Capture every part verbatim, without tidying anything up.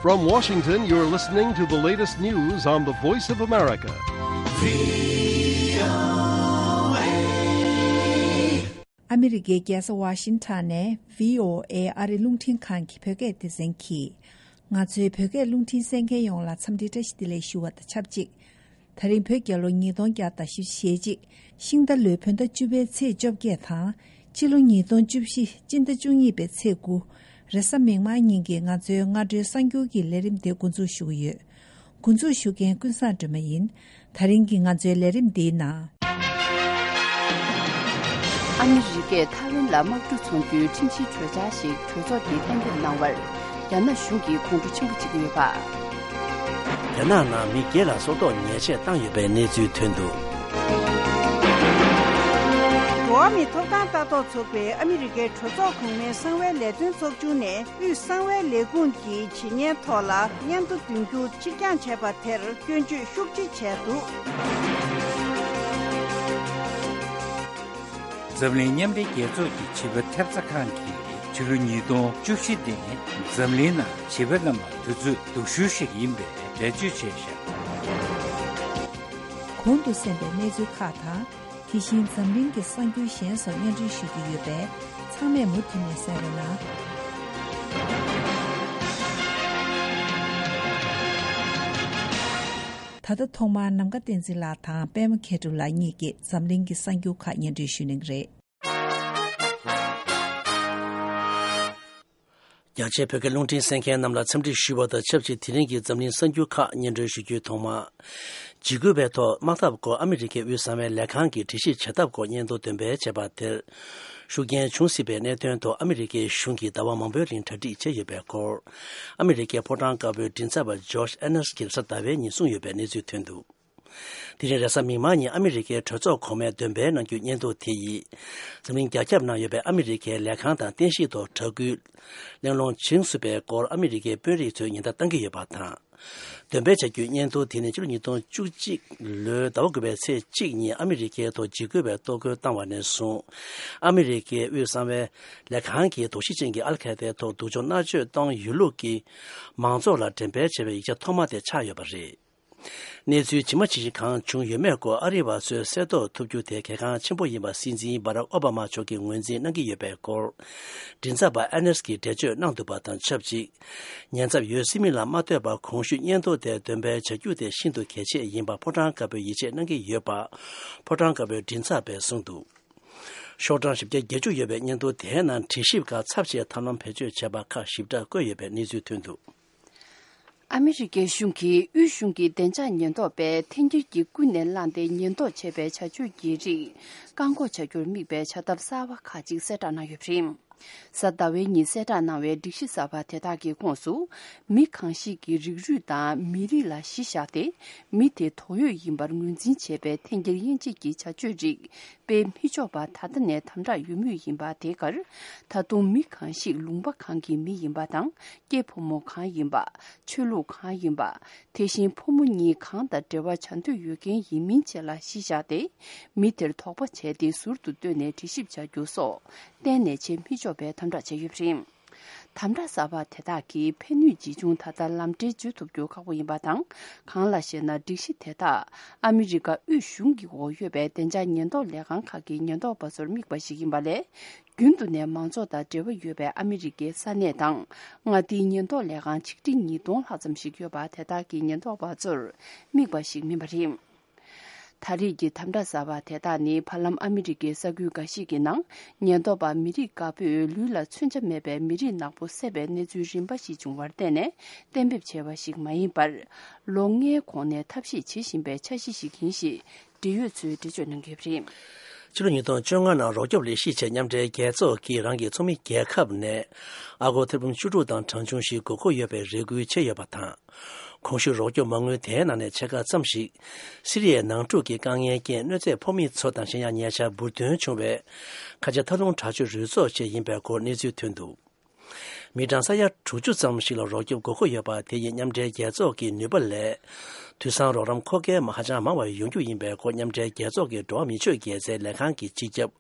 From Washington, you're listening to the latest news on the Voice of America. ཨ་མི་རི་ཀའི་རྒྱལ་ས་ཝ་ཤིང་ཊོན་ནས་བྷི་ཨོ་ཨེ་ཨ་རི་རླུང་འཕྲིན་ཁང་གི་བོད་སྐད་སྡེ་ཚན་གྱིས། ང་ཚོའི་བོད་སྐད་རླུང་འཕྲིན་གསན་མཁན་ཡོངས་ལ་འཚམས་འདྲི་བཀྲ་ཤིས་བདེ་ལེགས་ཞུ་བ་དང་ཆབས་ཅིག་ད་རིང་བོད་རྒྱལ་ལོ་ཉིས་སྟོང་བརྒྱ་དང་བཞི་བཅུ་ཞེ་གཅིག་ཤིང་རྟ་ལོའི་བོད་ཟླ་བཅུ་པའི་ཚེས་བཅོ་བརྒྱད་དང་། ཕྱི་ལོ་ཉིས་སྟོང་བཅུ་བཞི་སྤྱི་ཟླ་བཅུ་གཉིས་པའི་ཚེས་དགུ་རེས་གཟའ་མིག་དམར་ཉིན་གྱི་ང་ཚོའི་སྔ་དྲོའི་གསར་འགྱུར་གྱི་ལས་རིམ་དེ་འགོ་འཛུགས་ཞུ་གི་ཡོད། འགོ་འཛུགས་ཞུ་མཁན་ཀུན་བཟང་སྒྲོལ་མ་ཡིན། ད་རིང་གི་ང་ཚོའི་ལས་རིམ་འདིའི་ནང་། ཨ་མི་རི་ཀས་ཐའེ་ཝན་ལ་དམག་གྲུ་འཚོང་རྒྱུའི་ཁྲིམས་གཞིའི་གྲོས་འཆར་ཞིག་གྲོས་ཚོགས་ཀྱིས་གཏན་འབེབས་གནང་བར། རྒྱ་ནག་གཞུང་གིས་དགོངས་འཁྲོལ་ཆེན་པོ་བྱེད་ཀྱི་ཡོད་པ། རྒྱ་ནག་ནང་མི་བརྒྱད་ལ་སྲོག་ཐོག་ཉེས་ཆད་བཏང་ཡོད་པའི་གནས་ཚུལ་ཐོན་འདུག་འགྲོ་བ་མིའི་ཐོབ་ཐང་ལྟ་རྟོག་ཚོགས་པས་ཨ་མི་རི་ཀའི་གྲོས་ཚོགས་གོང་མའི་གསང་བའི་ལས་དོན་ཚོགས་ཆུང་ནས། དབུས་གསང་བའི་ལས་ཁུངས་ཀྱི་བྱེད་ཉེས་ཐོག་ལ་སྙན་ཐོ་འདོན་རྒྱུ་ཕྱིར་འགྱངས་བྱས་པ་དེར་སྐྱོན་བརྗོད་ཤུགས་ཆེ་བྱས་འདུག་འཛམ་གླིང་མཉམ་འབྲེལ་རྒྱལ་ཚོགས་ཀྱི་བྱིས་པ་ཐེབས་རྩ་ཁང་གིས་ཕྱི་ལོ་ཉིས་སྟོང་བཅུ་བཞི་ནི་འཛམ་གླིང་ནང་བྱིས་པ་རྣམས་ལ་དུས་ཚོད་སྡུག་ཤོས་ཤིག་ཡིན་པའི་འགྲེལ་བརྗོད་བྱས་ཤག་གོང་དུ་གསན་པའི་གནས་ཚུལ་ཁག་དང་། དེ་བཞིན་འཛམ་གླིང་གི་གསར་འགྱུར་གཞན་སོགས་སྙན་སྒྲོན་ཞུ་རྒྱུ་ཡོད་པས། ཚང་མས་མུ་མཐུད་ནས་གསན་རོགས་གནང་། ད་ལྟ་ཐོག་མར་ནམ་མཁའ་བསྟན་འཛིན་ལགས་དང་པད་མ་མཁས་གྲུབ་ལགས་གཉིས་ཀྱིས་འཛམ་གླིང་གི་གསར་འགྱུར་ཁག་སྙན་སྒྲོན་ཞུ་གནང་གི་རེད། རྒྱ་ཆེའི་བོད་སྐད་རླུང་འཕྲིན་གསན་མཁན་རྣམས་ལ་འཚམས་འདྲི་ཞུ་བ་དང་ཆབས་ཅིག་དེ་རིང་གི་འཛམ་གླིང་གསར་འགྱུར་ཁག་སྙན་སྒྲོན་ཞུ་རྒྱུའི་ཐོག་མ། འཇིགས་སྐུལ་བའི་ཐོག་དམག་འཐབ་སྐོར་ཨ་མི་རི་ཀའི་དབུས་གསང་བའི་ལས་ཁང་གིས་འགྲེལ་བཤད་བྱ་ཐབས་སྐོར་སྙན་ཐོ་འདོན་སྤེལ་བྱས་པ་དེར། ཤུགས་རྐྱེན་བྱུང་སྲིད་པའི་གནད་དོན་ཐོག་ཨ་མི་རི་ཀའི་གཞུང་གིས་ཟླ་བ་མང་པོའི་རིང་གྲ་སྒྲིག་བྱས་ཡོད་པའི་སྐོར། ཨ་མི་རི་ཀའི་ཕོ་བྲང་དཀར་པོའི་མགྲིན་ཚབ་པ་ཇོརྗ་ཨེ་ནེས་ཀྱིས་གཟའ་ཟླ་བའི་ཉིན་གསུངས་ཡོད་པའི་གནས་ཚུལ་ཐོན་འདུག་དེ་རིང་རེས་གཟའ་མིག་དམར་ཉིན་ཨ་མི་རི་ཀའི་གྲོས་ཚོགས་གོང་མས་འདོན་སྤེལ་གནང་རྒྱུའི་སྙན་ཐོ་དེ་ཡིས། འཛམ་གླིང་རྒྱ་ཁྱབ་ནང་ཡོད་པའི་ཨ་མི་རི་ཀའི་ལས་ཁང་དང་རྟེན་གཞིའི་ཐོག་དྲ་སྐུལ་གླེང་སློང་བྱུང་སྲིད་པའི་སྐོར་ཨ་མི་རི་ཀའི་དཔོན་རིགས་ཚོས་ཉེན་བརྡ་བཏང་གི་ཡོད་པ་དང་། འདོན་སྤེལ་བྱ་རྒྱུའི་སྙན་ཐོ་དེ་ནི་ཕྱི་ལོ་ཉིས་སྟོང་བཅུ་གཅིག་ལོའི་ཟླ་བ་དགུ་པའི་ཚེས་གཅིག་ཉིན་ཨ་མི་རི་ཀའི་ཐོག་འཇིགས་སྐུལ་བའི་གཏོར་རྒོལ་བཏང་བ་ནས་བཟུང་། ཨ་མི་རི་ཀའི་དབུས་གསང་བའི་ལས་ཁང་གིས་དོགས་གཞི་ཅན་གྱི་ཨལ་ཁ་ཡེ་ཏའི་ཐོག་སྡུག་སྦྱོང་མནར་གཅོད་གཏོང་ཡོད་ལུགས་ཀྱིས་མང་ཚོགས་ལ་འགྲེམས་སྤེལ་བྱས་པའི་ཡིག་ཆ་ཐོག་མ་དེ་ཆགས་ཡོད་པ་རེད། གནས་ཚུལ་ཇི་མ་ཇི་བཞིན་གང་བྱུང་ཡོད་མེད་སྐོར་ཨ་རི་བ་ཚོས་གསལ་རྟོགས་ཐུབ་རྒྱུ་དེ་གལ་འགངས་ཆེན་པོ་ཡིན་པ་སྲིད་འཛིན་བྷ་རག་ཨོ་བྷ་མ་མཆོག་གིས་ངོས་འཛིན་གནང་གི་ཡོད་པའི་སྐོར། མགྲིན་ཚབ་པ་ཨེ་ནེས་ཀྱིས་འགྲེལ་བརྗོད་གནང་འདུག་པ་དང་ཆབས་ཅིག་ཉེན་ཚབས་ཡོད་སྲིད་མིན་ལ་མ་ལྟོས་པར་གོང་ཞུས་སྙན་ཐོ་དེ་འདོན་སྤེལ་བྱ་རྒྱུ་དེ་ཤིན་ཏུ་གལ་ཆེ་ཡིན་པ་ཕོ་བྲང་དཀར་པོས་ཡིད་ཆེས་གནང་གི་ཡོད་པ། ཕོ་བྲང་དཀར་པོའི་མགྲིན་ཚབ་པས་གསུངས་འདུག་ཤོག་གྲངས་བཞི་བརྒྱ་བརྒྱད་ཅུ་ཡོད་པའི་སྙན་ཐོ་དེའི་ནང་དྲི་ཞིབ་ཁག་ཚབས་ཆེའི་ཐབས་ལམ་བེད་སྤྱོད་བྱས་པ་ཁག་ཞིབ་ཕྲ་བཀོད་ཡོད་པའི་གནས་ཚུལ་ཐོན་འདུག་ཨ་མི་རི་ཀའི་གཞུང་གིས་དབུས་གཞུང་གི་བདེ་འཇགས་ཉེན་རྟོག་པས་འཐེན་འཁྱེར་གྱིས་ཀུན་ནས་བསླངས་ཏེ་ཉེན་རྟོག་བྱས་པའི་བྱ་སྤྱོད་ཀྱི་རིགས་བཀག་འགོག་བྱ་རྒྱུར་དམིགས་པའི་བྱ་ཐབས་གསར་བ་ཁག་ཅིག་གསལ་བསྒྲགས་གནང་ཡོད་པ་རེད། གཟའ་ཟླ་བའི་ཉིན་གསལ་བསྒྲགས་གནང་བའི་སྒྲིག་གཞི་གསར་པ་དེ་དག་གི་ཁོངས་སུ། མི་གང་ཞིག་གི་རིགས་རུས་དང་མི་རིགས་ལ་གཞི་བཞག་སྟེ། མི་དེ་དོགས་ཡོད་ཡིན་པར་ངོས་འཛིན་བྱས་པའི་འཐེན་འཁྱེར་དབྱེ་འབྱེད་ཀྱི་བྱ་སྤྱོད་རིགས། སྤེལ་མི་ཆོག་པ་ད་ལྟ་ནས་དམ་དྲག་ཡོད་མུས་ཡིན་པ་དེ་གར། ད་དུང་མི་གང་ཞིག་ལུང་པ་གང་གི་མི་ཡིན་པ་དང་། སྐྱེས་ཕོ་མོ་གང་ཡིན་པ། ཆོས་ལུགས་གང་ཡིན་པ། དེ་བཞིན་ཕོ་མོ་གཉིས་གང་དང་འབྲེལ་བ་བྱ་འདོད་ཡོད་མཁན་ཡིན་མིན་བཅས་ལ་གཞི་བཞག་སྟེ། མི་དེར་དོགས་པ་བྱས་ཏེ་ཟུར་དུ་བཏོན་ནས་དྲི་ཞིབ་བྱ་རྒྱུ་སོགས། གཏན་ནས་བྱེད་མི་ཆོག་པའི་དམ་དྲག་བྱས་ཡོད་པ་རེད། དམ་དྲག་གསར་པ་དེ་དག་གིས་ཕན་ནུས་ཇི་བྱུང་ད་ལྟ་ལམ་འགྲེལ་བྱེད་ཐུབ་རྒྱུ་ཁག་པོ་ཡིན་པ་དང་། གང་ལགས་ཤེ་ན། སྒྲིག་གཞི་དེ་དག་ཨ་མི་རི་ཀ་དབུས་གཞུང་གི་འོག་ཡོད་པའི་བདེ་འཇགས་ཉེན་རྟོག་ལས་ཁང་ཁག་གི་ཉེན་རྟོག་པ་ཚོར་དམིགས་པ་ཞིག་ཡིན་པ་ལས། རྒྱུན་དུ་ནས་མང་ཚོགས་དང་འབྲེལ་བ་ཡོད་པའི་ཨ་མི་རི་ཀའི་ས་གནས་དང་། མངའ་སྡེའི་ཉེན་རྟོག་ལས་ཁང་ཆིག་ཁྲི་ཉིས་སྟོང་ལྷག་ཙམ་ཞིག་ཡོད་པ་དེ་དག་གི་ཉེན་རྟོག་པ་ཚོར་དམིགས་པ་ཞིག་མིན་པ་རེད། ད་རེས་ཀྱི་དམ་དྲག་གསར་པ་དེ་དག་ནི་བར་ལམ་ཨ་མི་རི་ཀའི་ས་ཁུལ་འགའ་ཞིག་གི་ནང་ཉེན་རྟོག་པ་མི་རིགས་དཀར་པོས་ལུས་ལ་མཚོན་ཆ་མེད་པའི་མི་རིགས་ནག་པོ་བསད་པའི་གནས་ཚུལ་རིམ་པ་ཞིག་བྱུང་བར་བརྟེན་ནས་གཏན་འབེབས་བྱས་པ་ཞིག་མ་ཡིན་པར། ལོ་ལྔའི་གོང་ནས་ཐབས་ཤེས་བྱེད་བཞིན་པའི་འཆར་གཞི་ཞིག་ཡིན་ཞེས་འབྲེལ་ཡོད་ཚོས་འགྲེལ་བརྗོད་གནང་གི་ཡོད་པ་རེད། ཕྱི་ལོ་ཉིས་སྟོང་བཅོ་ལྔ་ནང་རོགས་སྐྱོབ་ལས་གཞི་ཆེད་མཉམ་འབྲེལ་རྒྱལ་ཚོགས་ཀྱིས་རང་གི་ཚོགས་མི་རྒྱལ་ཁབ་ནས་ཨ་སྒོར་ཐེར་འབུམ་བཅུ་དྲུག་དང་གྲངས་ཆུང་ཞིག་དགོས་མཁོ་ཡོད་པའི་རེ་སྐུལ་བྱས་ཡོད་པ་དང་། གོང་ཞུས་རོགས་སྐྱོབ་མ་དངུལ་དེའི་ནང་ནས་ཕྱེད་ཀ་ཙམ་ཞིག་སི་རི་ཡའི་ནང་འཁྲུག་གི་དཀའ་ངལ་རྐྱེན་གནོད་འཚེ་ཕོག་མི་ཚོ་དང་གཞན་ཡང་ཉེ་ཆར་འབུར་ཐོན་བྱུང་བའི་ཁ་ཆེ་མཐའ་ལྷུང་དྲག་སྤྱོད་རུས་ཚོགས་བཅས་ཡིན་པའི་སྐོར་གནས་ཚུལ་ཐོན་འདུག་མི་གྲངས་ས་ཡ་དྲུག་ཅུ་ཙམ་ཞིག་ལ་རོགས་སྐྱོབ་དགོས་མཁོ་ཡོད་པ་དེ་ཡིས་མཉམ་འབྲེལ་རྒྱལ་ཚོགས་ཀྱི་ནུས་པ་ལས། དུས་སང་རོགས་རམ་མཁོ་གལ་ཧ་ཅང་མང་བ་ཡོང་རྒྱུ་ཡིན་པའི་སྐོར་མཉམ་འབྲེལ་རྒྱལ་ཚོགས་ཀྱི་འགྲོ་བ་མིའི་ཆོས་དགེ་རྩའི་ལས་ཁང་གི་སྤྱི་ཁྱབ་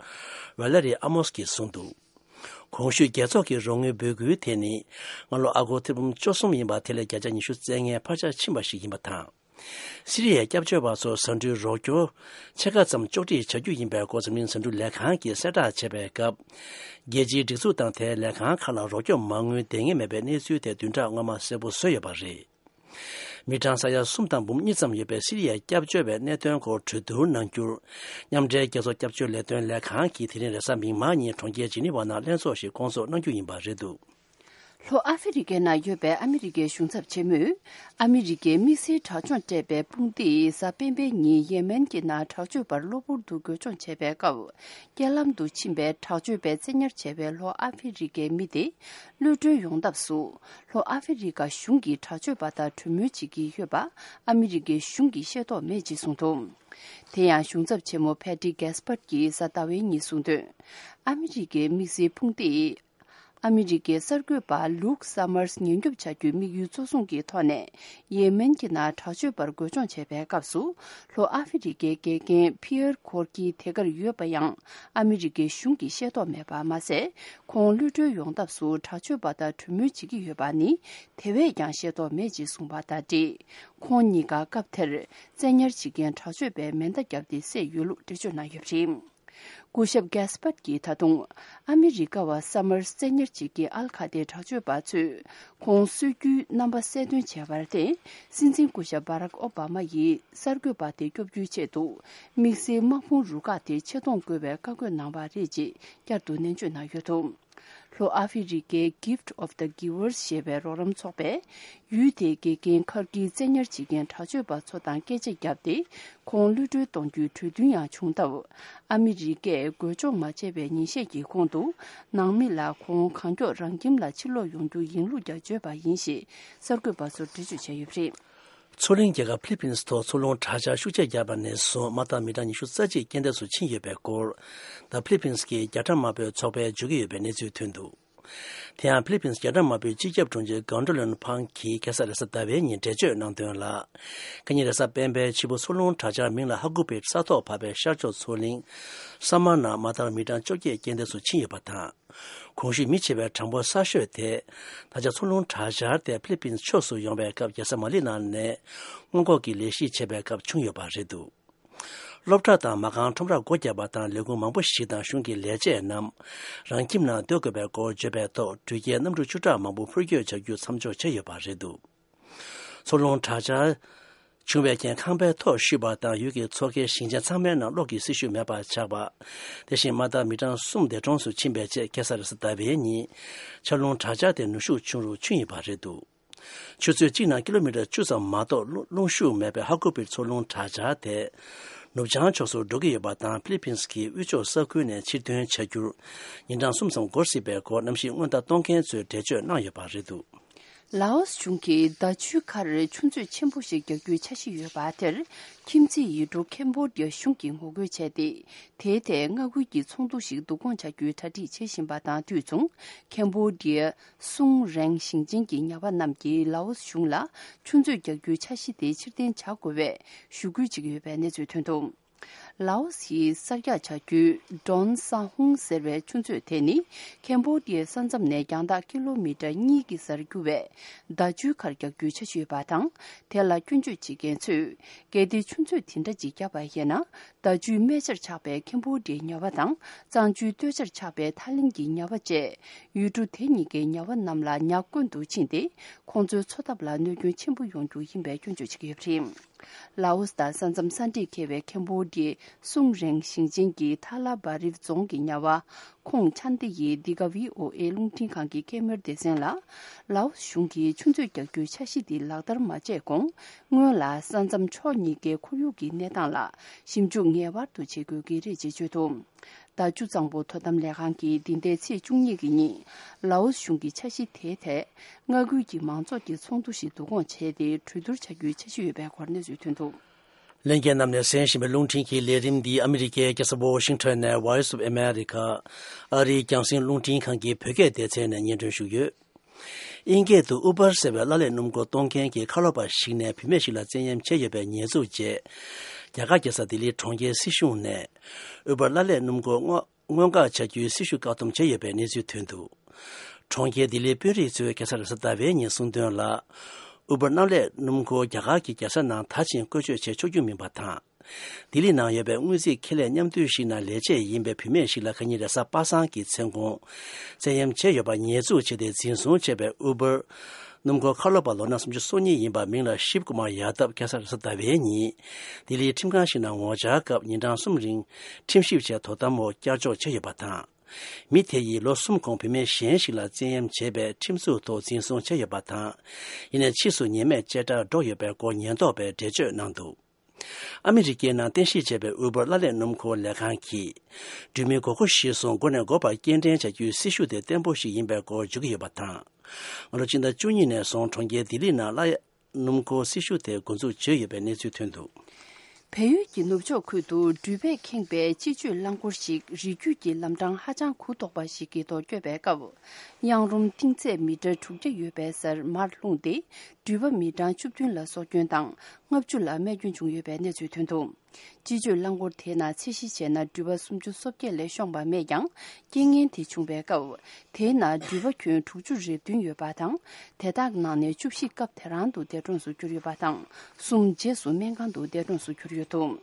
ཝེ་ལེ་རི་ཨ་མོས་ཀྱིས་གསུངས་འདུག་གོང་ཞུས་རྒྱལ་ཚོགས་ཀྱི་རོགས་དངུལ་འབོད་སྐུལ་དེ་ནི་སྔ་ལོ་ཨ་སྒོར་ཐེར་འབུམ་བཅུ་གསུམ་ཡིན་པ་དེ་ལས་བརྒྱ་ཆ་ཉི་ཤུ་རྩ་ལྔའི་འཕར་ཆ་ཕྱིན་པ་ཞིག་ཡིན་པ་དང་། སི་རི་ཡའི་སྐྱབས་བཅོལ་བ་ཚོར་ཟ་འབྲུའི་རོགས་སྐྱོར་ཕྱེད་ཀ་ཙམ་གཅོག་འཕྲི་བྱ་རྒྱུ་ཡིན་པའི་སྐོར་འཛམ་གླིང་ཟ་འབྲུ་ལས་ཁང་གིས་གསལ་བསྒྲགས་བྱས་པའི་སྐབས། རྒྱལ་སྤྱིའི་སྒྲིག་འཛུགས་དང་དེའི་ལས་ཁང་ཁག་ལ་རོགས་སྐྱོབ་མ་དངུལ་འདང་ངེས་མེད་པའི་གནས་ཚུལ་དེ་བདུན་ཕྲག་སྔོན་མ་གསལ་པོ་བཟོས་ཡོད་པ་རེད། མི་གྲངས་ས་ཡ་གསུམ་དང་འབུམ་གཉིས་ཙམ་ཡོད་པའི་སི་རི་ཡའི་སྐྱབས་བཅོལ་བའི་གནད་དོན་སྐོར་གྲོས་བསྡུར་གནང་རྒྱུར། མཉམ་འབྲེལ་རྒྱལ་ཚོགས་སྐྱབས་བཅོལ་ལས་དོན་ལས་ཁང་གིས་དེ་རིང་རེས་གཟའ་མིག་དམར་ཉིན་གྲོང་ཁྱེར་ཇི་ནི་ཝ་ནང་ལྷན་ཚོགས་ཤིག་བསྐོང་ཚོགས་གནང་རྒྱུ་ཡིན་པ་རེད་འདུག། ལྷོ་ཨ་ཧྥེ་རི་ཀའི་ནང་ཡོད་པའི་ཨ་མི་རི་ཀའི་གཞུང་ཚབ་ཆེན་མོས། ཨ་མི་རི་ཀའི་དམིགས་བསལ་དྲག་སྦྱོང་སྤྲད་པའི་དཔུང་སྡེས་གཟའ་སྤེན་པའི་ཉིན་ཡེ་མེན་གྱི་ནང་དྲག་སྤྱོད་པར་གློ་བུར་དུ་རྒོལ་སྦྱོང་བྱས་པའི་སྐབས། རྐྱེན་ལམ་དུ་ཕྱིན་པའི་དྲག་སྤྱོད་པས་བཙན་ཉར་བྱས་པའི་ལྷོ་ཨ་ཧྥེ་རི་ཀའི་མི་དེ། གློད་གྲོལ་ཡོང་ཐབས་སུ། ལྷོ་ཨ་ཧྥེ་རི་ཀ་གཞུང་གིས་དྲག་སྤྱོད་པ་དང་གྲོས་མོལ་བྱེད་ཀྱི་ཡོད་པ། ཨ་མི་རི་ཀའི་གཞུང་གིས་ཤེས་རྟོགས་མེད་ཅེས་གསུངས་འདུག། དེ་ཡང་གཞུང་ཚབ་ཆེན་མོ་ཕེ་ཏི་གེ་སི་པར་གྱིས་གཟའ་ཟླ་བའི་ཉིན་གསུངས་དོན། ཨ་མི་རི་ཀའི་དམིགས་བསལ་དཔུང་སྡེས། ཨ་མི་རི་ཀའི་གསར་འགོད་པ་ལུག་སམ་མར་སི་ཉེན་སྐྱོབ་བྱ་རྒྱུའི་དམིགས་ཡུལ་གཙོ་བཟུང་གི་ཐོག་ནས། ཡེ་མེན་གྱི་ནང་དྲག་སྤྱོད་པར་རྒོལ་སྦྱོང་བྱས་པའི་སྐབས་སུ། ལྷོ་ཨ་ཧྥེ་རི་ཀའི་དགེ་རྒན་ཕི་ཡར་ཁོར་ཀི་དེ་གར་ཡོད་པ་ཡང་། ཨ་མི་རི་ཀའི་གཞུང་གིས་ཤེས་རྟོགས་མེད་པ་མ་ཟད། ཁོང་གློད་གྲོལ་ཡོང་ཐབས་སུ་དྲག་སྤྱོད་པ་དང་གྲོས་མོལ་བྱེད་ཀྱི་ཡོད་པ་ནི། དེ་བས་ཀྱང་ཤེས་རྟོགས་མེད་ཅེས་གསུངས་པ་དང་འབྲེལ། ཁོང་གཉིས་ཀ་སྐབས་དེར། བཙན་ཉར་བྱེད་མཁན་དྲག་སྤྱོད་པས་མེ་མདའ་བརྒྱབ་སྟེ་བསད་ཡོད་ལུགས་འགྲེལ་བརྗོད་གནང་ཡོད་པ་རེད། སྐུ་ཞབས་གེ་སི་པར་གྱིས་ད་དུང་། ཨ་མི་རི་ཀ་བ་སམ་མར་སི་བཙན་ཉར་བྱེད་མཁན་ཨལ་ཁ་ཏའི་དྲག་སྤྱོད་པ་ཚོས་ཁོང་གསོད་རྒྱུའི་རྣམ་པ་གསལ་སྟོན་བྱས་པར་བརྟེན། སྲིད་འཛིན་སྐུ་ཞབས་བྷ་རག་ཨོ་བྷ་མ་ཡིས་གསར་འགོད་པ་དེ་སྐྱོབ་རྒྱུའི་ཆེད་དུ། དམིགས་བསལ་དམག་དཔུང་རུ་ཁག་དེ་ཆེད་གཏོང་དགོས་པའི་བཀའ་བཀོད་གནང་བ་རེད་ཅེས་བསྐྱར་དུ་ནན་བརྗོད་གནང་ཡོད་འདུག། ལྷོ་ཨ་ཧྥེ་རི་ཀའི་Gift of the Givers ཞེས་པའི་རོགས་རམ་ཚོགས་པས། ཡུལ་དེའི་དགེ་རྒན་ཁར་གྱིས་བཙན་ཉར་བྱེད་མཁན་དྲག་སྤྱོད་པ་ཚོ་དང་སྐད་ཆ་བརྒྱབ་སྟེ། ཁོང་གློད་གྲོལ་གཏོང་རྒྱུའི་གྲོས་མཐུན་ཡང་བྱུང་སྟབས། ཨ་མི་རི་ཀས་རྒོལ་སྐྱོང་མ་བྱས་པའི་ཉིན་ཤས་ཀྱི་གོང་དུ། ནང་མི་ལ་ཁོང་གང་མགྱོགས་རང་ཁྱིམ་ལ་ཕྱིར་ལོག་ཡོང་རྒྱུ་ཡིན་ལུགས་ཀྱང་བརྗོད་པ་ཡིན་ཞེས་གསར་འགོད་པ་ཚོར་འགྲེལ་བརྗོད་བྱས་ཡོད་པ་རེད། མཚོ་གླིང་རྒྱལ་ཁབ་ཕི་ལི་པིན་སི་ཐོག་མཚོ་རླུང་དྲག་ཆར་ཤུགས་ཆེ་བརྒྱབ་པ་ནས་བཟུང་། དམག་འཐབ་མི་གྲངས་ཉི་ཤུ་རྩ་གཅིག་རྐྱེན་འདས་སུ་ཕྱིན་ཡོད་པའི་སྐོར། ད་ཕི་ལི་པིན་སི་གི་རྒྱ་གྲམ་དམར་པོའི་ཚོགས་པས་བརྗོད་ཀྱི་ཡོད་པའི་གནས་ཚུལ་ཐོན་འདུག། དེ་ཡང་ཕི་ལི་པིན་སི་རྒྱ་གྲམ་དམར་པོའི་སྤྱི་ཁྱབ་དྲུང་ཆེ་གང་ཀྲོ་ལོན་ཕང་གིས་ཁ་སང་རེས་གཟའ་ཟླ་བའི་ཉིན་འགྲེལ་བརྗོད་གནང་དོན་ལ། ཁ་ཉིན་རེས་གཟའ་སྤེན་པའི་ཕྱི་པོ་མཚོ་རླུང་དྲག་ཆར་མིང་ལ་ཧ་གུ་པེ་ས་ཐོག་བབས་པའི་ཤར་ཕྱོགས་མཚོ་གླིང་ས་མ་ན་མ་ཐར་མི་གྲངས་བཅོ་བརྒྱད་རྐྱེན་འདས་སུ་ཕྱིན་ཡོད་པ་དང་། གོང་ཞུས་མི་བྱེད་པའི་གྲངས་འབོར་གསར་ཤོས་དེ། ད་ཆ་མཚོ་རླུང་དྲག་ཆར་དེ་ཕི་ལི་པིན་ཕྱོགས་སུ་ཡོང་བའི་སྐབས། རྒྱལ་ས་མ་ལི་ནང་ནས་སྔོན་འགོག་གི་ལས་གཞི་བྱེད་པའི་སྐབས་བྱུང་ཡོད་པ་རེད་འདུག། སློབ་གྲྭ་དང་མ་རྐང་ཁྲོམ་ར་སྒོ་བརྒྱབ་པ་དང་། ལས་ཁུངས་མང་པོ་ཞིག་དང་གཞུང་གི་ལས་བྱེད་རྣམས་རང་ཁྱིམ་ནང་སྡོད་དགོས་པའི་སྐོར་བརྗོད་པའི་ཐོག་འགྲུལ་སྐྱེལ་གནམ་གྲུ་བཅུ་ཕྲག་མང་པོ་འཕུར་སྐྱོད་བྱ་རྒྱུ་མཚམས་འཇོག་བྱས་ཡོད་པ་རེད་འདུག། མཚོ་རླུང་དྲག་ཆར་བྱུང་བའི་རྐྱེན་ཁང་པའི་ཐོག་བཤུས་པ་དང་། ཡུལ་གྱི་མཚོ་ཁའི་ཞིང་ཆེན་ཚང་མའི་ནང་གློག་གི་སྲི་ཞུ་མེད་པར་ཆགས་པ། དེ་བཞིན་དམག་འཐབ་མི་གྲངས་གསུམ་འདས་གྲོངས་སུ་ཕྱིན་པའི་རྗེས། ཁ་སང་རེས་གཟའ་ཟླ་བའི་ཉིན་ཆར་རླུང་དྲག་ཆར་དེ་ནུས་ཤུགས་ཆུང་རུ་ཕྱིན་ཡོད་པ་རེད་འདུག། ཆུ་ཚོད་གཅིག་ནང་ཀི་ལོ་མི་ཊར་བཅུ་ཙམ་མ་གཏོགས་རླུང་ཤུགས་མེད་པའི་ཧ་གུ་པིར་མཚོ་རླུང་དྲག་ཆར་དེ། ནུབ་བྱང་ཕྱོགས་སུ་འགྲོ་གི་ཡོད་པ་དང་། ཕི་ལི་པིན་སི་གི་དབུས་ཕྱོགས་ས་ཁུལ་ནས་ཕྱིར་ཐོན་བྱ་རྒྱུར་ཉིན་གྲངས་གསུམ་ཙམ་འགོར་སྲིད་པའི་སྐོར་གནམ་གཤིས་སྔོན་བརྡ་གཏོང་མཁན་ཚོས་འགྲེལ་བརྗོད་གནང་ཡོད་པ་རེད་འདུག། ལའོ་སི་གཞུང་གིས་ཟླ་མཆོད་ཁར་ཆུ་མཛོད་ཆེན་པོ་ཞིག་རྒྱག་རྒྱུའི་འཆར་གཞི་ཡོད་པ་དེར། ཁྱིམ་མཚེས་ཡུལ་གྲུ་ཁེམ་བྷོ་ཌི་ཡ་གཞུང་གིས་ངོ་རྒོལ་བྱས་ཏེ། དེའི་ཐད་མངའ་ཁུལ་གྱི་ཚོགས་འདུ་ཞིག་བསྡུ་སྐོང་བྱ་རྒྱུའི་གྲ་སྒྲིག་བྱེད་བཞིན་པ་དང་དུས་མཚུངས། ཁེམ་བྷོ་ཌི་ཡ་སུང་རེང་ཞིང་ཆེན་གྱི་ཉ་པ་རྣམས་ཀྱིས་ལའོ་སི་གཞུང་ལ་ཆུ་མཛོད་རྒྱག་རྒྱུའི་འཆར་གཞི་དེ་ཕྱིར་འཐེན་བྱ་དགོས་པའི་ཞུ་སྐུལ་བྱེད་ཀྱི་ཡོད་པའི་གནས་ཚུལ་ཐོན་འདུག། ལའོ་སིའི་གསར་རྒྱག་བྱ་རྒྱུའི་ཌོན་ས་ཧུང་ཟེར་བའི་ཆུ་མཛོད་དེ་ནི། ཁེམ་བྷོ་ཌི་ཡའི་ས་མཚམས་ནས་རྒྱང་ཐག་ཀི་ལོ་མི་ཊར་གཉིས་ཀྱི་སར་རྒྱུ་བའི་ཟླ་ཆུའི་ཁར་རྒྱག་རྒྱུའི་འཆར་གཞི་ཡོད་པ་དང་། དེ་ལ་སྐྱོན་བརྗོད་བྱེད་མཁན་ཚོས། གལ་ཏེ་ཆུ་མཛོད་དེ་འདྲ་ཅིག་བརྒྱབ་པ་ཡིན་ན། ཟླ་ཆུའི་སྨད་ཆར་ཆགས་པའི་ཁེམ་བྷོ་ཌི་ཡའི་ཉ་པ་དང་། གཙང་ཆུའི་སྟོད་ཆར་ཆགས་པའི་ཐའི་ལེན་གྱི་ཉ་པ་བཅས། ཡུལ་གྲུ་དེ་གཉིས་ཀའི་ཉ་པ་རྣམས་ལ་ཉ་རྐུན་དུ་ཕྱིན་ཏེ། ཁོང་ཚོའི་འཚོ་ཐབས་ལ་གནོད་སྐྱོན་ཆེན་པོ་ཡོང་རྒྱུ་ཡིན་པའི་སྐྱོན་བརྗོད་བྱེད་ཀྱི་ཡོད་པ་རེད། ལའོ་སི་དང་ས་མཚམས་ས་འདྲེས་འཁེལ་བའི་ཁེམ་བྷོ་ཌི་ཡའི་སུང་རེང་ཞིང་ཆེན་གྱི་ཐ་ལ་བ་རིབ་རྫོང་གི་ཉ་པ་ཁོང་ཆན་ཏི་ཡིས་འདི་ག་ཝི་ཨོ་ཨེ་རླུང་འཕྲིན་ཁང་གི་སྐད་མོལ་སྡེ་ཚན་ལ། ལའོ་སི་གཞུང་གིས་ཆུ་མཛོད་རྒྱག་རྒྱུའི་འཆར་གཞི་འདི་ལག་བསྟར་མ་བྱས་གོང་། སྔོན་ལ་ས་མཚམས་ཕྱོགས་གཉིས་ཀའི་ཁོར་ཡུག་གི་གནས་སྟངས་ལ་ཞིབ་འཇུག་ངེས་པར་དུ་བྱེད་དགོས་ཀྱི་རེད་ཅེས་བརྗོད་འདུག། ཟླ་བཅུ་གཙང་པོ་དོ་དམ་ལས་ཁང་གིས་འདི་ཟླའི་ཚེས་བཅུ་གཉིས་ཀྱི་ཉིན། ལའོ་སི་གཞུང་གི་འཆར་གཞི་དེའི་ཐད། མངའ་ཁུལ་གྱི་མང་ཚོགས་ཀྱི་ཚོགས་འདུ་ཞིག་བསྡུ་སྐོང་བྱས་ཏེ། གྲོས་བསྡུར་བྱ་རྒྱུའི་འཆར་གཞི་ཡོད་པའི་སྐོར་གནས་ཚུལ་ཐོན་འདུག། ལྷན་རྒྱས་རྣམས་ནས་གསན་བཞིན་པའི་རླུང་འཕྲིན་གྱི་ལས་རིམ་འདི་ཨ་མི་རི་ཀའི་རྒྱལ་ས་ཝོ་ཤིང་ཊོན་ནས་Voice of America ཨ་རིའི་རྒྱང་སྲིང་རླུང་འཕྲིན་ཁང་གི་བོད་སྐད་སྡེ་ཚན་ནས་སྙན་སྒྲོན་ཞུས་ཡོད། དབྱིན་སྐད་དུ་Uber་ཟེར་བའི་གླ་ལེན་སྣུམ་འཁོར་གཏོང་མཁན་གྱི་ཁ་ལོ་པ་ཞིག་ནས་བུད་མེད་ཞིག་ལ་བཙན་གཡེམ་བྱས་ཡོད་པའི་ཉེས་འཛུགས་རྗེས། རྒྱ་གར་རྒྱལ་ས་ལྡི་ལི་གྲོང་ཁྱེར་སྲིད་གཞུང་ནས་Uber་གླ་ལེན་སྣུམ་འཁོར་སྔོག་སྔོན་འགོག་བྱ་རྒྱུའི་སྲི་ཞུ་བཀག་སྡོམ་བྱས་ཡོད་པའི་གནས་ཚུལ་ཐོན་འདུག་གྲོང་ཁྱེར་ལྡི་ལིའི་དཔོན་རིགས་ཚོས་ཁ་སང་རེས་གཟའ་ཟླ་བའི་ཉིན་གསུངས་དོན་ལ། ཨུ་བར་གནམ་ལས་སྣུམ་འཁོར་རྒྱ་གར་གྱི་རྒྱལ་ས་ནང་ད་ཕྱིན་བཀོལ་སྤྱོད་བྱེད་ཆོག་རྒྱུ་མིན་པ་དང་། ལྡི་ལི་ནང་ཡོད་པའི་དངུལ་རྩིས་ཁེ་ལས་མཉམ་འདུས་ཤིག་ནང་ལས་བྱེད་ཡིན་པའི་བུད་མེད་ཞིག་ལ་ཁ་ཉིན་རེས་གཟའ་པ་སངས་ཀྱི་མཚན་གུང་། བཙན་གཡེམ་བྱས་ཡོད་པ་ཉེས་འཛུགས་བྱས་ཏེ་འཛིན་བཟུང་བྱས་པའི་ཨུ་བར་སྣུམ་འཁོར་ཁ་ལོ་པ་ལོ་ན་སུམ་ཅུ་སོ་གཉིས་ཡིན་པ་མིང་ལ་ཤིབ་ཀུ་མར་ཡ་དབ་ཁ་སང་རེས་གཟའ་ཟླ་བའི་ཉིན། ལྡི་ལིའི་ཁྲིམས་ཁང་ཞིག་ནང་ངོ་བཅར་སྐབས་ཉིན་གྲངས་གསུམ་རིང་ཁྲིམས་ཞིབ་བྱས་དོ་དམ་འོག་བསྐྱར་འཇོག་བྱས་ཡོད་པ་དང་། མི་དེ་ཡིས་ལོ་གསུམ་གོང་བུད་མེད་གཞན་ཞིག་ལ་བཙན་གཡེམ་བྱས་པའི་ཁྲིམས་རྩོད་ཐོག་འཛིན་བཟུང་བྱས་ཡོད་པ་དང་། ཡིན་ནའི་ཕྱིས་སུ་ཉེས་མེད་བཅད་ཁྲ་སྒྲོག་ཡོད་པའི་སྐོར་ཉེན་རྟོག་པས་འགྲེལ་བརྗོད་གནང་འདུག་ཨ་མི་རི་ཀའི་ནང་རྟེན་གཞི་བྱས་པའི་ཨུ་བར་གླ་ལས་སྣུམ་འཁོར་ལས་ཁང་གིས། འགྲུལ་མི་དགོས་མཁོ་གཞིར་བཟུང་མགོ་ནས་མགོ་བར་སྐྱེལ་འདྲེན་བྱ་རྒྱུའི་སྲི་ཞུ་དེ་བརྟན་པོ་ཞིག་ཡིན་པའི་སྐོར་བརྗོད་ཀྱི་ཡོད་པ་དང་། སྔ་ལོ་སྤྱི་ཟླ་བཅུ་གཉིས་ནས་བཟུང་གྲོང་ཁྱེར་ལྡི་ལི་ནང་གླ་སྣུམ་འཁོར་སྲི་ཞུ་དེ་འགོ་འཛུགས་བྱས་ཡོད་པའི་གནས་ཚུལ་ཐོན་འདུག་བལ་ཡུལ་གྱི་ནུབ་ཕྱོགས་ཁུལ་དུ་འགྲུལ་པས་ཁེངས་པའི་སྤྱི་སྤྱོད་རླངས་འཁོར་ཞིག་རི་རྒྱུད་ཀྱི་ལམ་འཕྲང་ཧ་ཅང་གུ་དོག་པ་ཞིག་གི་ཐོག་བསྐྱོད་པའི་སྐབས། གཡང་རུམ་གཏིང་ཚད་མི་ཊར་དྲུག་བརྒྱ་ཡོད་པའི་སར་མར་ལྷུང་སྟེ། འགྲུལ་པ་མི་གྲངས་བཅུ་བདུན་ལ་སྲོག་སྐྱོན་དང་ལྔ་བཅུ་ལ་རྨས་སྐྱོན་བྱུང་ཡོད་པའི་གནས་ཚུལ་ཐོན་འདུག་སྤྱི་སྤྱོད་རླངས་འཁོར་དེའི་ནང་ཚད་གཞི་བྱས་ན་འགྲུལ་པ་སུམ་ཅུ་སོ་བརྒྱད་ལས་ཤོང་པ་མེད་ཀྱང་། རྐྱེན་ངན་དེ་བྱུང་བའི་སྐབས། དེའི་ནང་འགྲུལ་པ་ཁྱོན་དྲུག་ཅུ་རེ་བདུན་ཡོད་པ་དང་། དེ་དག་ནང་ནས་བཅུ་བཞི་སྐབས་དེ་རང་དུ་འདས་གྲོངས་སུ་གྱུར་ཡོད་པ་དང་། གསུམ་རྗེས་སུ་སྨན་ཁང་དུ་འདས་གྲོངས་སུ་གྱུར་ཡོད་འདུག་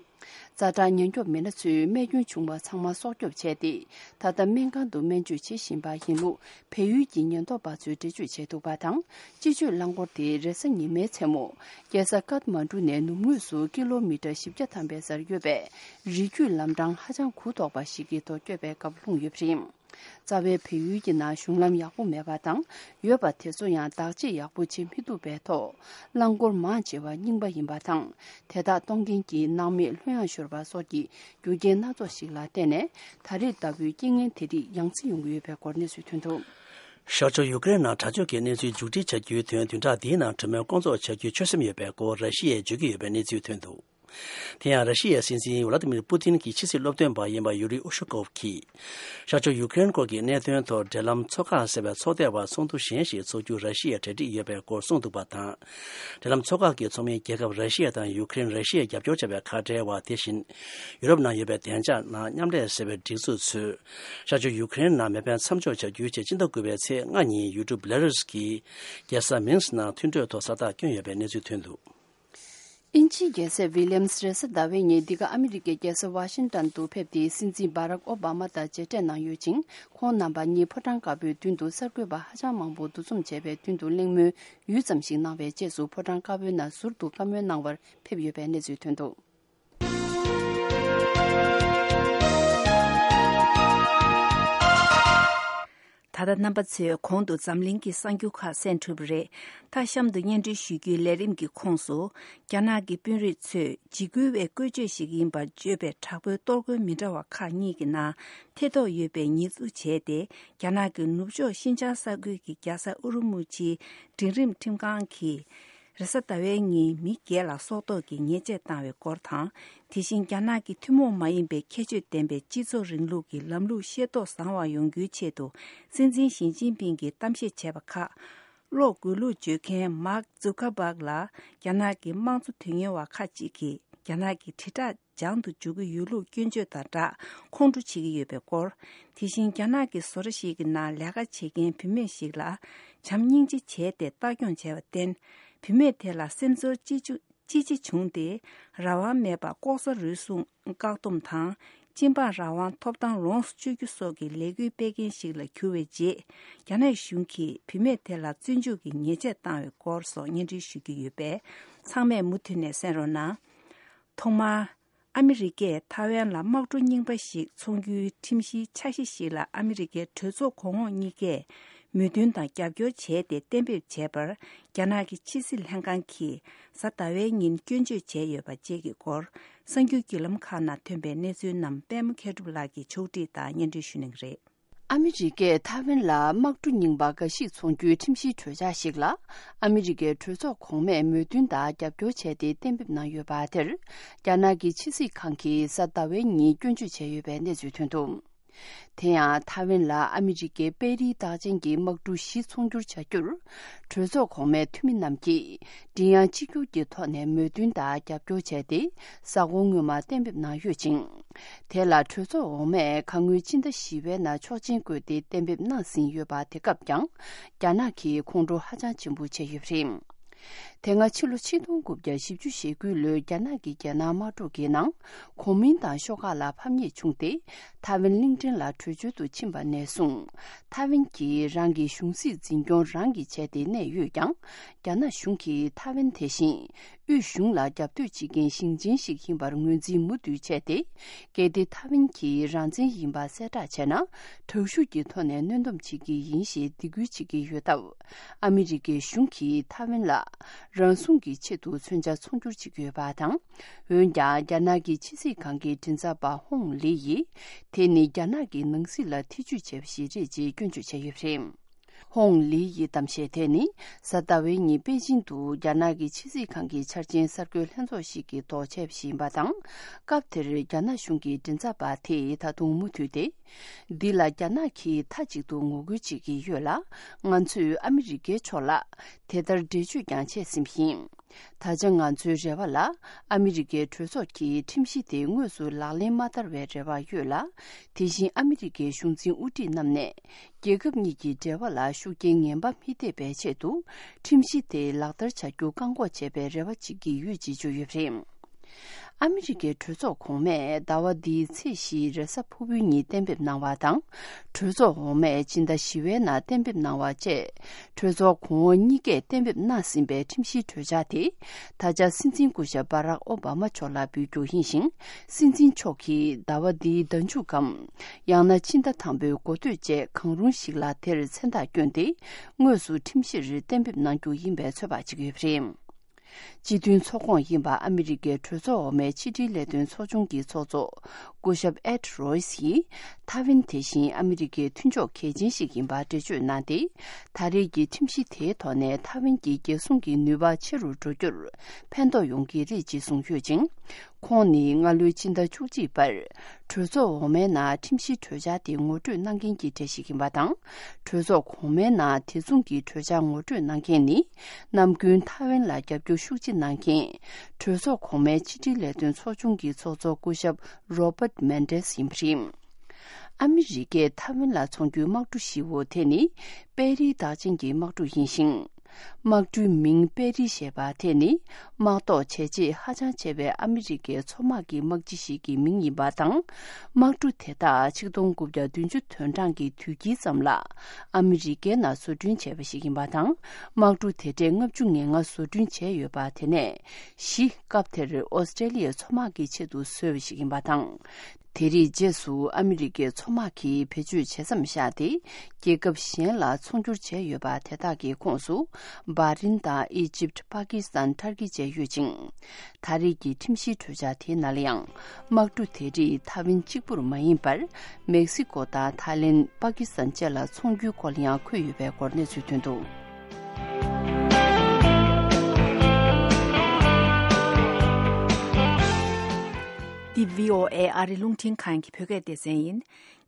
ཛ་དྲག་ཉེན་སྐྱོབ་མི་སྣ་ཚོས་རྨས་སྐྱོན་བྱུང་བ་ཚང་མ་སྲོག་སྐྱོབ་བྱས་ཏེ། ད་ལྟ་སྨན་ཁང་དུ་སྨན་བཅོས་བྱེད་བཞིན་པ་ཡིན་ལུགས་བལ་ཡུལ་གྱི་ཉེན་རྟོག་པ་ཚོས་འགྲེལ་བརྗོད་བྱས་འདུག་པ་དང་། སྤྱི་སྤྱོད་རླངས་འཁོར་དེ་རེས་གཟའ་ཉི་མའི་མཚན་མོ། རྒྱལ་ས་ཀཏ་མན་གྲུ་ནས་ནུབ་ངོས་སུ་ཀི་ལོ་མི་ཊར་བཞི་བརྒྱ་ཐམ་པའི་སར་ཡོད་པའི་རི་རྒྱུད་ལམ་འཕྲང་ཧ་ཅང་གུ་དོག་པ་ཞིག་གི་ཐོག་བསྐྱོད་པའི་སྐབས་ལྷུང་ཡོད་པ་རེད། རྩ་བའི་བལ་ཡུལ་གྱི་ནང་གཞུང་ལམ་ཡག་པོ་མེད་པ་དང་། ཡོད་པ་དེ་ཚོ་ཡང་བདག་གཅེས་ཡག་པོ་བྱེད་མི་ཐུབ་པའི་ཐོག་རླངས་འཁོར་མང་ཆེ་བ་རྙིང་པ་ཡིན་པ་དང་། དེ་དག་གཏོང་མཁན་གྱི་ནང་མི་ལྷོད་ཡངས་ཤོར་བ་སོགས་ཀྱི་རྒྱུ་རྐྱེན་སྣ་ཚོགས་ཤིག་ལ་བརྟེན་ནས། ད་རེས་ལྟ་བུའི་རྐྱེན་ངན་དེ་རིགས་ཡང་སེ་ཡོང་གི་ཡོད་པའི་སྐོར་གནས་ཚུལ་ཐོན་འདུག་ཤར་ཕྱོགས་ཡུ་ཀེ་རེན་ནང་དྲག་སྤྱོད་ཀྱི་གནས་ཚུལ་མཇུག་སྒྲིལ་བྱ་རྒྱུའི་དོན་བདུན་ཕྲག་འདིའི་ནང་གྲོས་མོལ་སྐོང་ཚོགས་བྱ་རྒྱུའི་ཆོད་སེམས་ཡོད་པའི་སྐོར་ར་ཤི་ཡས་བརྗོད་ཀྱི་ཡོད་པའི་གནས་ཚུལ་ཐོན་འདུག་དེ་ཡང་། ར་ཤི་ཡའི་སྲིད་འཛིན་ཝ་ལ་ཏི་མིར་པུ་ཏིན་གྱི་ཕྱི་སྲིད་སློབ་སྟོན་པ་ཡིན་པ་ཡུ་རི་ཨུ་ཤུ་ཀོབ་ཀྱིས། ཤར་ཕྱོགས་ཡུ་ཀེ་རེན་སྐོར་གྱི་གནད་དོན་ཐོག་འབྲེལ་ལམ་ཚོགས་ཁག་ཟེར་བའི་ཚོགས་སྡེ་བར་ཚོགས་འདུ་གཞན་ཞིག་འཚོགས་རྒྱུ་ར་ཤི་ཡའི་གྲ་སྒྲིག་ཡོད་པའི་སྐོར་གསུངས་འདུག་པ་དང་། འབྲེལ་ལམ་ཚོགས་ཁག་གི་ཚོགས་མི་རྒྱལ་ཁབ་ར་ཤི་ཡ་དང་ཡུ་ཀེ་རེན། ར་ཤི་ཡས་རྒྱབ་སྐྱོར་བྱ་བའི་ཁ་བྲལ་བ། དེ་བཞིན། ཡུ་རོབ་ནང་ཡོད་པའི་བདེ་འཇགས་ནང་མཉམ་ལས་ཟེར་བའི་སྒྲིག་འཛུགས་ཚོས། ཤར་ཕྱོགས་ཡུ་ཀེ་རེན་ནང་མེ་འཕེན་མཚམས་འཇོག་བྱ་རྒྱུའི་ཆེད་སྤྱི་ཟླ་དགུ་པའི་ཚེས་ལྔ་ཉིན་ཡུལ་གྲུ་བེ་ལ་རུས་ཀྱི་རྒྱལ་ས་མིན་སི་ནང་མཐུན་གྲོས་ཐོག་ས་རྟགས་བསྐྱོན་ཡོད་པའི་གནས་ཚུལ་ཐོན་འདུག་དབྱིན་ཇིའི་རྒྱལ་སྲས་ཝི་ལི་ཡམ་སི་རེས་གཟའ་ཟླ་བའི་ཉིན་འདི་ག་ཨ་མི་རི་ཀའི་རྒྱལ་ས་ཝ་ཤིང་ཏན་དུ་ཕེབས་ཏེ། སྲིད་འཛིན་སྦ་རག་ཨོ་བྷ་མ་དང་མཇལ་འཕྲད་གནང་ཡོད་ཅིང་། ཁོང་རྣམ་པ་གཉིས་ཕོ་བྲང་དཀར་པོའི་མདུན་དུ་གསར་འགོད་པ་ཧ་ཅང་མང་པོ་འདུ་འཛོམས་བྱས་པའི་མདུན་དུ་གླེང་མོལ་ཡུད་ཙམ་ཞིག་གནང་བའི་རྗེས་སུ། ཕོ་བྲང་དཀར་པོའི་ནང་ཟུར་དུ་བཀའ་མོལ་གནང་བར་ཕེབས་ཡོད་པའི་གནས་ཚུལ་ཐོན་འདུག་ད་ལྟ་རྣམ་པ་ཚོས་གོང་དུ་འཛམ་གླིང་གི་གསར་འགྱུར་ཁག་གསན་གྲུབ་པ་རེད། མཐའ་གཤམ་དུ་སྙན་སྒྲོན་ཞུ་རྒྱུའི་ལས་རིམ་གྱི་ཁོངས་སུ། རྒྱ་ནག་གི་དཔོན་རིགས་ཚོས་འཇིགས་སྐུལ་བའི་བཀོལ་སྤྱོད་ཞིག་ཡིན་པར་བརྗོད་པའི་དྲག་པོའི་གཏོར་རྒོལ་མི་འདྲ་བ་ཁག་གཉིས་ཀྱི་ནང་ཐེ་གཏོགས་ཡོད་པའི་ཉེས་འཛུགས་བྱས་ཏེ། རྒྱ་ནག་གི་ནུབ་ཕྱོགས་ཤིན་ཅང་ས་ཁུལ་གྱི་རྒྱལ་ས་ཨུ་རུ་མུ་ཆིའི་འབྲིང་རིམ་ཁྲིམས་ཁང་གིས། རེས་གཟའ་ཟླ་བའི་ཉིན་མི་བརྒྱད་ལ་སྲོག་ཐོག་གི་ཉེས་ཆད་བཏང་བའི་སྐོར་དང་། དེ་བཞིན་རྒྱ་ནག་གི་ཐུན་མོང་མ་ཡིན་པའི་ཁྱད་ཆོས་ལྡན་པའི་སྤྱི་ཚོགས་རིང་ལུགས་ཀྱི་ལམ་ལུགས་ཤེས་རྟོགས་བཟང་བ་ཡོང་རྒྱུའི་ཆེད་དུ། སྲིད་འཛིན་ཞི་ཅིན་ཕིང་གིས་གཏམ་བཤད་བྱས་པ་ཁག་གློག་འགུལ་ལུགས་སྤྱོད་མཁན་མཱག་ཛུ་ཁ་བྷག་ལ། རྒྱ་ནག་གི་དམངས་གཙོ་དོན་གཉེར་བ་ཁག་ཅིག་གིས་རྒྱ་ནག་གི་དྲིལ་བསྒྲགས་སྦྱང་དུ་འཇུག་གི་ཡོད་ལུགས་སྐྱོན་བརྗོད་དང་སྦྲགས་ཁོང་ཁྲོ་བྱེད་ཀྱི་ཡོད་པའི་སྐོར། དེ་བཞིན་རྒྱ་ནག་གི་བཟོ་གྲྭ་ཞིག་གི་ནང་ལས་ཀ་བྱེད་མཁན་བུད་མེད་ཞིག་ལ་བྱམས་སྙིང་རྗེ་བྱས་ཏེ་ལྟ་སྐྱོང་བྱས་པར་བརྟེན། བུད་མེད་དེ་ལ་སེམས་ཚོར་ཅི་ཅི་ཅི་བྱུང་སྟེ། རང་དབང་མེད་པར་ལྐོག་ཟ་རུལ་སུངས་བཀག་སྡོམ་དང་། སྤྱི་འབངས་རང་དབང་ཐོབ་ཐང་ལོངས་སུ་སྤྱོད་རྒྱུ་སོགས་ཀྱི་ལས་འགུལ་སྤེལ་མཁན་ཞིག་ལ་གྱུར་བའི་རྗེས། རྒྱ་ནག་གཞུང་གིས་བུད་མེད་དེ་ལ་བཙོན་འཇུག་གི་ཉེས་ཆད་བཏང་བའི་སྐོར་སོགས་སྙན་སྒྲོན་ཞུ་རྒྱུ་ཡོད་པས། ཚང་མས་མུ་མཐུད་ནས་གསན་རོགས་གནང་། ཐོག་མར། ཨ་མི་རི་ཀས་ཐའེ་ཝན་ལ་དམག་གྲུ་རྙིང་པ་ཞིག་འཚོང་རྒྱུའི་ཁྲིམས་གཞིའི་འཆར་གཞི་ཞིག་ལ་ཨ་མི་རི་ཀའི་གྲོས་ཚོགས་གོང་འོག་གཉིས་ཀས་མོས་མཐུན་དང་རྒྱབ་སྐྱོར་བྱས་ཏེ་གཏན་འབེབས་བྱས་པར། རྒྱ་ནག་གི་ཕྱི་སྲིད་ལྷན་ཁང་གིས་གཟའ་ཟླ་བའི་ཉིན་སྐྱོན་བརྗོད་བྱས་ཡོད་པ་བཅས་ཀྱི་སྐོར། གསར་འགྱུར་བརྒྱུད་ལམ་ཁག་ནང་ཐོན་པའི་གནས་ཚུལ་རྣམས་པད་མ་མཁས་གྲུབ་ལགས་ཀྱིས་ཕྱོགས་སྒྲིག་དང་སྙན་སྒྲོན་ཞུ་གནང་གི་རེད། ཨ་མི་རི་ཀས་ཐའེ་ཝན་ལ་དམག་གྲུ་རྙིང་པ་འགའ་ཞིག་འཚོང་རྒྱུའི་ཁྲིམས་གཞིའི་གྲོས་འཆར་ཞིག་ལ། ཨ་མི་རི་ཀའི་གྲོས་ཚོགས་གོང་མས་མོས་མཐུན་དང་རྒྱབ་སྐྱོར་བྱས་ཏེ་གཏན་འབེབས་གནང་ཡོད་པ་དེར། རྒྱ་ནག་གི་ཕྱི་སྲིད་ཁང་གིས་གཟའ་ཟླ་བའི་ཉིན་སྐྱོན་བརྗོད་བྱས་ཡོད་པའི་གནས་ཚུལ་ཐོན་འདུག་དེ་ཡང་ཐའེ་ཝན་ལ་ཨ་མི་རི་ཀའི་པེ་རིའི་རྟགས་ཅན་གྱི་དམག་གྲུ་བཞི་ཚོང་སྒྱུར་བྱ་རྒྱུར། གྲོས་ཚོགས་གོང་མའི་འཐུས་མི་རྣམས་ཀྱིས་མགྲིན་དབྱངས་གཅིག་གྱུར་གྱི་ཐོག་ནས་མོས་མཐུན་དང་རྒྱབ་སྐྱོར་བྱས་ཏེ། གཟའ་འཁོར་སྔོན་མ་གཏན་འབེབས་གནང་ཡོད་ཅིང་། དེ་ལ་གྲོས་ཚོགས་འོག་མས་གང་སྔོན་སྤྱི་ཟླ་བཞི་པའི་ནང་ཆོག་མཆན་བཀོད་དེ་གཏན་འབེབས་གནང་ཟིན་ཡོད་པ། དེ་སྐབས་ཀྱང་རྒྱ་ནག་གིས་ཁོང་ཁྲོ་ཧ་ཅང་ཆེན་པོ་བྱས་ཡོད་པ་རེད། དེ་སྔ་ཕྱི་ལོ་ཆིག་སྟོང་དགུ་བརྒྱ་བཞི་བཅུ་ཞེ་དགུ་ལོའི་རྒྱ་ནག་གི་རྒྱལ་ནང་དམག་འཁྲུག་གི་ནང་གོ་མིན་ཏང་ཤོག་ཁག་ལ་ཕམ་ཉེས་བྱུང་སྟེ། ཐའེ་ཝན་གླིང་ཕྲན་ལ་བྲོས་བྱོལ་དུ་ཕྱིན་པ་ནས་བཟུང་། ཐའེ་ཝན་གྱིས་རང་གི་གཞུང་སྲིད་འཛིན་སྐྱོང་རང་གིས་བྱས་ཏེ་གནས་ཡོད་ཀྱང་། རྒྱ་ནག་གཞུང་གིས་ཐའེ་ཝན་དེ་བཞིན་དབུས་གཞུང་ལ་རྒྱབ་གཏོད་བྱེད་མཁན་ཞིང་ཆེན་ཞིག་ཡིན་པར་ངོས་འཛིན་མུ་མཐུད་བྱས་ཏེ། གལ་ཏེ་ཐའེ་ཝན་གྱིས་རང་བཙན་ཡིན་པ་གསལ་བསྒྲགས་བྱས་ན། དྲག་ཤུགས་ཀྱི་ཐོག་ནས་གནོན་སྡོམ་བྱེད་ཀྱི་ཡིན་ཞེས་སྡིགས་སྐུལ་བྱེད་ཀྱི་ཡོད་སྟབས། ཨ་མི་རི་ཀའི་གཞུང་གིས་ཐའེ་ཝན་ལ་རང་སྲུང་གི་ཆེད་དུ་མཚོན་ཆ་ཚོང་སྒྱུར་བྱེད་ཀྱི་ཡོད་པ་དང་། འོན་ཀྱང་། རྒྱ་ནག་གི་ཕྱི་སྲིད་ཁང་གི་མགྲིན་ཚབ་པ་ཧོང་ལི་ཡིས། དེ་ནི་རྒྱ་ནག་གི་ནང་སྲིད་ལ་ཐེ་ཇུས་བྱས་པ་ཞིག་རེད་ཅེས་སྐྱོན་བརྗོད་བྱས་ཡོད་པ་རེད། ཧོང་ལི་ཡི་གཏམ་བཤད་དེ་ནི། གཟའ་ཟླ་བའི་ཉིན་པེ་ཅིང་དུ་རྒྱ་ནག་གི་ཕྱི་སྲིད་ཁང་གི་འཆར་ཅན་གསར་འགོད་ལྷན་ཚོགས་ཤིག་གི་ཐོག་བྱས་པ་ཞིག་ཡིན་པ་དང་། སྐབས་དེར་རྒྱ་ནག་གཞུང་གི་མགྲིན་ཚབ་པ་དེས་ད་དུང་མུ་མཐུད་དེ། འདི་ལ་རྒྱ་ནག་གིས་མཐའ་གཅིག་ཏུ་ངོ་རྒོལ་བྱེད་ཀྱི་ཡོད་ལ། ང་ཚོས་ཨ་མི་རི་ཀའི་ཕྱོགས་ལ་དེ་ལྟར་འགྲེལ་བརྗོད་ཀྱང་བྱས་ཟིན་པ་ཡིན། ད་ཆ་ང་ཚོའི་རེ་བ་ལ། ཨ་མི་རི་ཀའི་གྲོས་ཚོགས་ཀྱིས་ཁྲིམས་གཞི་དེ་དངོས་སུ་ལག་ལེན་མ་བསྟར་བའི་རེ་བ་ཡོད་ལ། དེ་བཞིན་ཨ་མི་རི་ཀའི་གཞུང་འཛིན་དབུ་ཁྲིད་རྣམས་ནས། རྒྱལ་ཁབ་གཉིས་ཀྱི་འབྲེལ་བ་ལ་ཤུགས་རྐྱེན་ངན་པ་མི་ཐེབས་པའི་ཆེད་དུ། ཁྲིམས་གཞི་དེ་ལག་བསྟར་བྱ་རྒྱུ་བཀག་འགོག་བྱེད་པའི་རེ་བ་བྱེད་ཀྱི་ཡོད་ཅེས་བརྗོད་ཡོད་པ་རེད། ཨ་མི་རི་ཀའི་གྲོས་ཚོགས་གོང་མས་ཟླ་བ་འདིའི་ཚེས་བཞིའི་རེས་གཟའ་ཕུར་བུའི་ཉིན་གཏན་འབེབས་གནང་བ་དང་། གྲོས་ཚོགས་འོག་མས་སྤྱི་ཟླ་བཞི་པའི་ནང་གཏན་འབེབས་གནང་བ་བཅས། གྲོས་ཚོགས་གོང་འོག་གཉིས་ཀས་གཏན་འབེབས་གནང་ཟིན་པའི་ཁྲིམས་གཞིའི་གྲོས་འཆར་དེ། ད་ཆ་སྲིད་འཛིན་སྐུ་ཞབས་སྦ་རག་ཨོ་བྷ་མ་མཆོག་ལ་འབུལ་རྒྱུ་ཡིན་ཞིང་། སྲིད་འཛིན་མཆོག་གིས་ཟླ་བ་འདིའི་ཟླ་མཇུག་གམ། ཡང་ན་ཕྱི་ཟླ་དང་པོའི་འགོ་སྟོད་བཅས་གང་རུང་ཞིག་ལ་དེར་མཚན་རྟགས་བསྐྱོན་ཏེ། དངོས་སུ་ཁྲིམས་གཞིར་གཏན་འབེབས་གནང་རྒྱུ་ཡིན་པའི་ཚོད་དཔག་བྱེད་ཀྱི་ཡོད་པ་རེད། སྤྱི་མཐུན་ཚོགས་ཁོངས་ཡིན་པ་ཨ་མི་རི་ཀའི་གྲོས་ཚོགས་འོག་མའི་ཕྱི་དྲིལ་ལས་དོན་ཚོགས་ཆུང་གི་ཚོགས་གཙོ་སྐུ་ཞབས་ཨེད་རོས་ཡིས། ཐའེ་ཝན་དེ་བཞིན་ཨ་མི་རི་ཀའི་མཐུན་ཕྱོགས་གལ་ཆེན་ཞིག་ཡིན་པ་འགྲེལ་བརྗོད་གནང་སྟེ། ད་རེས་ཀྱི་ཁྲིམས་གཞི་དེའི་ཐོག་ནས་ཐའེ་ཝན་གྱི་རྒྱལ་སྲུང་གི་ནུས་པ་ཆེ་རུ་འགྲོ་རྒྱུར་ཕན་ཐོགས་ཡོང་གི་རེད་ཅེས་གསུངས་ཡོད་ཅིང་། ཁོང་ནི་སྔ་ལོའི་ཕྱི་ཟླ་བཅུ་གཅིག་པར། གྲོས་ཚོགས་འོག་མའི་ནང་ཁྲིམས་གཞིའི་གྲོས་འཆར་དེ་ངོ་སྤྲོད་གནང་མཁན་གྱི་གྲས་ཤིག་ཡིན་པ་དང་། གྲོས་ཚོགས་གོང་མའི་ནང་དེ་མཚུངས་ཀྱི་གྲོས་འཆར་ངོ་སྤྲོད་གནང་མཁན་ནི། ནམ་རྒྱུན་ཐའེ་ཝན་ལ་རྒྱབ་སྐྱོར་ཤུགས་ཆེ་གནང་མཁན། གྲོས་ཚོགས་གོང་མའི་ཕྱི་དྲིལ་ལས་དོན་ཚོགས་ཆུང་གི་ཚོགས་གཙོ་སྐུ་ཞབས་Robert Mendez་ཡིན་པ་རེད། ཨ་མི་རི་ཀས་ཐའེ་ཝན་ལ་འཚོང་རྒྱུའི་དམག་གྲུ་བཞི་བོ་དེ་ནི། པེ་རིའི་རྟགས་ཅན་གྱི་དམག་གྲུ་ཡིན་ཞིང་། དམག་གྲུའི་མིང་པེ་རི་ཞེས་པ་དེ་ནི། དམག་ཐོག་བྱས་རྗེས་ཧ་ཅང་ཆེ་བའི་ཨ་མི་རི་ཀའི་མཚོ་དམག་གི་དམག་སྤྱི་ཞིག་གི་མིང་ཡིན་པ་དང་། དམག་གྲུ་དེ་དག་ཆིག་སྟོང་དགུ་བརྒྱ་བདུན་ཅུ་དོན་གྲངས་ཀྱི་དུས་དཀྱིལ་ཙམ་ལ། ཨ་མི་རི་ཀའི་ནང་བཟོ་སྐྲུན་བྱས་པ་ཞིག་ཡིན་པ་དང་། དམག་གྲུ་དེ་གྲས་ལྔ་བཅུ་ང་ལྔ་བཟོ་སྐྲུན་བྱས་ཡོད་པ། དེ་ནས་བཞི་སྐབས་དེར་ཨོ་སི་ཀྲེ་ལི་ཡའི་མཚོ་དམག་གི་ཆེད་དུ་བཟོས་པ་ཞིག་ཡིན་པ་དང་། དེ་རིགས་རྗེས་སུ་ཨ་མི་རི་ཀའི་མཚོ་དམག་གིས་བེད་སྤྱོད་བྱེད་མཚམས་བཞག་སྟེ། རྒྱལ་ཁབ་གཞན་ལ་ཚོང་སྒྱུར་བྱས་ཡོད་པ་དེ་དག་གི་ཁོངས་སུ། བྷ་རིན་དང་ཨི་ཇིབ། པ་ཀི་སི་ཐན། ཏར་ཀི་བཅས་ཡོད་ཅིང་། ད་རེས་ཀྱི་ཁྲིམས་གཞིའི་གྲོས་འཆར་དེའི་ནང་ལ་ཡང་། དམག་གྲུ་དེ་རིགས་ཐའེ་ཝན་གཅིག་པུར་མ་ཡིན་པར། མེག་སི་ཀོ་དང་ཐའི་ལེན། པ་ཀི་སི་ཐན་བཅས་ལ་འཚོང་རྒྱུའི་སྐོར་ལ་ཡང་འཁོད་ཡོད་པའི་སྐོར་གནས་ཚུལ་ཐོན་འདུག། འདི་བྷི་ཨོ་ཨེ་ཨ་རི་རླུང་འཕྲིན་ཁང་གི་བོད་སྐད་སྡེ་ཚན་ཡིན།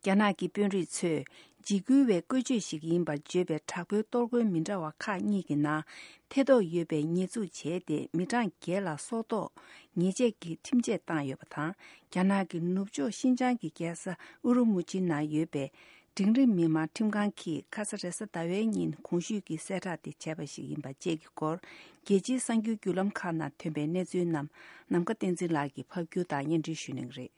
རྒྱ་ནག་གི་དཔོན་རིགས་ཚོས་འཇིགས་སྐུལ་བའི་བཀོལ་སྤྱོད་ཞིག་ཡིན་པར་བརྗོད་པའི་དྲག་པོའི་གཏོར་རྒོལ་མི་འདྲ་བ་ཁག་གཉིས་ཀྱི་ནང་ཐེ་གཏོགས་ཡོད་པའི་ཉེས་འཛུགས་བྱས་ཏེ། མི་གྲངས་བརྒྱད་ལ་སྲོག་ཐོག་ཉེས་ཆད་ཀྱི་ཁྲིམས་ཆད་བཏང་ཡོད་པ་དང་། རྒྱ་ནག་གི་ནུབ་ཕྱོགས་ཤིན་ཅང་གི་རྒྱལ་ས་ཨུ་རུ་མུ་ཆི་ནང་ཡོད་པའི་འབྲིང་རིམ་མི་དམངས་ཁྲིམས་ཁང་གིས་ཁ་ས་རེས་གཟའ་ཟླ་བའི་ཉིན་གོང་ཞུས་ཀྱི་གསལ་བསྒྲགས་དེ་བྱས་པ་ཞིག་ཡིན་པ་བཅས་ཀྱི་སྐོར། རྒྱལ་སྤྱིའི་གསར་འགྱུར་བརྒྱུད་ལམ་ཁག་ནང་ཐོན་པའི་གནས་ཚུལ་རྣམས་ནམ་མཁའ་བསྟན་འཛིན་ལགས་ཀྱིས་ཕབ་སྒྱུར་དང་སྙན་སྒྲོན་ཞུ་གནང་གི་རེད།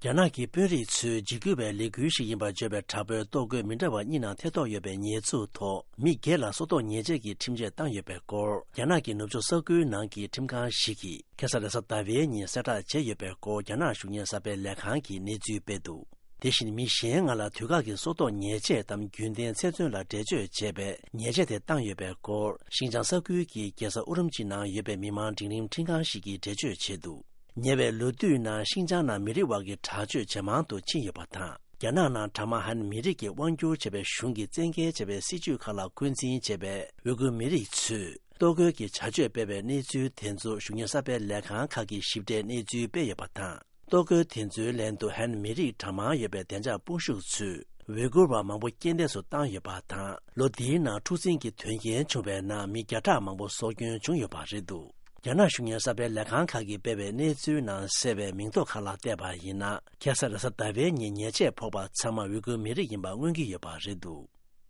རྒྱ་ནག་གི་དཔོན་རིགས་ཚོས་འཇིགས་སྐུལ་བའི་ལས་འགུལ་ཞིག་ཡིན་པར་བརྗོད་པའི་དྲག་པོའི་གཏོར་རྒོལ་མི་འདྲ་བ་གཉིས་ནང་ཐེ་གཏོགས་ཡོད་པའི་ཉེས་འཛུགས་ཐོག་མི་བརྒྱད་ལ་སྲོག་ཐོག་ཉེས་ཆད་ཀྱི་ཁྲིམས་ཆད་བཏང་ཡོད་པའི་སྐོར། རྒྱ་ནག་གི་ནུབ་ཕྱོགས་ས་ཁུལ་ནང་གི་ཁྲིམས་ཁང་ཞིག་གིས་ཁ་ས་རེས་གཟའ་ཟླ་བའི་ཉིན་གསལ་བསྒྲགས་བྱས་ཡོད་པའི་སྐོར། རྒྱ་ནག་གཞུང་གཉེར་གསར་སྤེལ་ལས་ཁང་གིས་གནས་ཚུལ་སྤེལ་འདུག། དེ་བཞིན་མི་གཞན་ལྔ་ལ་དུས་བཀག་གི་སྲོག་ཐོག་ཉེས་ཆད་དམ་རྒྱུན་ལྡན་ཚེ་བཙོན་ལ་འགྲེལ་བརྗོད་བྱས་པའི་ཉེས་ཆད་དེ་བཏང་ཡོད་པའི་སྐོར། ཤིན་ཅང་ས་ཁུལ་གྱི་རྒྱལ་ས་ཨུ་རུམ་ཆི་ནང་ཡོད་པའི་མི་མང་འབྲིང་རིམ་ཁྲིམས་ཁང་ཞིག་གིས་འགྲེལ་བརྗོད་བྱས་འདུག། ཉེ་བའི་ལོ་དུས་ནང་ཤིན་ཅང་ནང་མི་རིགས་དབར་གྱི་དྲག་སྤྱོད་ཇེ་མང་དུ་ཕྱིན་ཡོད་པ་དང་། རྒྱ་ནག་ནང་གྲངས་མང་ཧན་མི་རིགས་ཀྱིས་དབང་སྒྱུར་བྱས་པའི་གཞུང་གིས་བཙན་འགེལ་བྱས་པའི་སྲིད་བྱུས་ཁག་ལ་འཁོན་འཛིན་བྱས་པའི་ཝེ་གུར་མི་རིགས་ཚོས་གཏོར་རྒོལ་གྱི་བྱ་སྤྱོད་སྤེལ་བའི་གནས་ཚུལ་དེ་ཚོ་གཞུང་གཉེར་གསར་སྤེལ་ལས་ཁང་ཁག་གིས་ཞིབ་ཕྲའི་གནས་ཚུལ་སྤེལ་ཡོད་པ་དང་། ། ལྟོ་གོས་དེ་ཚོའི་ལན་དུ་ཧན་མི་རིགས་གྲངས་མང་ཡོད་པའི་བདེ་འཇགས་དཔུང་ཤུགས་ཚོས་ཝི་གུར་བ་མང་པོ་རྐྱེན་འདས་སུ་བཏང་ཡོད་པ་དང་། ལོ་འདིའི་ནང་འཁྲུག་འཛིང་གི་དོན་རྐྱེན་བྱུང་བའི་ནང་མི་བརྒྱ་ཕྲག་མང་པོ་སྲོག་སྐྱོན་བྱུང་ཡོད་པ་རེད་འདུག། རྒྱ་ནག་གཞུང་གཉེར་གསར་སྤེལ་ལས་ཁང་ཁག་གིས་སྤེལ་བའི་གནས་ཚུལ་ནང་གསལ་བའི་མིང་ཐོ་ཁག་ལ་བལྟས་པ་ཡིན་ན། ཁ་སང་རེས་གཟའ་ཟླ་བའི་ཉིན་ཉེས་ཆད་ཕོག་པ་ཚང་མ་ཝི་གུར་མི་རིགས་ཡིན་པ་མངོན་གྱི་ཡོད་པ་རེད་འདུག།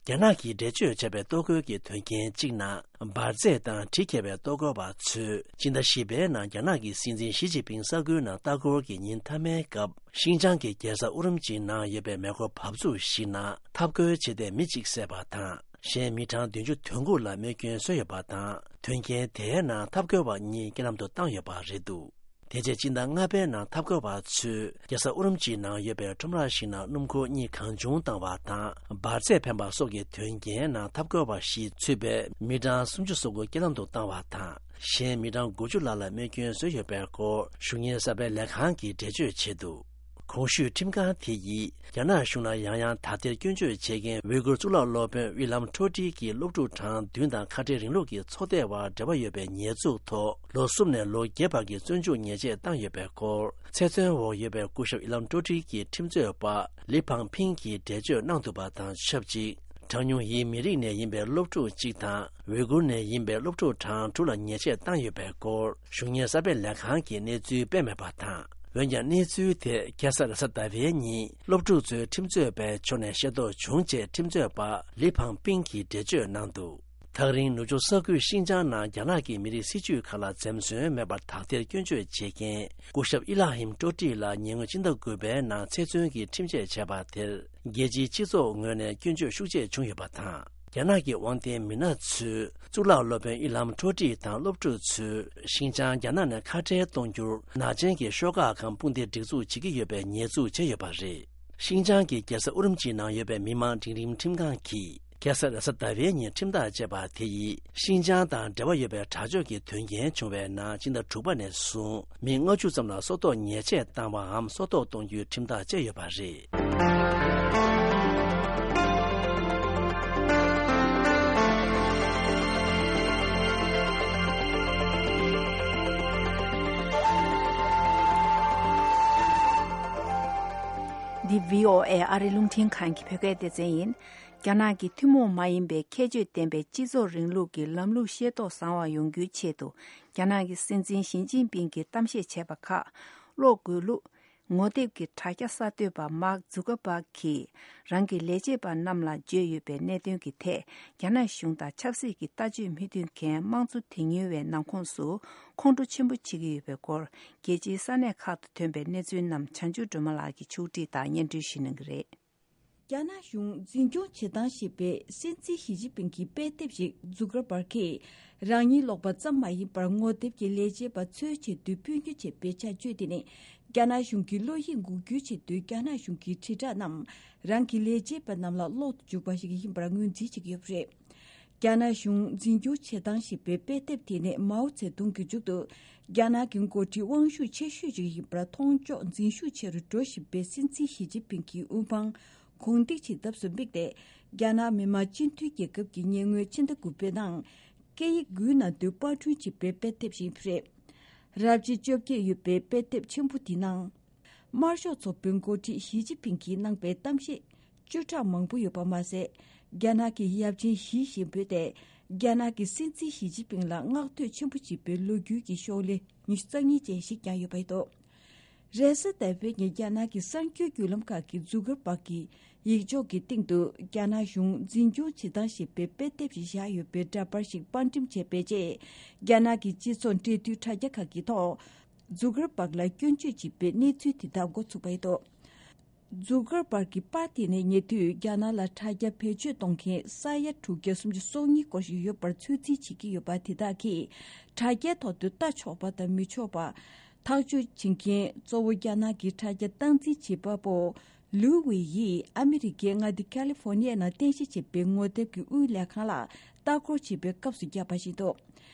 རྒྱ་ནག་གིས་འགྲེལ་བརྗོད་བྱས་པའི་ལྟོ་གོས་ཀྱི་དོན་རྐྱེན་གཅིག་ནང་འབར་རྫས་དང་གྲི་འཁྱེར་བའི་ལྟོ་གོས་པ་ཚོས་སྤྱི་ཟླ་བཞི་པའི་ནང་རྒྱ་ནག་གི་སྲིད་འཛིན་ཞི་ཅིན་ཕིང་ས་ཁུལ་ནང་ལྟ་སྐོར་གྱི་ཉིན་མཐའ་མའི་སྐབས། ཤིན་ཅང་གི་རྒྱལ་ས་ཨུ་རུམ་ཅིའི་ནང་ཡོད་པའི་མེ་འཁོར་བབས་ཚུགས་ཤིག་ནང་འཐབ་རྒོལ་བྱེད་མཁན་མི་གཅིག་བསད་པ་དང་། གཞན་མི་གྲངས་བདུན་ཅུ་དོན་དགུ་ལ་རྨས་སྐྱོན་བཟོས་ཡོད་པ་དང་། དོན་རྐྱེན་དེའི་ནང་འཐབ་རྒོལ་བ་གཉིས་རྐྱེན་ལམ་དུ་བཏང་ཡོད་པ་རེད་འདུག། དེ་རྗེས་སྤྱི་ཟླ་ལྔ་པའི་ནང་འཐབ་རྒོལ་བ་ཚོས་རྒྱལ་ས་ཨུ་རུམ་ཅིའི་ནང་ཡོད་པའི་ཁྲོམ་ར་ཞིག་ནང་སྣུམ་འཁོར་གཉིས་གང་བྱུང་བཏང་བ་དང་། འབར་རྫས་འཕེན་པ་སོགས་ཀྱི་དོན་རྐྱེན་ནང་འཐབ་རྒོལ་བ་བཞི་ཚུད་པའི་མི་གྲངས་སུམ་ཅུ་སོ་དགུ་རྐྱེན་ལམ་དུ་བཏང་བ་དང་། གཞན་མི་གྲངས་དགུ་བཅུ་ལྷག་ལ་རྨས་སྐྱོན་བཟོས་ཡོད་པའི་སྐོར་གཞུང་གཉེར་གསར་སྤེལ་ལས་ཁང་གིས་འགྲེལ་བརྗོད་བྱས་འདུག། གོང་ཞུས་ཁྲིམས་ཁང་དེ་ཡིས་རྒྱ་ནག་གཞུང་ལ་ཡང་ཡང་དག་ཐེར་སྐྱོན་བརྗོད་བྱེད་མཁན་ཝི་གུར་གཙུག་ལག་སློབ་དཔོན་དབྱི་ལམ་ཁྲོ་ཀྲི་གིས་སློབ་ཕྲུག་གྲངས་བདུན་དང་ཁ་བྲལ་རིང་ལུགས་ཀྱི་ཚོགས་སྡེ་བར་འབྲེལ་བ་ཡོད་པའི་ཉེས་འཛུགས་ཐོག་ལོ་གསུམ་ནས་ལོ་བརྒྱད་བར་གྱི་བཙོན་འཇུག་ཉེས་ཆད་བཏང་ཡོད་པའི་སྐོར། ཚེ་བཙོན་འོག་ཡོད་པའི་སྐུ་ཞབས་དབྱི་ལམ་ཁྲོ་ཀྲི་གི་ཁྲིམས་རྩོད་པ་ལི་ཕང་ཕིང་གིས་འགྲེལ་བརྗོད་གནང་འདུག་པ་དང་ཆབས་ཅིག། གྲངས་ཉུང་ཡིན་མི་རིགས་ནས་ཡིན་པའི་སློབ་ཕྲུག་གཅིག་དང་། ཝི་གུར་ནས་ཡིན་པའི་སློབ་ཕྲུག་གྲངས་དྲུག་ལ་ཉེས་ཆད་བཏང་ཡོད་པའི་སྐོར་གཞུང་གཉེར་གསར་སྤེལ་ལས་ཁང་གིས་གནས་ཚུལ་སྤེལ་མེད་པ་དང་། འོན་ཀྱང་གནས་ཚུལ་དེ་ཁ་སང་རེས་གཟའ་ཟླ་བའི་ཉིན་སློབ་ཕྲུག་ཚོའི་ཁྲིམས་རྩོད་པའི་ཕྱོགས་ནས་ཤེས་རྟོགས་བྱུང་ཅེས་ཁྲིམས་རྩོད་པ་ལི་ཕང་པིང་གིས་འགྲེལ་བརྗོད་གནང་འདུག། ཐག་རིང་ནུབ་ཕྱོགས་ས་ཁུལ་ཤིན་ཅང་ནང་རྒྱ་ནག་གི་མི་རིགས་སྲིད་ཇུས་ཁག་ལ་འཛེམ་ཟོན་མེད་པར་དག་ཐེར་སྐྱོན་བརྗོད་བྱེད་མཁན་སྐུ་ཞབས་ཨི་ལ་ཧིམ་ཀྲོ་ཀྲི་ལ་ཉེ་སྔོན་ཕྱི་ཟླ་དགུ་པའི་ནང་ཚེ་བཙོན་གྱི་ཁྲིམས་ཆད་བྱས་པ་དེར། རྒྱལ་སྤྱིའི་སྤྱི་ཚོགས་ངོས་ནས་སྐྱོན་བརྗོད་ཤུགས་ཆེ་བྱུང་ཡོད་པ་དང་། རྒྱ་ནག་གི་དབང་ལྡན་མི་སྣ་ཚོས་གཙུག་ལག་སློབ་དཔོན་དབྱི་ལམ་ཁྲོ་ཀྲི་དང་སློབ་ཕྲུག་ཚོས་ཤིན་ཅང་རྒྱ་ནག་ནས་ཁ་བྲལ་གཏོང་རྒྱུར་ནག་ཅན་གྱི་ཤོག་ཁག་གམ་དཔུང་སྡེ་སྒྲིག་འཛུགས་བྱེད་ཀྱི་ཡོད་པའི་ཉེས་འཛུགས་བྱས་ཡོད་པ་རེད། ཤིན་ཅང་གི་རྒྱལ་ས་ཨུ་རུམ་ཅིའི་ནང་ཡོད་པའི་མི་མང་འབྲིང་རིམ་ཁྲིམས་ཁང་གིས་ཁ་སང་རེས་གཟའ་ཟླ་བའི་ཉིན་ཁྲིམས་ཐག་བཅད་པ་དེ་ཡིས་ཤིན་ཅང་དང་འབྲེལ་བ་ཡོད་པའི་དྲག་སྤྱོད་ཀྱི་དོན་རྐྱེན་བྱུང་བའི་ནང་ཕྱི་ཟླ་དྲུག་པ་ནས་བཟུང་མི་ལྔ་བཅུ་ཙམ་ལ་སྲོག་ཐོག་ཉེས་ཆད་བཏང་བའམ་སྲོག་ཐོག་གཏོང་རྒྱུའི་ཁྲིམས་ཐག་བཅད་ཡོད་པ་རེད། འདི་བྷི་ཨོ་ཨེ་ཨ་རི་རླུང་འཕྲིན་ཁང་གི་བོད་སྐད་སྡེ་ཚན་ཡིན། རྒྱ་ནག་གི་ཐུན་མོང་མ་ཡིན་པའི་ཁྱད་ཆོས་ལྡན་པའི་སྤྱི་ཚོགས་རིང་ལུགས་ཀྱི་ལམ་ལུགས་ཤེས་རྟོགས་བཟང་བ་ཡོང་རྒྱུའི་ཆེད་དུ། རྒྱ་ནག་གི་སྲིད་འཛིན་ཞི་ཅིན་ཕིང་གིས་གཏམ་བཤད་བྱས་པ་ཁག་ཀློག་དགོས་ལུགས། ངོ་དེབ་ཀྱི་དྲ་རྒྱ་གསར་གཏོད་པ་མཱག་ཛུ་ཀར་པཱག་གིས་རང་གི་ལས་བྱེད་པ་རྣམས་ལ་བརྗོད་ཡོད་པའི་གནད་དོན་གྱི་ཐད། རྒྱ་ནག་གཞུང་དང་ཆབ་སྲིད་ཀྱི་ལྟ་སྤྱོད་མི་མཐུན་མཁན་དམངས་གཙོ་དེ་ཉུལ་བའི་ནང་ཁོངས་སུ་ཁོང་ཁྲོ་ཆེན་པོ་བྱེད་ཀྱི་ཡོད་པའི་སྐོར། རྒྱལ་སྤྱིའི་ས་གནས་ཁག་ཏུ་ཐོན་པའི་གནས་ཚུལ་རྣམས་བྱང་ཆུབ་སྒྲོལ་མ་ལགས་ཀྱིས་ཕྱོགས་སྒྲིག་དང་སྙན་སྒྲོན་ཞུ་གནང་གི་རེད། རྒྱ་ནག་གཞུང་འཛིན་སྐྱོང་བྱེད་སྟངས་ཞེས་པའི་སྲིད་འཛིན་ཞི་ཅིན་ཕིང་གི་དཔེ་དེབ་ཞིག་ཛུ་ཀར་པར་གྱིས་རང་ཉིད་ཀློག་པ་ཙམ་མ་ཡིན་པར་ངོ་དེབ་ཀྱི་ལས་བྱེད་པ་ཚོའི་ཆེད་དུ་སྤུས་ཉོ་བྱས་པའི་བྱ་སྤྱོད་དེ་ནི། རྒྱ་ནག་གཞུང་གིས་བློ་ཡིད་འགུག་རྒྱུའི་ཆེད་དུ་རྒྱ་ནག་གཞུང་གི་དྲིལ་བསྒྲགས་རྣམས་རང་གི་ལས་བྱེད་པ་རྣམས་ལ་ཀློག་ཏུ་འཇུག་པ་ཞིག་ཡིན་པར་ངོས་འཛིན་བྱེད་ཀྱི་ཡོད་པ་རེད། རྒྱ་ནག་གཞུང་འཛིན་སྐྱོང་བྱེད་སྟངས་ཞེས་པའི་དཔེ་དེབ་དེ་ནི་མའོ་ཙེ་ཏུང་གི་མཇུག་ཏུ་རྒྱ་ནག་གི་འགོ་ཁྲིད་དབང་ཤུགས་ཆེ་ཤོས་ཤིག་ཡིན་པར་མཐོང་ཕྱོགས་འཛིན་ཤུགས་ཆེ་རུ་འགྲོ་བཞིན་པའི་སྲིད་འཛིན་ཞི་ཅིན་ཕིང་གི་དབུ་འཕང་གོང་འདེགས་བྱེད་ཐབས་སུ་དམིགས་ཏེ། རྒྱ་ནག་མི་དམངས་སྤྱི་མཐུན་རྒྱལ་ཁབ་ཀྱི་ཉེ་སྔོན་ཕྱི་ཟླ་དགུ་པའི་ནང་སྐད་ཡིག་དགུའི་ནང་དུ་པར་སྐྲུན་བྱས་པའི་དཔེ་དེབ་ཞིག་རེད། རབ་བྱེད་བཅོ་བརྒྱད་ཡོད་པའི་དཔེ་དེབ་ཆེན་པོ་འདིའི་ནང་། དམར་ཤོག་ཚོགས་པའི་འགོ་ཁྲིད་ཞི་ཅིན་ཕིང་གིས་གནང་པའི་གཏམ་བཤད་བཅུ་ཕྲག་མང་པོ་ཡོད་པ་མ་ཟད། རྒྱ་ནག་གི་ཡབ་ཆེན་ཞི་ཞེས་འབོད་དེ། རྒྱ་ནག་གི་སྲིད་འཛིན་ཞི་ཅིན་ཕིང་ལ་བསྔགས་བསྟོད་ཆེན་པོ་བྱེད་པའི་ལོ་རྒྱུས་ཀྱི་ཤོག་ལྷེ་ཉི་ཤུ་རྩ་གཉིས་ཅན་ཞིག་ཀྱང་ཡོད་པ་རེད་འདུག། རེས་གཟའ་ཟླ་བའི་ཉིན་རྒྱ་ནག་གི་གསར་འགྱུར་བརྒྱུད་ལམ་ཁག་གིས་ཛུ་ཀར་པག་གི་ཡིག་ཆོག་གི་སྟེང་དུ་རྒྱ་ནག་གཞུང་འཛིན་སྐྱོང་བྱེད་སྟངས་ཞེས་པའི་དཔེ་དེབ་ཞིག་བཞག་ཡོད་པའི་འདྲ་པར་ཞིག་པར་འགྲེམས་བྱས་པའི་རྗེས། རྒྱ་ནག་གི་སྤྱི་ཚོགས་འབྲེལ་མཐུད་དྲ་རྒྱ་ཁག་གི་ཐོག་ཛུ་ཀར་པག་ལ་སྐྱོན་བརྗོད་བྱེད་པའི་གནས་ཚུལ་དེ་དག་འགོ་ཚུགས་པ་རེད་འདུག། ཛུ་ཀར་པག་གི་པར་དེ་ནི་ཉེ་དུས་རྒྱ་ནག་ལ་དྲ་རྒྱ་བེད་སྤྱོད་གཏོང་མཁན་ས་ཡ་དྲུག་བརྒྱ་སུམ་ཅུ་སོ་གཉིས་སྐོར་ཞིག་ཡོད་པར་ཚོད་རྩིས་བྱེད་ཀྱི་ཡོད་པ་དེ་དག་གིས་དྲ་རྒྱའི་ཐོག་ཏུ་ལྟ་ཆོག་པ་དང་མི་ཆོག་པ། ཐག་གཅོད་བྱེད་མཁན་གཙོ་བོ་རྒྱ་ནག་གི་དྲ་རྒྱ་སྟངས་འཛིན་བྱེད་པ་པོ་ལུའུ་ཝེ་ཡིས་ཨ་མི་རི་ཀའི་མངའ་སྡེ་ཁ་ལི་ཧྥོ་ནི་ཡ་ནང་རྟེན་གཞི་བྱས་པའི་ངོ་དེབ་ཀྱི་དབུའི་ལས་ཁང་ལ་ལྟ་སྐོར་བྱེད་པའི་སྐབས་སུ་བརྒྱབ་པ་ཞིག་འདུག།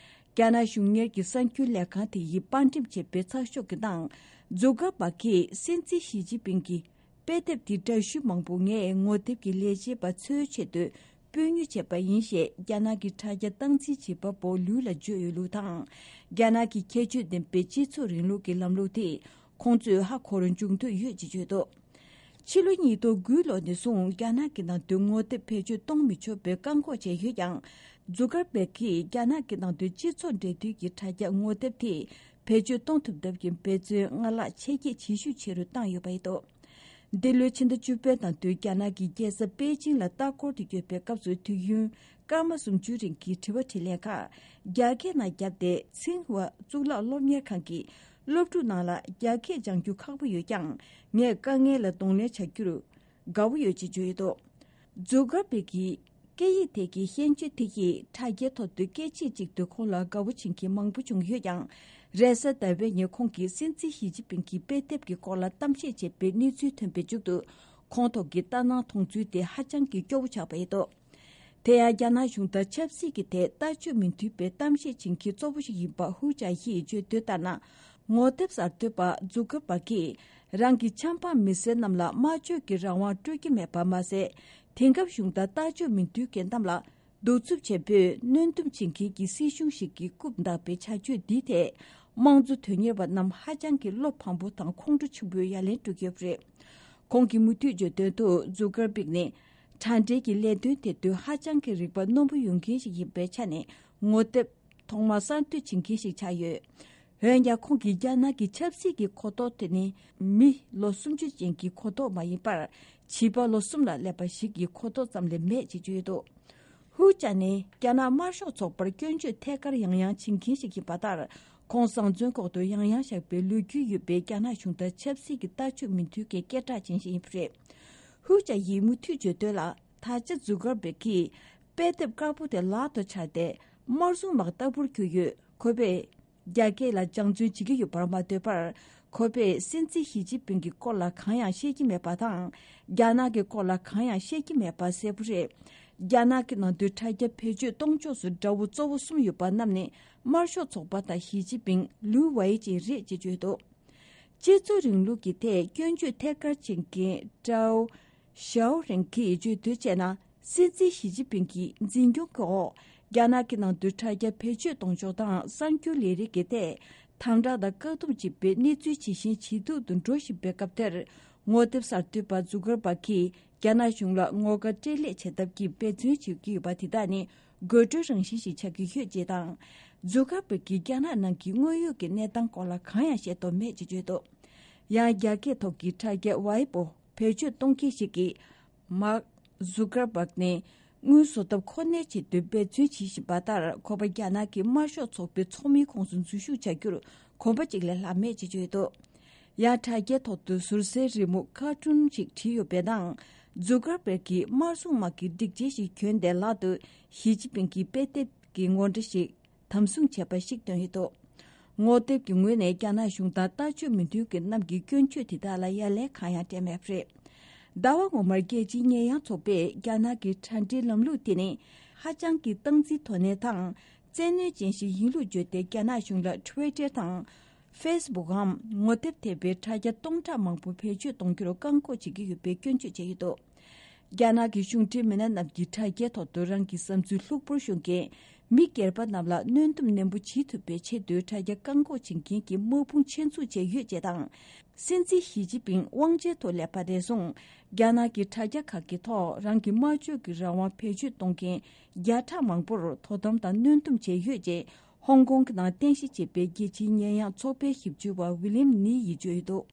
རྒྱ་ནག་གཞུང་གཉེར་གྱི་གསར་འགྱུར་ལས་ཁང་དེ་ཡིས་པར་འགྲེམས་བྱས་པའི་ཚགས་ཤོག་གི་ནང་། ཛུ་ཀར་པག་གིས་སྲིད་འཛིན་ཞི་ཅིན་ཕིང་གི་དཔེ་དེབ་དེ་འདྲ་བཤུས་མང་པོ་ངས་ངོ་དེབ་ཀྱི་ལས་བྱེད་པ་ཚོའི་ཆེད་དུ་སྤུས་ཉོ་བྱས་པ་ཡིན་ཞེས་རྒྱ་ནག་གི་དྲ་རྒྱ་སྟངས་འཛིན་བྱེད་པ་པོ་ལུའུ་ལ་བརྗོད་ཡོད་ལུགས་དང་། རྒྱ་ནག་གི་ཁྱད་ཆོས་ལྡན་པའི་སྤྱི་ཚོགས་རིང་ལུགས་ཀྱི་ལམ་ལུགས་དེ་ ཁོང་ཚོས་ཧ་གོ་རུ་འབྱུང་འདོད་ཡོད་ཅེས་བརྗོད་འདུག་ཕྱི་ལོ་ཉིས་སྟོང་དགུ་ལོ་ནས་བཟུང་རྒྱ་ནག་གི་ནང་དུ་ངོ་དེབ་བེད་སྤྱོད་གཏོང་མི་ཆོག་པའི་བཀག་འགོག་བྱས་ཡོད་ཀྱང་། ཛུ་ཀར་པེག་གིས་རྒྱ་ནག་གི་ནང་དུ་སྤྱི་ཚོགས་འབྲེལ་མཐུད་ཀྱི་དྲ་རྒྱ་ངོ་དེབ་དེ་བེད་སྤྱོད་གཏོང་ཐུབ་ཐབས་ཀྱི་འབད་བརྩོན་སྔར་ལྷག་ཆེ་སྐྱེད་བྱེད་ཤུགས་ཆེ་རུ་བཏང་ཡོད་པ་རེད་འདུག་འདི་ལོའི་ཕྱི་ཟླ་བཅུ་པའི་ནང་དུ་རྒྱ་ནག་གི་རྒྱལ་ས་པེ་ཅིང་ལ་ལྟ་སྐོར་དུ་ཡོད་པའི་སྐབས་སུ་དུས་ཡུན་སྐར་མ་སུམ་ཅུ་རིང་གི་དྲི་བ་དྲིས་ལན་ཁག་རྒྱ་སྐད་ནང་བརྒྱབ་སྟེ། ཚིང་ཧྭ་གཙུག་ལག་སློབ་གཉེར་ཁང་གི་སློབ་ཕྲུག་ནང་ལ་རྒྱ་སྐད་སྦྱང་རྒྱུ་ཁག་པོ་ཡོད་ཀྱང་། ངས་དཀའ་ངལ་ལ་གདོང་ལེན་བྱ་རྒྱུར་དགའ་བོ་ཡོད་ཅེས་བརྗོད་ཡོད་འདུག་ཛུ་ཀར་པེག་གི་སྐད་ཡིག་ཐད་ཀྱི་ཤན་སྐྱོན་དེ་ཡིས་དྲ་རྒྱའི་ཐོག་ཏུ་སྐད་ཆ་གཅིག་ཏུ་ཁོང་ལ་དགའ་བོ་བྱེད་མཁན་མང་པོ་བྱུང་ཡོད་ཀྱང་། རེས་གཟའ་ཟླ་བའི་ཉིན་ཁོང་གིས་སྲིད་འཛིན་ཞི་ཅིན་ཕིང་གི་དཔེ་དེབ་ཀྱི་སྐོར་ལ་གཏམ་བཤད་བྱས་པའི་གནས་ཚུལ་ཐོན་པའི་མཇུག་ཏུ། ཁོང་ཐོག་གི་ལྟ་སྣང་མཐོང་ཚུལ་དེ་ཧ་ཅང་གི་སྐྱོ་བོ་ཆགས་པ་རེད་འདུག་དེ་ཡང་རྒྱ་ནག་གཞུང་དང་ཆབ་སྲིད་ཀྱི་ཐད་ལྟ་སྤྱོད་མི་མཐུན་པའི་གཏམ་བཤད་བྱེད་མཁན་གཙོ་བོ་ཞིག་ཡིན་པ་ཧུའུ་ཅཱ་ཡིས་བརྗོད་དོན་ལྟར་ན། ངོ་དེབ་གསར་གཏོད་པ་ཛུ་ཀར་པར་གྱིས་རང་གི་ཆབ་འབངས་མི་སེར་རྣམས་ལ་སྨྲ་བརྗོད་ཀྱི་རང་དབང་སྤྲོད་ཀྱི་མེད་པ་མ་ཟད། དེང་སྐབས་གཞུང་དང་ལྟ་སྤྱོད་མི་མཐུན་མཁན་རྣམས་ལ་གདུག་རྩུབ་ཆེན་པོས་གནོན་སྡུམ་བྱེད་མཁན་གྱི་སྲིད་གཞུང་ཞིག་གི་རྐུབ་བརྡབས་པའི་བྱ་སྤྱོད་འདིའི་ཐད། དམངས་གཙོ་དོན་གཉེར་བ་རྣམས་ཧ་ཅང་གི་བློ་ཕམ་པོ་དང་ཁོང་ཁྲོ་ཆེན་པོས་ཡ་ལན་སྤྲོད་ཀྱི་ཡོད་པ་རེད། ཁོང་གིས་མུ་མཐུད་བརྗོད་དོན་དུ། ཛུ་ཀར་པིག་ནི་དྲ་འབྲེལ་གྱི་ལས་དོན་དེ་དུས་ཧ་ཅང་གི་རིག་པ་རྣོན་པོ་ཡོད་མཁན་ཞིག་ཡིན་པའི་ཆ་ནས། ངོ་དེབ་ཐོག་མར་གསར་གཏོད་བྱེད་མཁན་ཞིག་ཆགས་ཡོད། འོན་ཀྱང་། ཁོང་གིས་རྒྱ་ནག་གི་ཆབ་སྲིད་ཀྱི་གོ་རྟོགས་དེ་ནི་མི་ལོ་སུམ་ཅུ་ཅན་གྱི་གོ་རྟོགས་མ་ཡིན་པར། བྱིས་པ་ལོ་གསུམ་ལ་སླེབས་པ་ཞིག་གི་གོ་རྟོགས་ཙམ་ལས་མེད་ཅེས་བརྗོད་འདུག་ཧུའུ་ཅཱ་ནི་རྒྱ་ནག་དམར་ཤོག་ཚོགས་པར་སྐྱོན་བརྗོད་ཐད་ཀར་ཡང་ཡང་བྱེད་མཁན་ཞིག་ཡིན་པ་ལྟར། ཁོང་བཟང་བཙོན་ཁོག་ཏུ་ཡང་ཡང་བཞག་པའི་ལོ་རྒྱུས་ཡོད་པའི་རྒྱ་ནག་གཞུང་དང་ཆབ་སྲིད་ཀྱི་ལྟ་སྤྱོད་མི་མཐུན་མཁན་སྐད་གྲགས་ཅན་ཞིག་ཡིན་པ་རེད། ཧུའུ་ཅཱ་ཡིས་མུ་མཐུད་བརྗོད་དོན་ལ། ད་ཆ་ཛུ་ཀར་པེག་གིས་དཔེ་དེབ་དཀར་པོ་དེ་ལག་ཏུ་འཕྱར་ཏེ་དམར་སྲུང་དམག་ལྟ་བུར་གྱུར་ཡོད། ཁོ་པས་རྒྱ་སྐད་ལ་སྦྱང་བརྩོན་བྱེད་ཀྱི་ཡོད་པར་མ་ལྟོས་པར། ཁོ་པས་སྲིད་འཛིན་ཞི་ཅིན་ཕིང་གི་སྐོར་ལ་གང་ཡང་བཤད་ཀྱི་མེད་པ་དང་། རྒྱ་ནག་གི་སྐོར་ལ་གང་ཡང་བཤད་ཀྱི་མེད་པ་གསལ་པོ་རེད། རྒྱ་ནག་གི་ནང་དུ་དྲ་རྒྱ་བེད་སྤྱོད་གཏོང་ཕྱོགས་སུ་དགྲ་བོ་གཙོ་བོ་གསུམ་ཡོད་པ་རྣམས་ནི་དམར་ཤོག་ཚོགས་པ་དང་ཞི་ཅིན་ཕིང་། ལུའུ་ཝེ་ཅིན་རེད་ཅེས་བརྗོད་འདུག་སྤྱི་ཚོགས་རིང་ལུགས་ཀྱི་ཐད་སྐྱོན་བརྗོད་ཐད་ཀར་བྱེད་མཁན་ཀྲའོ་ཞའོ་རེང་གིས་བརྗོད་དོན་བྱས་ན། སྲིད་འཛིན་ཞི་ཅིན་ཕིང་གི་འཛིན་སྐྱོང་གི་འོག་རྒྱ་ནག་གི་ནང་དུ་དྲ་རྒྱ་བེད་སྤྱོད་གཏོང་ཕྱོགས་དང་གསར་འགྱུར་ལས་རིགས་ཀྱི་ཐད་དམ་དྲག་དང་བཀག་སྡོམ་བྱེད་པའི་གནས་ཚུལ་ཇེ་ཞན་ཇེ་སྡུག་ཏུ་འགྲོ་བཞིན་པའི་སྐབས་དེར། ངོ་དེབ་གསར་གཏོད་པ་ཛུ་ཀར་པར་གྱིས་རྒྱ་ནག་གཞུང་ལ་ངོ་དགའ་སྤྲེལ་ལད་བྱེད་ཐབས་ཀྱི་འབད་བརྩོན་བྱེད་ཀྱི་ཡོད་པ་དེ་དག་ནི་དགོད་བྲོའི་རང་བཞིན་ཞིག་ཆགས་ཀྱི་ཡོད་ཅེས་དང་། ཛུ་ཀར་པར་གྱིས་རྒྱ་ནག་ནང་གི་དངོས་ཡོད་ཀྱི་གནས་སྟངས་སྐོར་ལ་གང་ཡང་བཤད་དོན་མེད་ཅེས་བརྗོད་འདུག་ཡང་། རྒྱ་སྐད་ཐོག་གི་དྲ་རྒྱ་ཝའི་པོ་བེད་སྤྱོད་གཏོང་མཁན་ཞིག་གིས། མཱག་ཛུ་ཀར་པག་ནི་དངུལ་བཟོ་ཐབས་ཁོ་ནའི་ཆེད་དུ་འབད་བརྩོན་བྱེད་བཞིན་པ་ལྟར། ཁོ་པ་རྒྱ་ནག་གི་དམར་ཤོག་ཚོགས་པའི་ཚོགས་མིའི་ཁོངས་སུ་འཛུལ་ཞུགས་བྱ་རྒྱུར་གོམ་པ་གཅིག་ལས་ལྷག་མེད་ཅེས་བརྗོད་འདུག་ཡང་། དྲ་རྒྱའི་ཐོག་ཏུ་ཟུར་ཟའི་རི་མོ་ཁར་ཊུན་ཞིག་བྲིས་ཡོད་པའི་ནང་། ཛུ་ཀར་པེག་གིས་དམར་སྲུང་དམག་གི་སྒྲིག་ཆས་ཤིག་གྱོན་ཏེ། ལག་ཏུ་ཞི་ཅིན་ཕིང་གི་དཔེ་དེབ་ཀྱི་ངོ་འདྲ་ཞིག་དམ་བཟུང་བྱས་པ་ཞིག་བཏོན་ཡོད་འདུག་ངོ་དེབ་ཀྱི་ངོས་ནས་རྒྱ་ནག་གཞུང་དང་ལྟ་སྤྱོད་མི་མཐུན་མཁན་རྣམས་ཀྱི་སྐྱོན་བརྗོད་དེ་དག་ལ་ཡ་ལན་གང་ཡང་སྤྲད་མེད་པ་རེད། ཟླ་བ་སྔོན་མར་རྒྱལ་སྤྱིའི་ཉེས་ཡངས་ཚོགས་པས་རྒྱ་ནག་གི་དྲ་འབྲེལ་ལམ་ལུགས་དེ་ནི་ཧ་ཅང་གི་སྟངས་འཛིན་དོ་ནན་དང་བཙན་གནོན་ཅན་ཞིག་ཡིན་ལུགས་བརྗོད་དེ། རྒྱ་ནག་གཞུང་ལ་ཊི་ཝི་ཊར་དང་ཕེ་སི་བུག་གམ་ངོ་དེབ་ཐེ་བའི་དྲ་རྒྱ་སྟོང་ཕྲག་མང་པོ་བེད་སྤྱོད་གཏོང་རྒྱུར་བཀག་འགོག་བྱེད་ཀྱི་ཡོད་པའི་སྐྱོན་བརྗོད་བྱས་ཡོད་འདུག་རྒྱ་ནག་གི་གཞུང་འབྲེལ་མི་སྣ་རྣམས་ཀྱིས་དྲ་རྒྱའི་ཐོག་ཏུ་རང་གི་བསམ་ཚུལ་ལྷུག་པོར་ཤོད་མཁན་མི་སྒེར་པ་རྣམས་ལ་གནོན་སྡོམ་ནན་པོ་བྱེད་ཐུབ་པའི་ཆེད་དུ་དྲ་རྒྱ་བཀག་འགོག་བྱེད་མཁན་གྱི་དམག་དཔུང་ཆེད་འཛུགས་བྱས་ཡོད་ཅེས་དང་། སྲིད་འཛིན་ཞི་ཅིན་ཕིང་དབང་ཆའི་ཐོག་སླེབས་པ་ནས་བཟུང་། རྒྱ་ནག་གི་དྲ་རྒྱ་ཁག་གི་ཐོག་རང་གི་སྨྲ་བརྗོད་ཀྱི་རང་དབང་བེད་སྤྱོད་གཏོང་མཁན་བརྒྱ་ཕྲག་མང་པོར་དོ་དམ་དང་གནོན་སྡོམ་བྱས་ཡོད་ཅེས། ཧོང་ཀོང་གི་ནང་རྟེན་གཞི་བྱས་པའི་རྒྱལ་སྤྱིའི་ཉེས་ཡངས་ཚོགས་པའི་ཞིབ་འཇུག་པ་ཝི་ལིམ་ནི་ཡིས་བརྗོད་འདུག་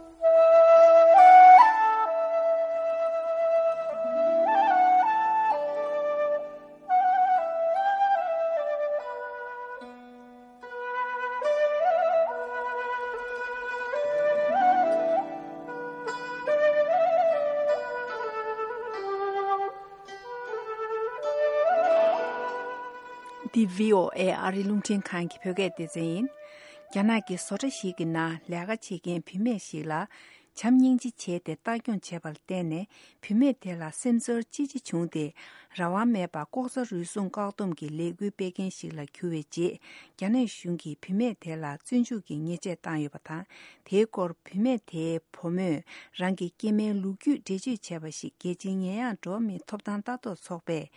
འདི་བྷི་ཨོ་ཨེ་ཨ་རིའི་རླུང་འཕྲིན་ཁང་གི་བོད་སྐད་སྡེ་ཚན་ཡིན། རྒྱ་ནག་གི་བཟོ་གྲྭ་ཞིག་གི་ནང་ལས་ཀ་བྱེད་མཁན་བུད་མེད་ཞིག་ལ་བྱམས་སྙིང་རྗེ་བྱས་ཏེ་ལྟ་སྐྱོང་བྱས་པར་བརྟེན་ནས། བུད་མེད་དེ་ལ་སེམས་ཚོར་ཅི་ཆེ་བྱུང་སྟེ། རང་དབང་མེད་པར་ལྐོག་ཟ་རུལ་སུངས་བཀག་སྡོམ་གྱི་ལས་འགུལ་སྤེལ་མཁན་ཞིག་ལ་གྱུར་བའི་རྗེས། རྒྱ་ནག་གཞུང་གིས་བུད་མེད་དེ་ལ་བཙོན་འཇུག་གི་ཉེས་ཆད་བཏང་ཡོད་པ་དང་། དེའི་སྐོར་བུད་མེད་དེའི་བུ་མོས་རང་གི་སྐྱེ་དམན་ལོ་རྒྱུས་འགྲེལ་བརྗོད་བྱས་པ་ཞིག་རྒྱལ་སྤྱིའི་ཉེས་ཡངས་འགྲོ་བ་མིའི་ཐོབ་ཐང་ལྟ་རྟོག་ཚོགས་པས་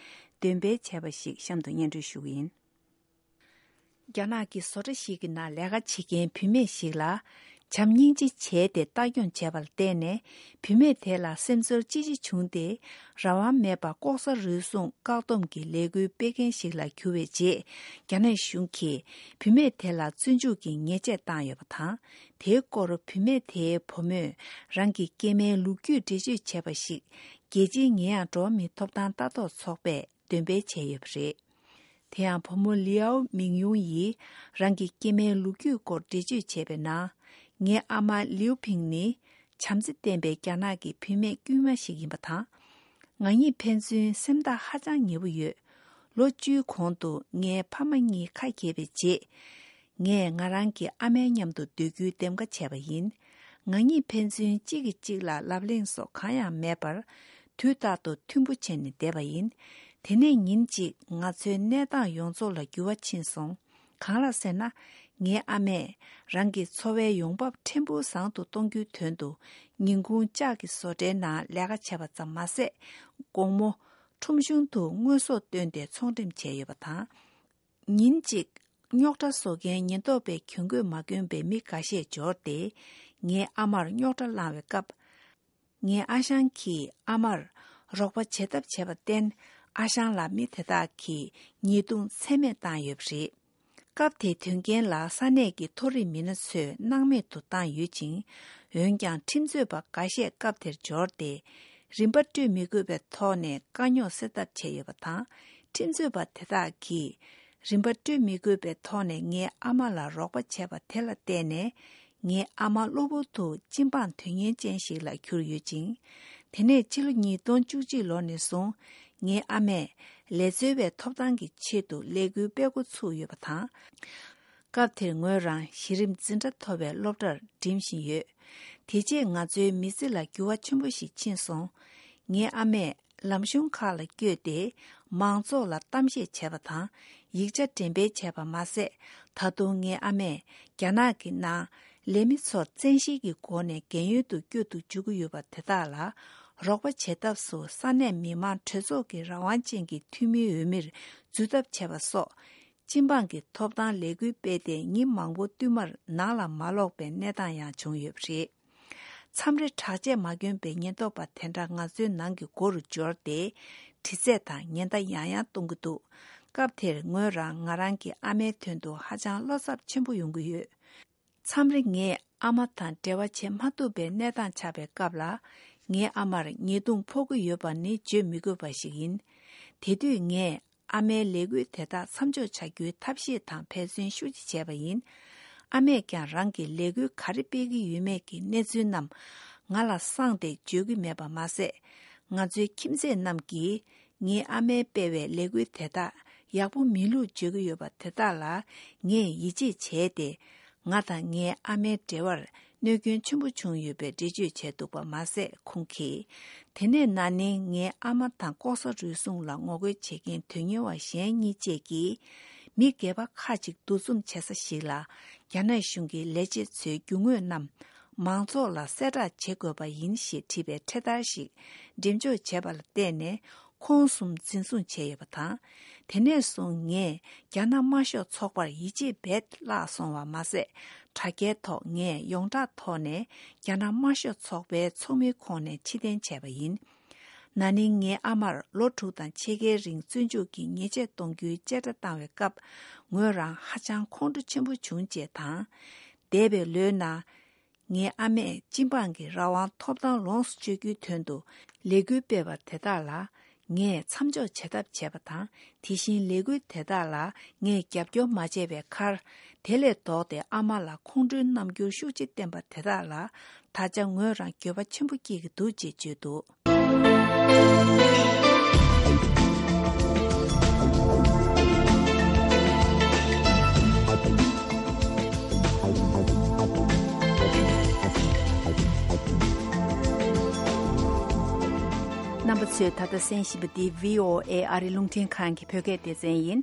འདོན་སྤེལ་བྱས་པ་ཞིག་གཤམ་དུ་སྙན་སྒྲོན་ཞུ་གི་ཡིན། རྒྱ་ནག་གི་བཟོ་གྲྭ་ཞིག་གི་ནང་ལས་ཀ་བྱེད་མཁན་བུད་མེད་ཞིག་ལ། བྱམས་སྙིང་རྗེ་བྱས་ཏེ་ལྟ་སྐྱོང་བྱས་པ་ལ་བརྟེན་ནས། བུད་མེད་དེ་ལ་སེམས་ཚོར་ཅི་ཆེ་བྱུང་སྟེ། རང་དབང་མེད་པར་ལྐོག་ཟ་རུལ་སུངས་བཀག་སྡོམ་གྱི་ལས་འགུལ་སྤེལ་མཁན་ཞིག་ལ་གྱུར་བའི་རྗེས། རྒྱ་ནག་གཞུང་གིས་བུད་མེད་དེ་ལ་བཙོན་འཇུག་གི་ཉེས་ཆད་བཏང་ཡོད་པ་དང་། དེའི་སྐོར་བུད་མེད་དེའི་བུ་མོས་རང་གི་སྐྱེ་དམན་ལོ་རྒྱུས་འགྲེལ་བརྗོད་བྱས་པ་ཞིག་རྒྱལ་སྤྱིའི་ཉེས་ཡངས་འགྲོ་བ་མིའི་ཐོབ་ཐང་ལྟ་རྟོག་ཚོགས་པས་འདོན་སྤེལ་བྱས་ཡོད་པ་རེད། དེ་ཡང་བུ་མོ་ལིའོ་མིང་ཡུང་ཡིས་རང་གི་སྐྱེ་དམན་ལོ་རྒྱུས་སྐོར་འགྲེལ་བརྗོད་བྱས་པའི་ནང་། ངའི་ཨ་མ་ལིའུ་ཕིང་ནི་བྱམས་བརྩེ་ལྡན་པའི་རྒྱ་ནག་གི་བུད་མེད་དཀྱུས་མ་ཞིག་ཡིན་པ་དང་། ང་གཉིས་ཕན་ཚུན་སེམས་ཐག་ཧ་ཅང་ཉེ་པོ་ཡོད། ལོ་བཅུའི་གོང་དུ་ངའི་ཕ་མ་གཉིས་ཁ་གྱེས་པའི་རྗེས། ངས་ང་རང་གི་ཨ་མའི་མཉམ་དུ་སྡོད་རྒྱུའི་འདེམས་ཀ་བྱས་པ་ཡིན། ང་གཉིས་ཕན་ཚུན་གཅིག་གིས་གཅིག་ལ་ལབ་གླེང་སོགས་གང་ཡང་མེད་པར། དུས་རྟག་ཏུ་མཐུན་པོ་བྱས་ནས་བསྡད་པ་ཡིན། དེ་ནས་ཉིན་གཅིག་ང་ཚོའི་གནས་སྟངས་ཡོངས་རྫོགས་ལ་འགྱུར་བ་ཕྱིན་སོང་། གང་ལགས་ཟེར་ན། ངའི་ཨ་མས་རང་གི་འཚོ་བའི་ཡོང་འབབ་ཕྲན་བུ་བཟང་དུ་གཏོང་རྒྱུའི་དོན་དུ། ཉིན་གུང་ལྕགས་ཀྱི་བཟོ་གྲྭའི་ནང་ལས་ཀ་བྱས་པ་ཙམ་མ་ཟད། དགོང་མོ་ཁྲོམ་གཞུང་དུ་དངོས་ཟོག་བཏོན་ཏེ་ཚོང་འགྲེམས་བྱས་ཡོད་པ་དང་། ཉིན་གཅིག་རྙོག་དྲ་བཟོ་མཁན་ཉེན་རྟོག་པས་གྱོང་གུད་མ་གྱོན་པའི་མི་འགའ་ཤས་འབྱོར་ཏེ། ངའི་ཨ་མར་རྙོག་དྲ་བསླངས་པའི་སྐབས། ངའི་ཨ་ཞང་གིས་ཨ་མར་རོགས་པ་བྱེད་ཐབས་བྱས་པར་བརྟེན། ཨ་ཞང་ལ་མི་དེ་དག་གིས་ཉེས་རྡུང་ཚད་མེད་བཏང་ཡོད་པ་རེད། སྐབས་དེའི་དོན་རྐྱེན་ལ་ས་གནས་ཀྱི་མཐོ་རིམ་མི་སྣ་ཚོས་སྣང་མེད་དུ་བཏང་ཡོད་ཅིང་། འོན་ཀྱང་ཁྲིམས་རྩོད་པ་འགའ་ཤས་སྐབས་དེར་འབྱོར་ཏེ། རིན་པ་སྤྲོད་མི་དགོས་པའི་ཐོག་ནས་དཀའ་རྙོག་སེལ་ཐབས་བྱས་ཡོད་པ་དང་། ཁྲིམས་རྩོད་པ་དེ་དག་གིས་རིན་པ་སྤྲོད་མི་དགོས་པའི་ཐོག་ནས་ངའི་ཨ་མ་ལ་རོགས་པ་བྱས་པ་དེ་ལ་བརྟེན་ནས། ངའི་ཨ་མ་གློ་བུར་དུ་སྤྱི་འབངས་དོན་གཉེར་ཅན་ཞིག་ལ་གྱུར་ཡོད་ཅིང་། དེ་ནས་ཕྱི་ལོ་ཉིས་སྟོང་བཅུ་གཅིག་ལོ་ནས་བཟུང་། ངའི་ཨ་མས་ལས་རྩོལ་བའི་ཐོབ་ཐང་གི་ཆེད་དུ་ལས་འགུལ་སྤེལ་འགོ་ཚུགས་ཡོད་པ་དང་། སྐབས་དེར་ངོས་རང་གཞི་རིམ་འཛིན་གྲྭ་མཐོ་བའི་སློབ་གྲྭར་འགྲིམ་བཞིན་ཡོད། དེ་རྗེས་ང་ཚོའི་མི་ཚེ་ལ་འགྱུར་བ་ཆེན་པོ་ཞིག་ཕྱིན་སོང་། ངའི་ཨ་མས་ལམ་གཞུང་ཁག་ལ་བསྐྱོད་དེ། མང་ཚོགས་ལ་གཏམ་བཤད་བྱས་པ་དང་། ཡིག་ཆ་འགྲེམས་སྤེལ་བྱས་པ་མ་ཟད། ད་དུང་ངའི་ཨ་མས་རྒྱ་ནག་གི་ནང་ལས་མི་ཚོར་བཙན་ཤེད་ཀྱི་སྒོ་ནས་རྒན་ཡོལ་དུ་བསྐྱོད་དུ་འཇུག་གི་ཡོད་པ་དེ་དག་ལ་རོགས་པ་བྱེད་ཐབས་སུ་ས་གནས་མི་མང་གྲོས་ཚོགས་ཀྱི་རང་དབང་ཅན་གྱི་འཐུས་མིའི་འོས་མིར་འཛུལ་ཐབས་བྱས་པ་སོགས། སྤྱི་འབངས་ཀྱི་ཐོབ་ཐང་ལས་འགུལ་སྤེལ་ཏེ་ཉིན་མང་པོ་བསྟུད་མར་ནང་ལ་མ་ལོག་པའི་གནས་སྟངས་ཡང་བྱུང་ཡོད་པ་རེད། མཚམས་རེ་དྲག་ཆས་མ་གྱོན་པའི་ཉེན་རྟོག་པ་དེ་འདྲ་ང་ཚོའི་ནང་གི་སྒོ་རུ་འབྱོར་ཏེ། དྲི་རྩད་དང་ཉེན་བརྡ་ཡང་ཡང་གཏོང་གི་འདུག་སྐབས་དེར་ངོས་རང་ང་རང་གི་ཨ་མའི་དོན་དུ་ཧ་ཅང་བློ་འཚབ་ཆེན་པོ་ཡོང་གི་ཡོད། མཚམས་རེ་ངས་ཨ་མ་དང་འབྲེལ་བ་བྱེད་མ་ཐུབ་པའི་གནས་སྟངས་ཆགས་པའི་སྐབས་ལ། ངའི་ཨ་མར་ཉེས་རྡུང་ཕོག་གི་ཡོད་པ་ནི་བརྗོད་མི་དགོས་པ་ཞིག་ཡིན། དེ་དུས་ངས་ཨ་མའི་ལས་འགུལ་དེ་དག་མཚམས་འཇོག་བྱ་རྒྱུའི་ཐབས་ཤེས་དང་འབད་བརྩོན་ཤུགས་ཆེ་བྱས་པ་ཡིན། ཨ་མས་ཀྱང་རང་གི་ལས་འགུལ་ག་རེ་སྤེལ་གྱི་ཡོད་མེད་ཀྱི་གནས་ཚུལ་རྣམས་ང་ལ་གསང་སྟེ་བརྗོད་ཀྱི་མེད་པ་མ་ཟད། ང་ཚོའི་ཁྱིམ་མཚེས་རྣམས་ཀྱིས་ངའི་ཨ་མས་སྤེལ་བའི་ལས་འགུལ་དེ་དག་ཡག་པོ་མིན་ལུགས་བརྗོད་ཀྱི་ཡོད་པ་དེ་དག་ལ་ངས་ཡིད་ཆེས་བྱས་ཏེ། ང་དང་ངའི་ཨ་མའི་འབྲེལ་བར་གནོད་སྐྱོན་ཆེན་པོ་བྱུང་ཡོད་པའི་འགྲེལ་བརྗོད་བྱས་འདུག་པ་མ་ཟད། ཁོང་གིས། དེ་ནས་ན་ནིང་ངའི་ཨ་མ་དང་ལྐོག་ཟ་རུལ་སུངས་ལ་ངོ་རྒོལ་བྱེད་མཁན་དོན་གཉེར་བ་གཞན་གཉིས་བཅས་ཀྱིས། མི་སྒེར་པ་ཁག་ཅིག་འདུ་འཛོམས་བྱེད་ས་ཞིག་ལ། རྒྱ་ནག་གཞུང་གི་ལས་བྱེད་ཚོའི་རྒྱུ་དངོས་རྣམས་མང་ཚོགས་ལ་གསལ་བསྒྲགས་བྱེད་དགོས་པ་ཡིན་ཞེས་བྲིས་པའི་འཕྲེད་དར་ཞིག་འགྲེམས་འཇོག་བྱས་པ་ལ་བརྟེན་ནས། ཁོང་གསུམ་འཛིན་བཟུང་བྱས་ཡོད་པ་དང་། དེ་ནས་བཟུང་ངས་རྒྱ་ནག་དམར་ཤོག་ཚོགས་པར་ཡིད་ཆེས་རྦད་བརླག་སོང་བ་མ་ཟད། དྲ་རྒྱའི་ཐོག་ངས་ཡོངས་གྲགས་ཐོག་ནས་རྒྱ་ནག་དམར་ཤོག་ཚོགས་པའི་ཚོགས་མིའི་ཁོངས་ནས་ཕྱིར་འཐེན་བྱས་པ་ཡིན། ན་ནིང་ངའི་ཨ་མར་ལོ་དྲུག་དང་ཕྱེད་ཀའི་རིང་བཙོན་འཇུག་གི་ཉེས་ཆད་གཏོང་རྒྱུའི་བཅད་ཁྲ་བཏང་བའི་སྐབས། ངོས་རང་ཧ་ཅང་ཁོང་ཁྲོ་ཆེན་པོ་བྱུང་ཅེས་དང་། འདས་པའི་ལོའི་ནང་། ངའི་ཨ་མས་སྤྱི་འབངས་ཀྱི་རང་དབང་ཐོབ་ཐང་ལོངས་སུ་སྤྱོད་རྒྱུའི་དོན་དུ་ལས་འགུལ་སྤེལ་བ་དེ་དག་ལ་ངས་མཚམས་འཇོག་བྱེད་ཐབས་བྱས་པ་དང་། དེ་བཞིན་ལས་འགུལ་དེ་དག་ལ་ངས་རྒྱབ་སྐྱོར་མ་བྱས་པའི་ཁར། དེ་ལས་ལྡོག་སྟེ་ཨ་མ་ལ་ཁོང་ཁྲོའི་རྣམ་འགྱུར་ཤུགས་ཆེ་བསྟན་པ་དེ་དག་ལ་ད་ཆ་ངོས་རང་འགྱོད་པ་ཆེན་པོ་སྐྱེ་གི་འདུག་ཅེས་བརྗོད་འདུག་རྣམ་པ་ཚོས་ད་ལྟ་གསན་བཞིན་པ་འདི་བྷི་ཨོ་ཨེ་ཨ་རི་རླུང་འཕྲིན་ཁང་གི་བོད་སྐད་སྡེ་ཚན་ཡིན།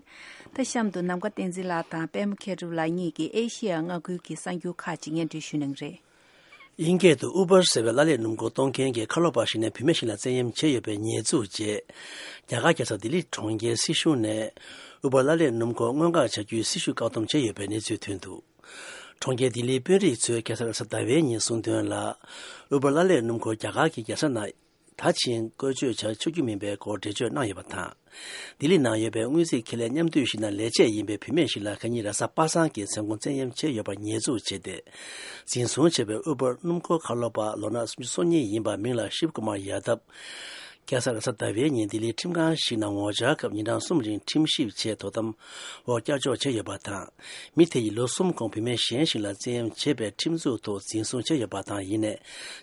ད་གཤམ་དུ་ནམ་མཁའ་བསྟན་འཛིན་ལགས་དང་པད་མ་མཁས་གྲུབ་ལགས་གཉིས་ཀྱིས་ཨེ་ཤེ་ཡ་མངའ་ཁུལ་གྱི་གསར་འགྱུར་ཁག་ཅིག་སྙན་སྒྲོན་ཞུ་གནང་གི་རེད། དབྱིན་སྐད་དུ་ཨུ་བར་ཟེར་བའི་གླ་ལེན་སྣུམ་འཁོར་གཏོང་མཁན་གྱི་ཁ་ལོ་པ་ཞིག་ནས་བུད་མེད་ཞིག་ལ་བཙན་གཡེམ་བྱས་ཡོད་པའི་ཉེས་འཛུགས་རྗེས། རྒྱ་གར་རྒྱལ་ས་ལྡི་ལི་གྲོང་ཁྱེར་སྲིད་གཞུང་ནས་ཨུ་བར་གླ་ལེན་སྣུམ་འཁོར་སྔོན་འགོག་བྱ་རྒྱུའི་སྲིད་ཞུ་བཀག་སྡོམ་བྱས་ཡོད་པའི་གནས་ཚུལ་ཐོན་འདུག་གྲོང་ཁྱེར་ལྡི་ལིའི་དཔོན་རིགས་ཚོས་ཁ་སང་རེས་གཟའ་ཟླ་བའི་ཉིན་གསུངས་དོན་ལ། ཨུ་པར་ལ་ལས་སྣུམ་འཁོར་རྒྱ་གར་གྱི་རྒྱལ་ས་ནང་ད་ཕྱིན་བཀོལ་སྤྱོད་བྱ་ཆོག་རྒྱུ་མིན་པའི་སྐོར་འགྲེལ་བརྗོད་གནང་ཡོད་པ་དང་། ལྡི་ལི་ནང་ཡོད་པའི་དངུལ་རྩིས་ཁེ་ལས་མཉམ་འདུས་ཤིག་ནང་ལས་བྱེད་ཡིན་པའི་བུད་མེད་ཞིག་ལ་ཁ་ཉིན་རེས་གཟའ་པ་སངས་ཀྱི་མཚན་གུང་བཙན་གཡེམ་བྱས་ཡོད་པར་ཉེས་འཛུགས་བྱས་ཏེ། འཛིན་བཟུང་བྱས་པའི་ཨུ་པར་སྣུམ་འཁོར་ཁ་ལོ་པ་ལོ་ན་སུམ་ཅུ་སོ་གཉིས་ཡིན་པ་མིང་ལ་ཤིབ་ཀུ་མར་ཡ་དབ། ཁ་སང་རེས་གཟའ་ཟླ་བའི་ཉིན་ལྡི་ལིའི་ཁྲིམས་ཁང་ཞིག་ནང་ངོ་བཅར་སྐབས་ཉིན་གྲངས་གསུམ་རིང་ཁྲིམས་ཞིབ་ཆེད་དོ་དམ་འོག་བསྐྱར་འཇོག་བྱས་ཡོད་པ་དང་། མི་དེ་ཡིས་ལོ་གསུམ་གོང་བུད་མེད་གཞན་ཞིག་ལ་བཙན་གཡེམ་བྱས་པའི་ཁྲིམས་འཛུགས་ཐོག་འཛིན་བཟུང་བྱས་ཡོད་པ་དང་། ཡིན་ནའི་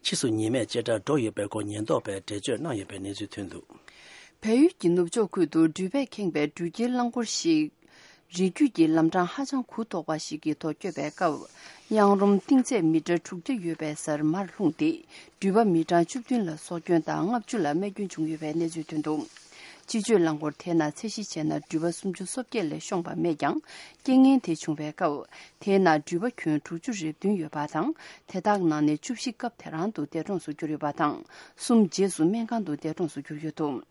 ཕྱིས་སུ་ཉེས་མེད་བཅད་ཁྲ་འགྲོ་ཡོད་པའི་སྐོར་ཉེན་རྟོག་པས་འགྲེལ་བརྗོད་གནང་ཡོད་པའི་གནས་ཚུལ་ཐོན་འདུག་བལ་ཡུལ་གྱི་ནུབ་ཕྱོགས་ཁུལ་དུ་འགྲུལ་པས་ཁེངས་པའི་འགྲུལ་སྐྱེལ་རླངས་འཁོར་ཞིག་རི་རྒྱུད་ཀྱི་ལམ་འཕྲང་ཧ་ཅང་གུ་དོག་པ་ཞིག་གི་ཐོག་བསྐྱོད་པའི་སྐབས། གཡང་རོམ་གཏིང་ཚད་མི་ཊར་དྲུག་བརྒྱ་ཡོད་པའི་སར་མར་ལྷུང་སྟེ། འགྲུལ་པ་མི་གྲངས་བཅུ་བདུན་ལ་སྲོག་སྐྱོན་དང་ལྔ་བཅུ་ལ་རྨས་སྐྱོན་བྱུང་ཡོད་པའི་གནས་ཚུལ་ཐོན་འདུག་སྤྱི་སྤྱོད་རླངས་འཁོར་དེའི་ནང་ཚད་གཞི་བྱས་ན་འགྲུལ་པ་སུམ་ཅུ་སོ་བརྒྱད་ལས་ཤོང་པ་མེད་ཀྱང་། རྐྱེན་ངན་དེ་བྱུང་བའི་སྐབས། དེའི་ནང་འགྲུལ་པ་ཁྱོན་དྲུག་ཅུ་རེ་བདུན་ཡོད་པ་དང་། དེ་དག་ནང་ནས་བཅུ་བཞི་སྐབས་དེ་རང་དུ་འདས་གྲོངས་སུ་གྱུར་ཡོད་པ་དང་། གསུམ་རྗེས་སུ་སྨན་ཁང་དུ་འདས་གྲོངས་སུ་གྱུར་ཡོད་འདུག་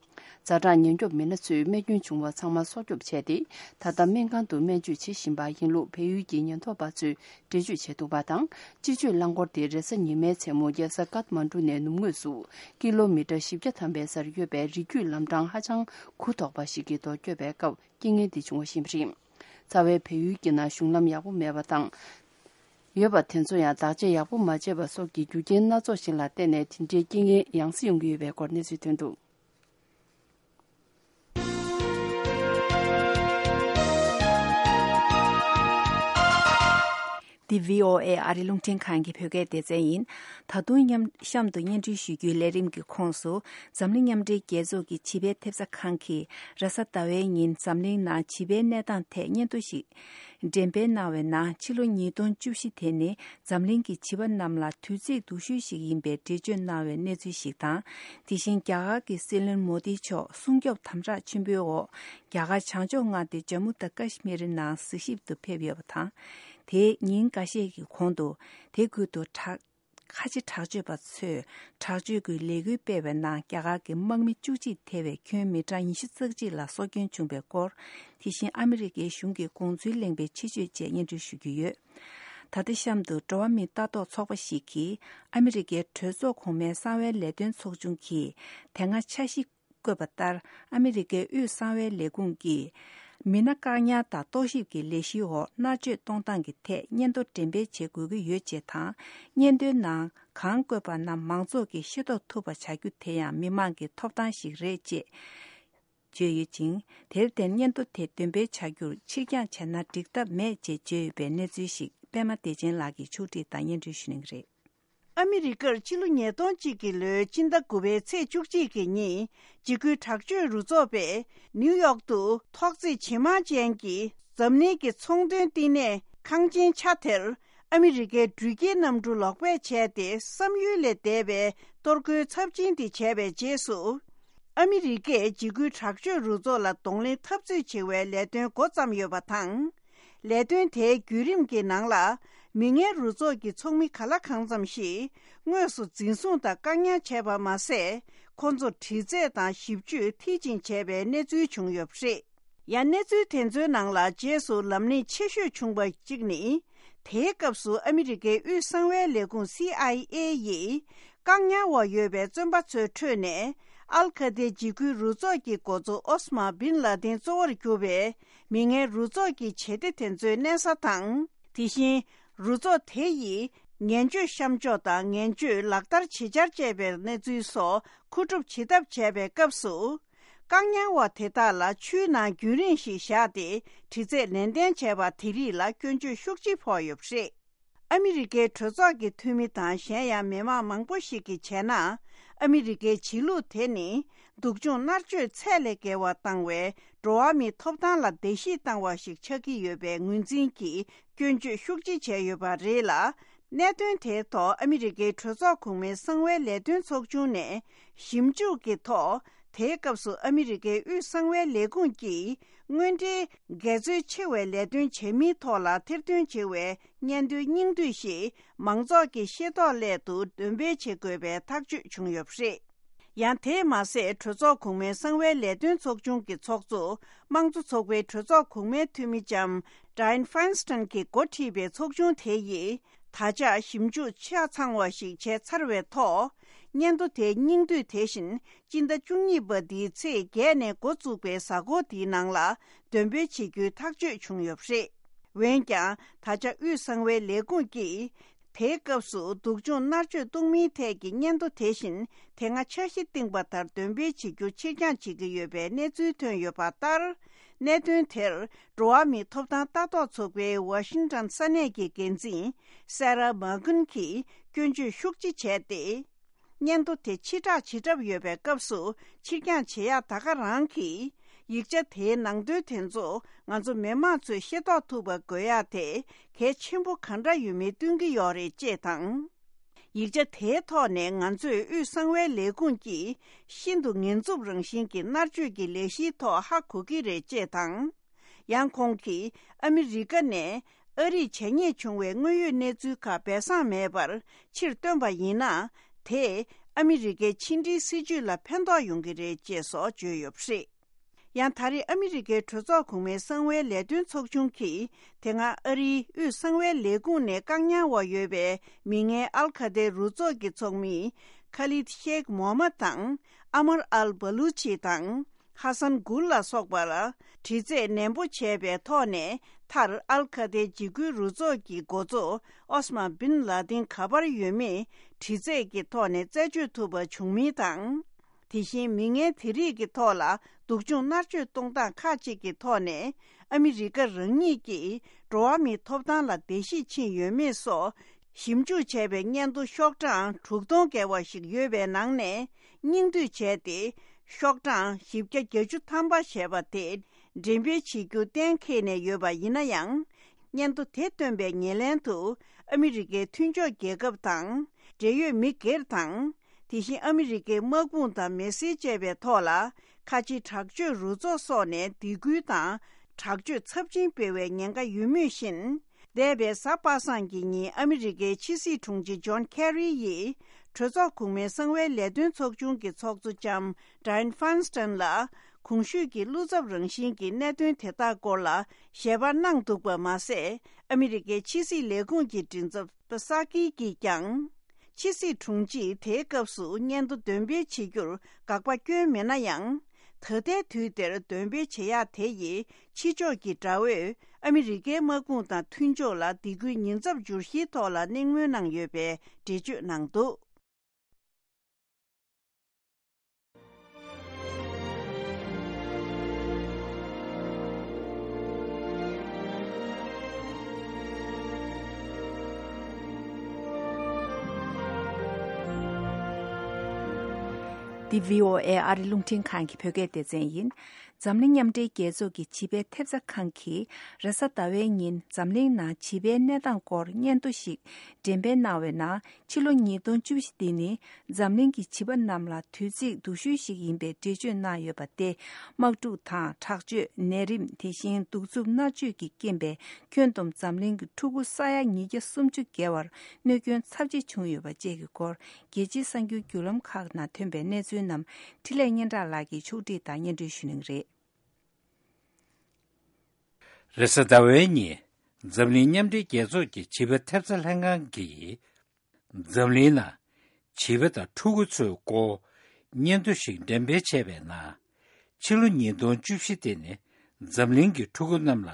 ཛ་དྲག་ཉེན་སྐྱོབ་མི་སྣ་ཚོས་རྨས་སྐྱོན་བྱུང་བ་ཚང་མ་སྲོག་སྐྱོབ་བྱས་ཏེ། ད་ལྟ་སྨན་ཁང་དུ་སྨན་བཅོས་བྱེད་བཞིན་པ་ཡིན་ལུགས་བལ་ཡུལ་གྱི་ཉེན་རྟོག་པ་ཚོས་འགྲེལ་བརྗོད་བྱས་འདུག་པ་དང་། སྤྱི་སྤྱོད་རླངས་འཁོར་དེ་རེས་གཟའ་ཉི་མའི་མཚན་མོ་རྒྱལ་ས་ཀཏ་མན་གྲུ་ནས་ནུབ་ངོས་སུ་ཀི་ལོ་མི་ཊར་བཞི་བརྒྱ་ཐམ་པའི་སར་ཡོད་པའི་རི་རྒྱུད་ལམ་འཕྲང་ཧ་ཅང་གུ་དོག་པ་ཞིག་གི་ཐོག་བསྐྱོད་པའི་སྐབས་རྐྱེན་ངན་དེ་བྱུང་བ་ཞིག་རེད། རྩ་བའི་བལ་ཡུལ་གྱི་ནང་གཞུང་ལམ་ཡག་པོ་མེད་པ་དང་། ཡོད་པ་དེ་ཚོ་ཡང་བདག་གཅེས་ཡག་པོ་མ་བྱས་པ་སོགས་ཀྱི་རྒྱུ་རྐྱེན་སྣ་ཚོགས་ཤིག་ལ་བརྟེན་ནས་དེ་འདྲའི་རྐྱེན་ངན་ཡང་སེ་ཡོང་གི་ཡོད་པའི་སྐོར་གནས་ཚུལ་ཐོན་འདུག་འདི་བྷི་ཨོ་ཨེ་ཨ་རི་རླུང་འཕྲིན་ཁང་གི་བོད་སྐད་སྡེ་ཚན་ཡིན། ད་དུང་མཉམ་གཤམ་དུ་སྙན་སྒྲོན་ཞུ་རྒྱུའི་ལས་རིམ་གྱི་ཁོངས་སུ། འཛམ་གླིང་མཉམ་འབྲེལ་རྒྱལ་ཚོགས་ཀྱི་བྱིས་པའི་ཐེབས་རྩ་ཁང་གིས་རེས་གཟའ་ཟླ་བའི་ཉིན་འཛམ་གླིང་ནང་བྱིས་པའི་གནས་སྟངས་ཐད་སྙན་ཐོ་ཞིག་འགྲེམས་སྤེལ་གནང་བའི་ནང་། ཕྱི་ལོ་ཉིས་སྟོང་བཅུ་བཞི་དེ་ནི་འཛམ་གླིང་གི་བྱིས་པ་རྣམས་ལ་དུས་ཚིགས་སྡུག་ཤོས་ཤིག་ཡིན་པའི་འགྲེལ་བརྗོད་གནང་བའི་གནས་ཚུལ་ཞིག་དང་། དེ་བཞིན་རྒྱ་གར་གྱི་སྲིད་བློན་མོ་དི་མཆོག་སྲུང་སྐྱོབ་དམ་དྲག་ཆེན་པོའི་འོག་རྒྱ་གར་བྱང་ཕྱོགས་མངའ་སྡེ་ཇམ་མུ་དང་ཀ་ཤི་མིར་ནང་གཟིགས་ཞིབ་ཏུ་ཕེབས་ཡོད་པ་དང་། དེའི་ཉིན་འགའ་ཤས་ཀྱི་གོང་དུ་དེ་ཁུལ་དུ་དྲག་ཁ་ཆེ་དྲག་སྤྱོད་པ་ཚོས་དྲག་སྤྱོད་ཀྱི་ལས་འགུལ་སྤེལ་བའི་ནང་རྒྱ་གར་གྱི་དམག་མི་བཅུ་གཅིག་ཐེ་བའི་ཁྱོན་མི་གྲངས་ཉི་ཤུ་རྩ་གཅིག་ལ་སྲོག་སྐྱོན་བྱུང་བའི་སྐོར། དེ་བཞིན་ཨ་མི་རི་ཀའི་གཞུང་གི་དགོངས་ཚུལ་གླེང་བའི་ཆེད་བརྗོད་བཅས་སྙན་སྒྲོན་ཞུ་རྒྱུ་ཡོད། ད་ལྟ་གཤམ་དུ་འགྲོ་བ་མིའི་ལྟ་རྟོག་ཚོགས་པ་ཞིག་གིས་ཨ་མི་རི་ཀའི་གྲོས་ཚོགས་གོང་མའི་གསང་བའི་ལས་དོན་ཚོགས་ཆུང་གིས་དེ་སྔ་འཆར་གཞི་བཀོད་པ་ལྟར། ཨ་མི་རི་ཀའི་དབུས་གསང་བའི་ལས་ཁུངས་ཀྱིས་མི་སྣ་བཀག་ཉར་དང་རྟོག་ཞིབ་ཀྱི་ལས་གཞིའི་འོག་མནར་གཅོད་གཏོང་སྟངས་ཀྱི་ཐད་སྙན་ཐོ་འགྲེམས་སྤེལ་བྱེད་དགོས་ཀྱི་ཡོད་ཅེས་དང་། སྙན་ཐོའི་ནང་གང་བཀོད་པ་རྣམས་མང་ཚོགས་ཀྱིས་ཤེས་རྟོགས་ཐུབ་པ་བྱ་རྒྱུ་དེ་ཡང་མི་མང་གི་ཐོབ་ཐང་ཞིག་རེད་ཅེས་བརྗོད་ཡོད་ཅིང་། དེར་བརྟེན་སྙན་ཐོ་དེ་འདོན་སྤེལ་བྱ་རྒྱུར་ཕྱིར་འགྱངས་བྱས་ན་འགྲིག་ཐབས་མེད་ཅེས་བརྗོད་ཡོད་པའི་གནས་ཚུལ་ཞིག་པད་མ་བདེ་ཆེན་ལགས་ཀྱིས་ཕྱོགས་སྒྲིག་དང་སྙན་སྒྲོན་ཞུ་གནང་གི་རེད། ཨ་མི་རི་ཀར་ཕྱི་ལོ་ཉིས་སྟོང་གཅིག་གི་ལོའི་ཕྱི་ཟླ་དགུ་པའི་ཚེས་བཅུ་གཅིག་གི་ཉིན། འཇིགས་སྐུལ་དྲག་སྤྱོད་རུ་ཚོགས་པས་ནིའུ་ཡོག་ཏུ་ཐོག་བརྩེགས་ཇེ་མང་ཅན་གྱི་འཛམ་གླིང་གི་ཚོང་དོན་བསྟི་གནས་ཁང་ཆེན་ཆ་དེར། ཨ་མི་རི་ཀའི་འགྲུལ་སྐྱེལ་གནམ་གྲུ་ལོག་སྤོས་བྱས་ཏེ། བསམ་ཡུལ་ལས་འདས་པའི་གཏོར་རྒོལ་ཚབས་ཆེན་དེ་བྱས་པའི་རྗེས་སུ། ཨ་མི་རི་ཀས་འཇིགས་སྐུལ་དྲག་སྤྱོད་རུ་ཚོགས་ལ་གདོང་ལེན་འཐབ་རྩོད་བྱེད་པའི་ལས་དོན་འགོ་བརྩམས་ཡོད་པ་དང་། ལས་དོན་དེའི་བརྒྱུད་རིམ་གྱི་ནང་ལ། མི་ངན་རུ་ཚོགས་ཀྱི་ཚོགས་མི་ག་ལ་གང་འཚམ་ཞིག་དངོས་སུ་འཛིན་བཟུང་དང་བཀག་ཉར་བྱས་པ་མ་ཟད། ཁོང་ཚོར་དྲི་རྩད་དང་ཞིབ་དཔྱོད་མཐིལ་ཕྱིན་བྱས་པའི་གནས་ཚུལ་བྱུང་ཡོད་པ་རེད། ཡང་གནས་ཚུལ་དེ་ཚོའི་ནང་ལ་རྗེས་སུ་ལམ་ལྷོང་ཆེ་ཤོས་བྱུང་བ་གཅིག་ནི། དེའི་སྐབས་སུ་ཨ་མི་རི་ཀའི་དབུས་གསང་བའི་ལས་ཁུངས་སི་ཨའི་ཨེ་ཡིས། བཀག་ཉར་འོག་ཡོད་པའི་བཙོན་པ་ཚོའི་ཁྲོད་ནས། ཨལ་ཁ་ཏའི་འཇིགས་སྐུལ་རུ་ཚོགས་ཀྱི་འགོ་གཙོ་ཨོ་སི་མ་བིན་ལ་དིན་གཙོ་བོར་གྱུར་པའི་མི་ངན་རུ་ཚོགས་ཀྱི་བྱེད་གཏེ་དེ་ཚོའི་གནས་ས་དང་། དེ་བཞིན་རུ་ཚོགས་དེ་ཡིས་ངན་སྤྱོད་གཤམ་འཇོག་དང་ངན་སྤྱོད་ལག་བསྟར་ཇི་ཆར་བཅས་པའི་གནས་ཚུལ་སོགས་མཁོ་སྒྲུབ་བྱེད་ཐབས་བྱས་པའི་སྐབས་སུ། བཀག་ཉར་བ་དེ་དག་ལ་ཆུའི་ནང་རྒྱུན་རིང་ཞིག་བཞག་སྟེ་དྲི་རྩད་ནན་ཏན་བྱས་པ་དེ་རིགས་ལ་སྐྱོན་བརྗོད་ཤུགས་ཆེ་ཕོག་ཡོད་པ་རེད། ཨ་མི་རི་ཀའི་གྲོས་ཚོགས་ཀྱི་འཐུས་མི་དང་གཞན་ཡང་མི་མང་མང་པོ་ཞིག་གིས་བྱས་ན། ཨ་མི་རི་ཀའི་བྱེད་ལུགས་དེ་ནི་སྡུག་སྦྱོང་མནར་གཅོད་ཚད་ལས་བརྒལ་བ་བཏང་བའི་འགྲོ་བ་མིའི་ཐོབ་ཐང་ལ་བརྡལ་བཤིག་བཏང་བ་ཞིག་ཆགས་ཀྱི་ཡོད་པའི་ངོས་འཛིན་གྱིས་སྐྱོན་བརྗོད་ཤུགས་ཆེ་བྱས་ཡོད་པ་རེད་ལ། གནད་དོན་དེའི་ཐོག་ཨ་མི་རི་ཀའི་གྲོས་ཚོགས་གོང་མའི་གསང་བའི་ལས་དོན་ཚོགས་ཆུང་ནས་ཞིབ་འཇུག་གི་ཐོག་དེའི་སྐབས་སུ་ཨ་མི་རི་ཀའི་དབུས་གསང་བའི་ལས་ཁུངས་ཀྱིས་དངོས་འབྲེལ་འགལ་འཛོལ་ཆེ་བའི་ལས་དོན་བྱེད་མིན་ཐོག་ལ་ཐེར་འདོན་བྱེད་པའི་སྙན་ཐོའི་སྙིང་བསྡུས་ཤིག་མང་ཚོགས་ཀྱི་ཤེས་རྟོགས་སླད་དུ་འདོན་སྤེལ་བྱེད་དགོས་པའི་ཐག་གཅོད་བྱུང་ཡོད་པ་རེད། ཡང་དེས་མ་ཟད། གྲོས་ཚོགས་གོང་མའི་གསང་བའི་ལས་དོན་ཚོགས་ཆུང་གི་ཚོགས་གཙོ། དམངས་གཙོ་ཚོགས་པའི་གྲོས་ཚོགས་གོང་མའི་འཐུས་མི་ལྕམ་Dianne Feinstein གྱིས་འགོ་ཁྲིད་པའི་ཚོགས་ཆུང་དེ་ཡིས་ད་ཆ་ཞིབ་འཇུག་ཆ་ཚང་བ་ཞིག་བྱས་ཚར་བའི་ཐོག། སྙན་ཐོ་དེའི་སྙིང་བསྡུས་དེ་བཞིན། སྤྱི་ཟླ་བཅུ་གཉིས་པ་འདིའི་ཚེས་བརྒྱད་ནས་འགོ་བཙུགས་པའི་གཟའ་འཁོར་འདིའི་ནང་ལ་འདོན་སྤེལ་བྱེད་རྒྱུའི་ཐག་གཅོད་བྱུང་ཡོད་པ་རེད། འོན་ཀྱང་། ད་ཆ་དབུས་གསང་བའི་ལས་ཁུངས་ཀྱིས། དེའི་སྐབས་སུ་སྡུག་སྦྱོང་མནར་གཅོད་གཏོང་མིན་ཐད་ཀྱི་སྙན་ཐོ་དེ་བཞིན་དེ་སྔ་འཆར་གཞི་བཏིང་བ་ལྟར་འདོན་སྤེལ་བྱེད་རྒྱུ་ཕྱིར་འགྱངས་བྱེད་ཀྱི་ཡོད་པའི་གནས་ཚུལ་ཐོན་ཡོད་པ་ལྟར། གནད་དོན་དེར་འགྲོ་བ་མིའི་ཐོབ་ཐང་ལྟ་རྟོག་ཚོགས་པའི་ཝ་ཤིང་ཊོན་ས་གནས་ཀྱི་འགན་འཛིན་སེ་ར་མཱ་ཀུན་གྱིས་སྐྱོན་བརྗོད་ཤུགས་ཆེ་བྱས་ཏེ། སྙན་ཐོ་དེ་ཕྱིར་བསྒྲགས་བྱེད་གྲབས་ཡོད་པའི་སྐབས་སུ་ཕྱིར་འགྱངས་བྱེད་ཡག་ད་ག་རང་གི་ཡིག་ཆ་དེའི་ནང་དོན་དེ་ཚོ་ང་ཚོ་མི་མང་ཚོས་ཤེས་རྟོགས་ཐུབ་པ་དགོས་ཡག་དེ་གལ་ཆེན་པོ་ག་འདྲ་ཡོད་མེད་སྟོན་གྱི་ཡོད་རེད་ཅེས་དང་། ཡིག་ཆ་དེའི་ཐོག་ནས་ང་ཚོས་དབུས་གསང་བའི་ལས་ཁུངས་ཀྱིས་ཤིན་ཏུ་ངལ་འཚུབ་རང་བཞིན་གྱི་མནར་གཅོད་ཀྱི་ལས་གཞིའི་ཐོག་ཧ་གོ་གི་རེད་ཅེས་དང་། ཡང་ཁོང་གིས་ཨ་མི་རི་ཀ་ནས་ཨ་རིར་བྱས་ཉེས་བྱུང་བའི་དངོས་ཡོད་གནས་ཚུལ་ཁག་སྦས་གསང་མེད་པར་ཕྱིར་བཏོན་པ་ཡིན་ན། དེས་ཨ་མི་རི་ཀའི་ཕྱི་འབྲེལ་སྲིད་ཇུས་ལ་ཕན་ཐོགས་ཡོང་གི་རེད་ཅེས་སོགས་བརྗོད་ཡོད་པ་རེད། ཡང་ད་རེས་ཨ་མི་རི་ཀའི་གྲོས་ཚོགས་གོང་མའི་གསང་བའི་ལས་དོན་ཚོགས་ཆུང་གིས། དེ་སྔ་ཨ་རིའི་དབུས་གསང་བའི་ལས་ཁུངས་ནས་བཀག་ཉར་འོག་ཡོད་པའི་མི་ངན་ཨལ་ཁ་ཏའི་རུ་ཚོགས་ཀྱི་ཚོགས་མི་ཁ་ལིད་ཤེག་མོ་མ་དང་། ཨ་མར་ཨལ་བ་ལུ་ཆི་དང་། ཧ་སན་གུལ་ལ་སོགས་པ་ལ་དྲི་རྩད་ནན་པོ་བྱས་པའི་ཐོག་ནས། མཐར་ཨལ་ཁ་ཏའི་འཇིགས་སྐུལ་རུ་ཚོགས་ཀྱི་འགོ་གཙོ་ཨོ་སི་མ་བིན་ལ་དིན་ག་པར་ཡོད་མེད་དྲི་རྩད་ཀྱི་ཐོག་ནས་རྩད་གཅོད་ཐུབ་པ་བྱུང་མིན་དང་། དེ་བཞིན་མི་ངན་དེ་རིགས་ཀྱི་ཐོག་ལ་སྡུག་སྦྱོང་མནར་གཅོད་གཏོང་སྟངས་ཁག་ཅིག་གི་ཐོག་ནས་ཨ་མི་རི་ཀ་རང་ཉིད་ཀྱིས་འགྲོ་བ་མིའི་ཐོབ་ཐང་ལ་བརྡལ་བཤིག་ཕྱིན་ཡོད་མེད་སོགས་ཞིབ་འཇུག་བྱས་པའི་སྙན་ཐོ་ཤོག་གྲངས་དྲུག་སྟོང་བརྒལ་བ་ཞིག་ཡོད་པའི་ནང་ནས། སྙིང་བསྡུས་བྱས་ཏེ། ཤོག་གྲངས་བཞི་བརྒྱ་བརྒྱད་ཅུ་ཐམ་པ་ཞེས་པ་དེ་འགྲེམས་སྤེལ་བྱེད་རྒྱུ་གཏན་འཁེལ་ནས་ཡོད་པ་ཡིན་ན་ཡང་། སྙན་ཐོ་དེ་བཏོན་པའི་ཉེར་ལེན་དུ་ཨ་མི་རི་ཀའི་མཐུན་ཕྱོགས་རྒྱལ་ཁབ་དང་། འབྲེལ་ཡོད་མི་སྒེར་དང་། དེ་བཞིན་ཨ་མི་རི་ཀའི་དམག་དཔུང་དང་མི་སེར་བཅས་པའི་ཐོག་ལ། ཁ་ཆེའི་དྲག་སྤྱོད་རུ་ཚོགས་སོགས་ནས་སྡིགས་སྐུལ་དང་། དྲག་སྤྱོད་ཚབས་ཆེན་སྤེལ་བའི་ཉེན་ཁ་ཡོད་མུས་བཞིན། འདས་པའི་གཟའ་པ་སངས་ཀྱི་ཉིན་ཨ་མི་རི་ཀའི་ཕྱི་སྲིད་དྲུང་ཆེ་ཇོན་ཁེ་རི་ཡིས། གྲོས་ཚོགས་གོང་མའི་གསང་བའི་ལས་དོན་ཚོགས་ཆུང་གི་ཚོགས་གཙོ་ལྕམ་Dianne Feinstein ལ། གོང་ཞུས་ཀྱི་བློ་འཚབ་རང་བཞིན་གྱི་གནད་དོན་དེ་དག་སྐོར་ལ་ཞལ་པར་གནང་འདུག་པ་མ་ཟད། ཨ་མི་རི་ཀའི་ཕྱི་སྲིད་ལས་ཁུངས་ཀྱི་མགྲིན་ཚབ་པ་སཱ་ཀི་གིས་ཀྱང་། ཕྱི་སྲིད་དྲུང་ཆེས་དེའི་སྐབས་སུ་སྙན་ཐོ་འདོན་སྤེལ་བྱེད་རྒྱུར་དགག་པ་བསྐྱོན་མེད་ན་ཡང་། ད་ལྟའི་དུས་དེར་འདོན་སྤེལ་བྱེད་ཡག་དེ་ཡིས་ཕྱི་ཕྱོགས་ཀྱི་དགྲ་བོས་ཨ་མི་རི་ཀའི་དམག་དཔུང་དང་མཐུན་ཕྱོགས་ལ་སྡིགས་སྐུལ་ཉེན་ཚབས་འགྱུར་གཞིའི་ཐོག་ལ་གླེང་མོལ་གནང་ཡོད་པའི་འགྲེལ་བརྗོད་གནང་འདུག། འདི་བྷི་ཨོ་ཨེ་ཨ་རི་རླུང་འཕྲིན་ཁང་གི་བོད་སྐད་སྡེ་ཚན་ཡིན། འཛམ་གླིང་མཉམ་འབྲེལ་རྒྱལ་ཚོགས་ཀྱི་བྱིས་པའི་ཐེབས་རྩ་ཁང་གིས་རེས་གཟའ་ཟླ་བའི་ཉིན་འཛམ་གླིང་ནང་བྱིས་པའི་གནས་སྟངས་སྐོར་སྙན་ཐོ་ཞིག་འགྲེམས་སྤེལ་གནང་བའི་ནང་། ཕྱི་ལོ་ཉིས་སྟོང་བཅུ་བཞི་འདི་ནི་འཛམ་གླིང་གི་བྱིས་པ་རྣམས་ལ་དུས་ཚིགས་སྡུག་ཤོས་ཤིག་ཡིན་པའི་འགྲེལ་བརྗོད་གནང་ཡོད་པ་སྟེ། དམག་འཁྲུག་དང་། དྲག་སྤྱོད། ནད་རིམས། དེ་བཞིན་གདུག་རྩུབ་མནར་གཅོད་ཀྱི་རྐྱེན་པས་ཁྱོན་བསྡོམས་འཛམ་གླིང་གི་ཕྲུ་གུ་ས་ཡ་ཉིས་བརྒྱ་སུམ་ཅུ་བརྒལ་བར་གནོད་སྐྱོན་ཚབས་ཆེ་བྱུང་ཡོད་པ་བཅས་ཀྱི་སྐོར། རྒྱལ་སྤྱིའི་གསར་འགྱུར་བརྒྱུད་ལམ་ཁག་ནང་ཐོན་པའི་གནས་ཚུལ་རྣམས་འཕྲིན་ལས་སྙན་གྲགས་ལགས་ཀྱིས་ཕྱོགས་སྒྲིག་དང་སྙན་སྒྲོན་ཞུ་གནང་གི་རེད། རེས་གཟའ་ཟླ་བའི་ཉིན་འཛམ་གླིང་མཉམ་འབྲེལ་རྒྱལ་ཚོགས་ཀྱི་བྱིས་པ་ཐེབས་རྩ་ལྷན་ཁང་གིས། འཛམ་གླིང་ནང་བྱིས་པ་དང་ཕྲུ་གུ་ཚོའི་སྐོར་སྙན་ཐོ་ཞིག་འགྲེམས་སྤེལ་བྱས་པའི་ནང་། ཕྱི་ལོ་ཉིས་སྟོང་བཅུ་བཞི་དེ་ནི་འཛམ་གླིང་གི་ཕྲུ་གུ་རྣམས་ལ་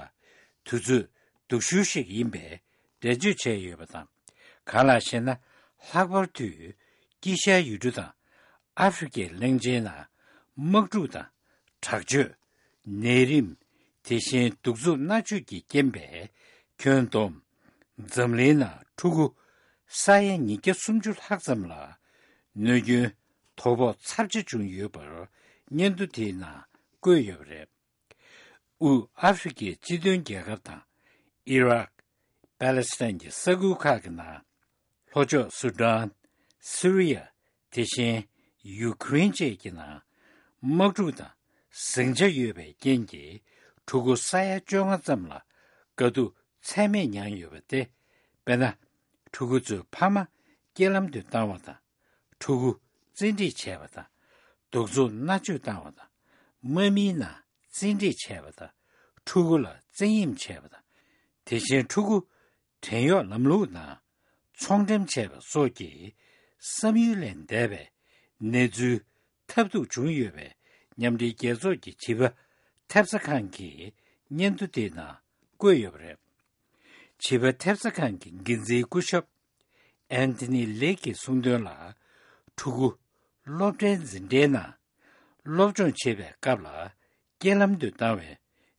དུས་ཚོད་སྡུག་ཤོས་ཤིག་ཡིན་པའི་འགྲེལ་བརྗོད་བྱས་ཡོད་པ་དང་། གང་ལགས་ཤེ་ན། ལྷག་པར་དུ་དཀྱིལ་ཤར་ཡུལ་གྲུ་དང་ཨ་ཧྥེ་རི་ཁའི་གླིང་ཆེན་ནང་དམག་འཁྲུག་དང་། དྲག་སྤྱོད། ནད་རིམས། དེ་བཞིན་གདུག་རྩུབ་མནར་གཅོད་ཀྱི་རྐྱེན་པས་ཁྱོན་བསྡོམས་འཛམ་གླིང་ནང་ཕྲུ་གུ་ས་ཡ་ཉིས་བརྒྱ་སུམ་ཅུ་ལྷག་ཙམ་ལ་གནོད་སྐྱོན་དོ་ཕོག་ཚབས་ཆེ་བྱུང་ཡོད་པར་སྙན་ཐོ་དེའི་ནང་བཀོད་ཡོད་པ་རེད། དབུས་ཨ་ཧྥེ་རི་ཁའི་སྤྱི་མཐུན་རྒྱལ་ཁབ་དང་ཨི་རག་པ་ལེ་སི་ཐན་གྱི་ས་ཁུལ་ཁག་གི་ནང་། ལྷོ་ཕྱོགས་སུ་ཌན། སི་རི་ཡ། དེ་བཞིན་ཡུ་ཁུ་རེན་བཅས་ཀྱི་ནང་དམག་འཁྲུག་དང་ཟིང་ཆ་ཡོད་པའི་རྐྱེན་གྱིས་ཕྲུ་གུ་ས་ཡ་བཅོ་ལྔ་ཙམ་ལ་དཀའ་སྡུག་ཚད་མེད་མྱངས་ཡོད་པ་སྟེ། དཔེར་ན། ཕྲུ་གུ་ཚོའི་ཕ་མ་རྐྱེན་ལམ་དུ་བཏང་བ་དང་། ཕྲུ་གུ་བཙན་ཁྲིད་བྱས་པ་དང་ གདུག་རྩུབ་མནར་གཅོད་བཏང་བ་དང་། དམག་མིའི་ནང་བཙན་ཁྲིད་བྱས་པ་དང་། ཕྲུ་གུ་ལ་བཙན་གཡེམ་བྱས་པ་དང་། དེ་བཞིན་ཕྲུ་གུ་བྲན་གཡོག་ལམ་ལུགས་ནང་ཚོང་འགྲེམས་བྱས་པ་སོགས་ཀྱི་བསམ་ཡུལ་ལས་འདས་པའི་གནས་ཚུལ་ཐབས་སྡུག་བྱུང་ཡོད་པའི་མཉམ་འབྲེལ་རྒྱལ་ཚོགས་ཀྱི་བྱིས་པ་ཐེབས་རྩ་ཁང་གི་སྙན་ཐོ་དེའི་ནང་བཀོད་ཡོད་པ་རེད། བྱིས་པ་ཐེབས་རྩ་ཁང་གི་འགན་འཛིན་སྐུ་ཞབས་ཨན་ཐི་ནི་ལེག་གིས་གསུངས་དོན་ལ། ཕྲུ་གུ་སློབ་གྲྭའི་འཛིན་གྲྭའི་ནང་སློབ་སྦྱོང་བྱེད་པའི་སྐབས་ལ་རྐྱེན་ལམ་དུ་བཏང་བའི་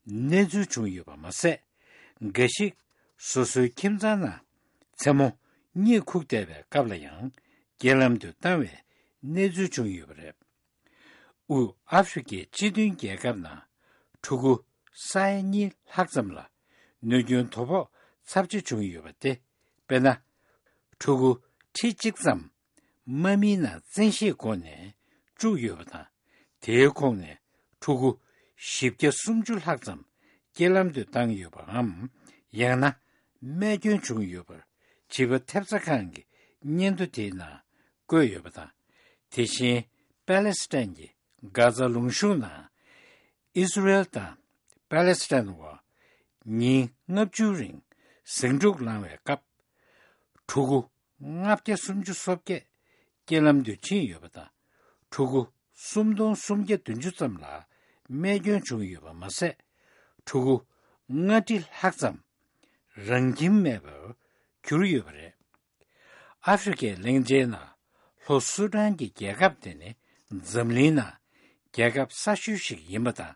གནས་ཚུལ་བྱུང་ཡོད་པ་མ་ཟད། འགའ་ཞིག་སོ་སོའི་ཁྱིམ་ཚང་ནང་མཚན་མོ་གཉིད་ཁུག་བསྡད་པའི་སྐབས་ལ་ཡང་རྐྱེན་ལམ་དུ་བཏང་བའི་གནས་ཚུལ་བྱུང་ཡོད་པ་རེད། དབུས་ཨ་ཧྥེ་རི་ཁའི་སྤྱི་མཐུན་རྒྱལ་ཁབ་ནང་ཕྲུ་གུ་ས་ཡ་གཉིས་ལྷག་ཙམ་ལ་གནོད་སྐྱོན་དོ་ཕོག་ཚབས་ཆེ་བྱུང་ཡོད་པ་སྟེ། དཔེར་ན། ཕྲུ་གུ་ཁྲི་གཅིག་ཙམ་དམག་མིའི་ནང་བཙན་ཤེད་སྒོ་ནས་བཅུག་ཡོད་པ་དང་། དེའི་ཁོངས་ནས་ཕྲུ་གུ་བཞི་བརྒྱ་སུམ་ཅུ་ལྷག་ཙམ་རྐྱེན་ལམ་དུ་བཏང་ཡོད་པའམ། ཡང་ན་རྨས་སྐྱོན་བྱུང་ཡོད་པར་བྱིས་པ་ཐེབས་རྩ་ཁང་གི་སྙན་ཐོ་དེའི་ནང་བཀོད་ཡོད་པ་དང་། དེ་བཞིན་པ་ལེ་སི་ཐན་གྱི་གྷ་ཛ་ལུང་གཤོང་ནང་ཨི་སི་རེལ་དང་པ་ལེ་སི་ཐན་བར་ཉིན་ལྔ་བཅུའི་རིང་ཟིང་འཁྲུག་ལངས་བའི་སྐབས། ཕྲུ་གུ་ལྔ་བརྒྱ་སུམ་ཅུ་སོ་བརྒྱད་རྐྱེན་ལམ་དུ་ཕྱིན་ཡོད་པ་དང་། ཕྲུ་གུ་སུམ་སྟོང་སུམ་བརྒྱ་བདུན་ཅུ་ཙམ་ལ་རྨས་སྐྱོན་བྱུང་ཡོད་པ་མ་ཟད། ཕྲུ་གུ་ལྔ་ཁྲི་ལྷག་ཙམ་རང་ཁྱིམ་མེད་པར་གྱུར་ཡོད་པ་རེད། ཨ་ཧྥེ་རི་ཁའི་གླིང་ཆེན་ནང་ལྷོ་སུ་ཌན་གྱི་རྒྱལ་ཁབ་དེ་ནི་འཛམ་གླིང་ནང་རྒྱལ་ཁབ་གསར་ཤོས་ཤིག་ཡིན་པ་དང་།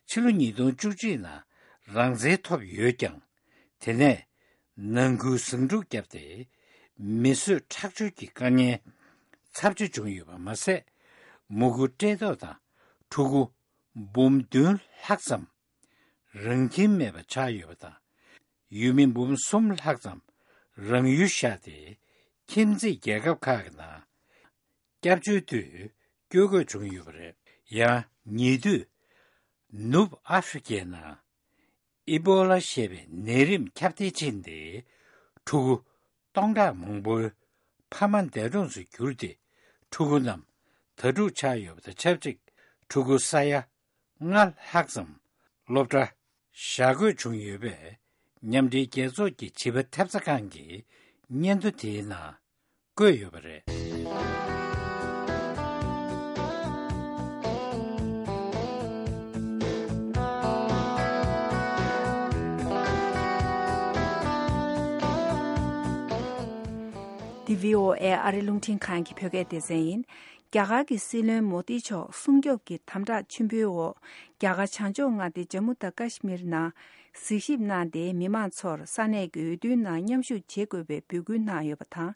ཕྱི་ལོ་ཉིས་སྟོང་བཅུ་གཅིག་ནང་རང་བཙན་ཐོབ་ཡོད་ཀྱང་། དེ་ནས་ནང་ཁུལ་ཟིང་འཁྲུག་བརྒྱབ་སྟེ། མི་གསོད་ཁྲག་སྦྱོར་གྱི་དཀའ་ངལ་ཚབས་ཆེ་བྱུང་ཡོད་པ་མ་ཟད། མུ་གུ་བཀྲེས་ལྟོགས་དང་ཕྲུ་གུ་འབུམ་བདུན་ལྷག་ཙམ་རང་ཁྱིམ་མེད་པ་ཆགས་ཡོད་པ་དང་། ཡུལ་མི་འབུམ་གསུམ་ལྷག་ཙམ་རང་ཡུལ་བཞག་སྟེ། ཁྱིམ་མཚེས་རྒྱལ་ཁབ་ཁག་གི་ནང་སྐྱབས་བཅོལ་དུ་བསྐྱོད་དགོས་བྱུང་ཡོད་པ་རེད། ཡང་ཉེ་དུས་ནུབ་ཨ་ཧྥེ་རི་ཁའི་ནང་ཨི་པོ་ལ་ཞེས་པའི་ནད་རིམས་ཁྱབ་གདལ་ཕྱིན་ཏེ། ཕྲུ་གུ་སྟོང་ཕྲག་མང་པོའི་ཕ་མ་འདས་གྲོངས་སུ་གྱུར་ཏེ། ཕྲུ་གུ་རྣམས་དྭ་ཕྲུག་ཆགས་ཡོད་པ་དང་ཆབས་ཅིག་ཕྲུ་གུ་ས་ཡ་ལྔ་ལྷག་ཙམ་སློབ་གྲྭ་བཞག་དགོས་བྱུང་ཡོད་པས། མཉམ་འབྲེལ་རྒྱལ་ཚོགས་ཀྱི་བྱིས་པ་ཐེབས་རྩ་ཁང་གི་སྙན་ཐོ་དེའི་ནང་བཀོད་ཡོད་པ་རེད། འདི་བྷི་ཨོ་ཨེ་ཨ་རི་རླུང་འཕྲིན་ཁང་གི་བོད་སྐད་སྡེ་ཚན་ཡིན། རྒྱ་གར་གྱི་སྲིད་བློན་མོ་དི་མཆོག་སྲུང་སྐྱོབ་ཀྱི་དམ་དྲག་ཆེན་པོའི་འོག་རྒྱ་གར་བྱང་ཕྱོགས་མངའ་སྡེ་ཇམ་མུ་དང་ཀ་ཤི་མིར་ནང་གཟིགས་ཞིབ་གནང་སྟེ། མི་མང་ཚོར་ས་གནས་ཀྱི་འོས་བསྡུའི་ནང་མཉམ་ཞུགས་བྱེད་དགོས་པའི་འབོད་སྐུལ་གནང་ཡོད་པ་དང་།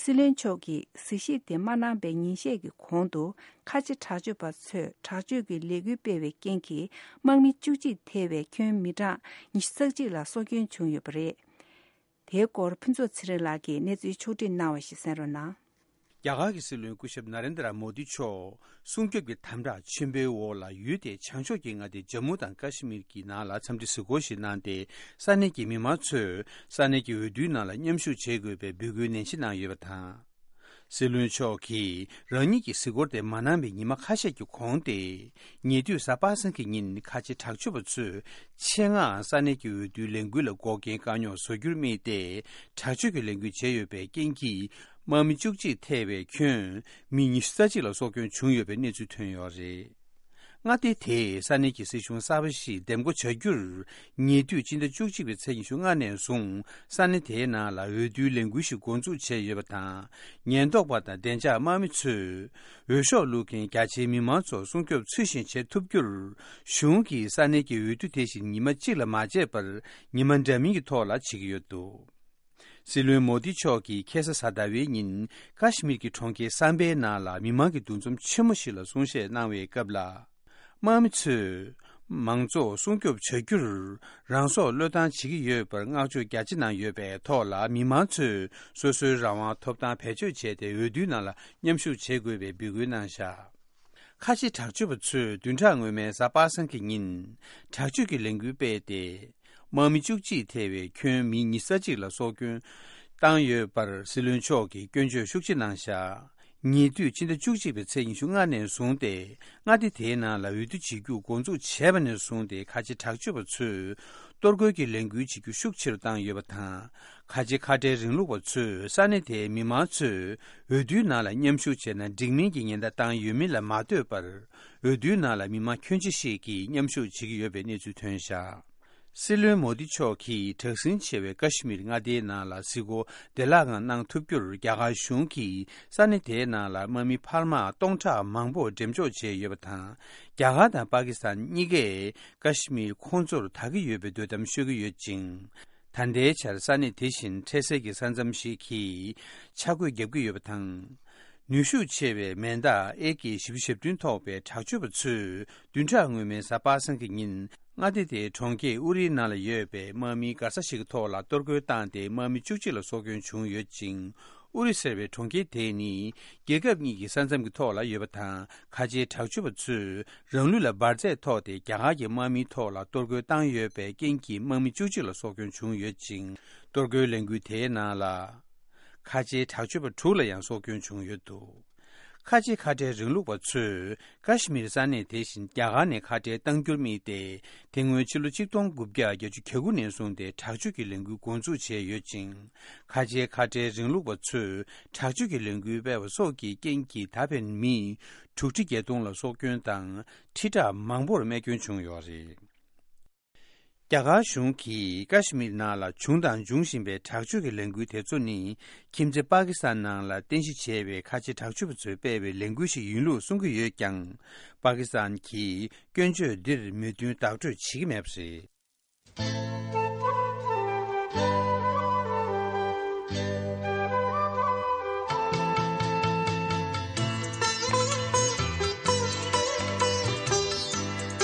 སྲིད་བློན་མཆོག་གིས་གཟིགས་ཞིབ་དེ་མ་གནང་པའི་ཉིན་ཤས་ཀྱི་གོང་དུ། ཁ་ཆེ་དྲག་སྤྱོད་པ་ཚོས་དྲག་སྤྱོད་ཀྱི་ལས་འགུལ་སྤེལ་བའི་རྐྱེན་གྱིས། དམག་མི་བཅུ་གཅིག་ཐེ་བའི་ཁྱོན་མི་གྲངས་ཉི་ཤུ་རྩ་གཅིག་ལ་སྲོག་སྐྱོན་བྱུང་ཡོད་པ་རེད། དེའི་སྐོར་ཕུན་ཚོགས་ཚེ་རིང་ལགས་ཀྱིས་གནས་ཚུལ་ཕྱོགས་བསྒྲིགས་གནང་བ་ཞིག་གསན་རོགས་གནང་། རྒྱ་གར་གྱི་སྲིད་བློན་སྐུ་ཞབས་ན་རེན་དྲ་མོ་དི་མཆོག་སྲུང་སྐྱོབ་ཀྱི་དམ་དྲག་ཆེན་པོའི་འོག་ལ་ཡུལ་དེའི་བྱང་ཕྱོགས་ཀྱི་མངའ་སྡེ་ཇམ་མུ་དང་ཀ་ཤི་མིར་གྱི་ནང་ལ་འཚམས་འདྲི་གཟིགས་སྐོར་ཞིག་གནང་སྟེ། ས་གནས་ཀྱི་མི་མང་ཚོས་ས་གནས་ཀྱི་འོས་བསྡུའི་ནང་ལ་མཉམ་ཞུགས་བྱེད་དགོས་པའི་འབོད་སྐུལ་ནན་གཞི་གནང་ཡོད་པ་དང་། སྲིད་བློན་མཆོག་གིས་རང་ཉིད་ཀྱི་གཟིགས་སྐོར་དེ་མ་གནང་བའི་ཉི་མ་ཁ་ཤས་ཀྱི་གོང་སྟེ། ཉེ་དུས་གཟའ་པ་སངས་ཀྱི་ཉིན་ཁ་ཆེ་དྲག་སྤྱོད་པ་ཚོས་ཆེད་མངགས་ས་གནས་ཀྱི་འོས་བསྡུའི་ལས་འགུལ་ལ་འགོག་རྐྱེན་བཀག་ཉོག་བཟོ་རྒྱུར་དམིགས་ཏེ། དྲག་སྤྱོད་ཀྱི་ལས་འགུལ་བྱས་ཡོད་པའི་རྐྱེན་གྱིས། དམག་མི་བཅུ་གཅིག་ཐེ་བའི་ཁྱོན་མི་ཉི་ཤུ་རྩ་གཅིག་ལ་སྲོག་སྐྱོན་བྱུང་ཡོད་པའི་གནས་ཚུལ་ཐོན་ཡོད་རེད། མངའ་སྡེ་དེས་ས་གནས་ཀྱི་སྲིད་གཞུང་གསར་པ་ཞིག་འདེམས་བསྐོ་བྱ་རྒྱུར། ཉེ་དུས་སྤྱི་ཟླ་བཅུ་གཅིག་པའི་ཚེས་ཉི་ཤུ་ལྔ་ནས་བཟུང་ས་གནས་དེའི་ནང་ལ་འོས་བསྡུའི་ལས་འགུལ་ཞིག་འགོ་འཛུགས་བྱས་ཡོད་པ་དང་། ཉེན་རྟོག་པ་དང་བདེ་འཇགས་དམག་མི་ཚོས་འོས་ཤོག་བླུག་མཁན་རྒྱ་ཆེའི་མི་མང་ཚོར་སྲུང་སྐྱོབ་ཚུལ་བཞིན་བྱེད་ཐུབ་རྒྱུར། གཞུང་གིས་ས་གནས་ཀྱི་འོས་བསྡུ་དེ་བཞིན་ཉི་མ་གཅིག་ལ་མ་བྱས་པར་ཉི་མ་འདྲ་མིན་གྱི་ཐོག་ལ་བྱེད་ཀྱི་ཡོད་འདུག། སྲིད་བློན་མོ་དི་མཆོག་གིས་ཁ་སང་གཟའ་ཟླ་བའི་ཉིན་ཀ་ཤི་མིར་གྱི་གྲོང་ཁྱེར་སམ་པའི་ནང་ལ་མི་མང་གི་འདུ་འཛོམས་ཆེན་མོ་ཞིག་ལ་གསུང་བཤད་གནང་བའི་སྐབས་ལ། དམག་མི་ཚོས་མང་ཚོགས་སྲུང་སྐྱོབ་བྱ་རྒྱུར་རང་སྲོག་བློས་བཏང་བྱེད་ཀྱི་ཡོད་པར་བསྔགས་བརྗོད་རྒྱ་ཆེ་གནང་ཡོད་པའི་ཐོག་ལ། མི་མང་ཚོས་སོ་སོའི་རང་དབང་ཐོབ་ཐང་བེད་སྤྱོད་བྱས་ཏེ་འོས་བསྡུའི་ནང་ལ་མཉམ་ཞུགས་བྱེད་དགོས་པའི་འབོད་སྐུལ་གནང་བཞག། ཁ་ཆེ་དྲག་སྤྱོད་པ་ཚོས་བདུན་ཕྲག་སྔོན་མའི་གཟའ་པ་སངས་ཀྱི་ཉིན་དྲག་སྤྱོད་ཀྱི་ལས་འགུལ་སྤེལ་ཏེ། དམག་མི་བཅུ་གཅིག་ཐེ་བའི་ཁྱོན་མི་ཉི་ཤུ་རྩ་གཅིག་ལ་སྲོག་སྐྱོན་བཏང་ཡོད་པར་སྲིད་བློན་མཆོག་གིས་སྐྱོན་བརྗོད་ཤུགས་ཆེ་གནང་བཞག། ཉེ་དུས་ཕྱི་ཟླ་བཅུ་གཅིག་པའི་ཚེས་ཉི་ཤུ་ལྔ་ནས་བཟུང་སྟེ། མངའ་སྡེ་དེའི་ནང་ལ་འོས་བསྡུ་བྱེད་རྒྱུ་འགོ་འཛུགས་བྱས་པ་ནས་བཟུང་སྟེ། ཁ་ཆེ་དྲག་སྤྱོད་པ་ཚོས་གཏོར་རྒོལ་གྱི་ལས་འགུལ་བྱེད་རྒྱུ་ཤུགས་ཆེ་རུ་བཏང་ཡོད་པ་དང་། ཁ་ཆེ་ཁ་བྲལ་རིང་ལུགས་པ་ཚོས་ས་གནས་དེའི་མི་མང་ཚོས་འོས་བསྡུའི་ནང་ལ་མཉམ་ཞུགས་བྱས་ན་འགྲིག་མིན་གྱི་ཉེན་བརྡ་བཏང་ཡོད་མིན་ལ་མ་ལྟོས་པར། འོས་བསྡུའི་ནང་ལ་མི་མང་ཁྱོན་ཆེ་ཞིག་གིས་མཉམ་ཞུགས་བྱེད་ཀྱི་ཡོད་པའི་གནས་ཚུལ་ཐོན་བཞག་སྲིད་བློན་མོ་དི་མཆོག་གིས་དྲག་ཟིང་ཆེ་བའི་ཀ་ཤི་མིར་མངའ་སྡེའི་ནང་ལ་གཟིགས་སྐོར་བདེ་བླག་ངང་གནང་ཐུབ་རྒྱུར། རྒྱ་གར་གཞུང་གིས་ས་གནས་དེའི་ནང་ལ་དམག་མི་འཕར་མ་སྟོང་ཕྲག་མང་པོ་འགྲེམས་འཇོག་བྱས་ཡོད་པ་དང་། རྒྱ་གར་དང་པ་ཀི་སི་ཐན་གཉིས་ཀས་ཀ་ཤི་མིར་ཁོང་ཚོར་ད་གི་ཡོད་པའི་དོ་དམ་ཤོད་ཀྱི་ཡོད་ཅིང་། ད་ལྟའི་ཆར་ས་གནས་དེ་བཞིན་འཕྲལ་སེལ་གྱི་ས་མཚམས་ཤིག་གི་ཆ་བགོས་བརྒྱབ་ཀྱི་ཡོད་པ་དང་། ནུས་ཤུགས་ཆེ་བའི་མེ་མདའ་ཨེ་ཀེ་བཞི་བཅུ་ཞེ་བདུན་ཐོགས་པའི་དྲག་སྤྱོད་པ་ཚོས་བདུན་ཕྲག་སྔོན་མའི་གཟའ་པ་སངས་ཀྱི་ཉིན། མངའ་སྡེ་དེའི་གྲོང་ཁྱེར་ཨུ་རིའི་ནང་ལ་ཡོད་པའི་དམག་མིའི་མགར་ས་ཞིག་གི་ཐོག་ལ་གཏོར་རྒོལ་བཏང་སྟེ། དམག་མི་བཅུ་གཅིག་ལ་སྲོག་སྐྱོན་བྱུང་ཡོད་ཅིང་། ཨུ་རི་ཟེར་བའི་གྲོང་ཁྱེར་དེ་ནི་རྒྱལ་ཁབ་གཉིས་ཀྱི་ས་མཚམས་ཀྱི་ཐོག་ལ་ཡོད་པ་དང་། ཁ་ཆེའི་དྲག་སྤྱོད་པ་ཚོས་རང་ལུས་ལ་འབར་རྫས་ཐོགས་ཏེ། རྒྱ་གར་གྱི་དམག་མིའི་ཐོག་ལ་གཏོར་རྒོལ་བཏང་ཡོད་པའི་རྐྱེན་གྱིས། དམག་མི་བཅུ་གཅིག་ལ་སྲོག་སྐྱོན་བྱུང་ཡོད་ཅིང་། གཏོར་རྒོལ་ལས་འགུལ་དེའི་ནང་ལ། ཁ་ཆེའི་དྲག་སྤྱོད་པ་དྲུག་ལ་ཡང་སྲོག་སྐྱོན་བྱུང་ཡོད་འདུག་ཁ་ཆེ་ཁ་བྲལ་རིང་ལུགས་པ་ཚོས་ཀ་ཤི་མིར་ས་གནས་དེ་བཞིན་རྒྱ་གར་ནས་ཁ་བྲལ་གཏང་རྒྱུར་དམིགས་ཏེ། དེ་སྔོན་ཕྱི་ལོ་ཆིག་སྟོང་དགུ་བརྒྱ་བརྒྱད་ཅུ་གྱ་དགུ་ནས་བཟུང་སྟེ་དྲག་སྤྱོད་ཀྱི་ལས་འགུལ་འགོ་འཛུགས་བྱས་ཡོད་ཅིང་། ཁ་ཆེའི་ཁ་བྲལ་རིང་ལུགས་པ་ཚོས་དྲག་སྤྱོད་ཀྱི་ལས་འགུལ་སྤེལ་བ་སོགས་ཀྱི་རྐྱེན་གྱིས། ད་ཕན་མི་དྲུག་ཁྲི་བརྒྱད་སྟོང་ལ་སྲོག་སྐྱོན་དང་། ཁྲི་ཕྲག་མང་པོར་རྨས་སྐྱོན་བྱུང་ཡོད་རེད། རྒྱ་གར་གཞུང་གིས་ཀ་ཤི་མིར་ནང་ལ་བྱུང་དང་འབྱུང་བཞིན་པའི་དྲག་སྤྱོད་ཀྱི་ལས་འགུལ་དེ་ཚོ་ནི། ཁྱིམ་མཚེས་པ་ཀི་སི་ཐན་ནང་ལ་རྟེན་གཞི་བྱས་པའི་ཁ་ཆེ་དྲག་སྤྱོད་པ་ཚོས་སྤེལ་བའི་ལས་འགུལ་ཞིག་ཡིན་ལུགས་གསུང་གི་ཡོད་ཀྱང་། པ་ཀི་སི་ཐན་གྱིས་སྐྱོན་བརྗོད་འདིར་མོས་མཐུན་བདག་སྤྲོད་བྱེད་ཀྱི་མེད་པ་རེད།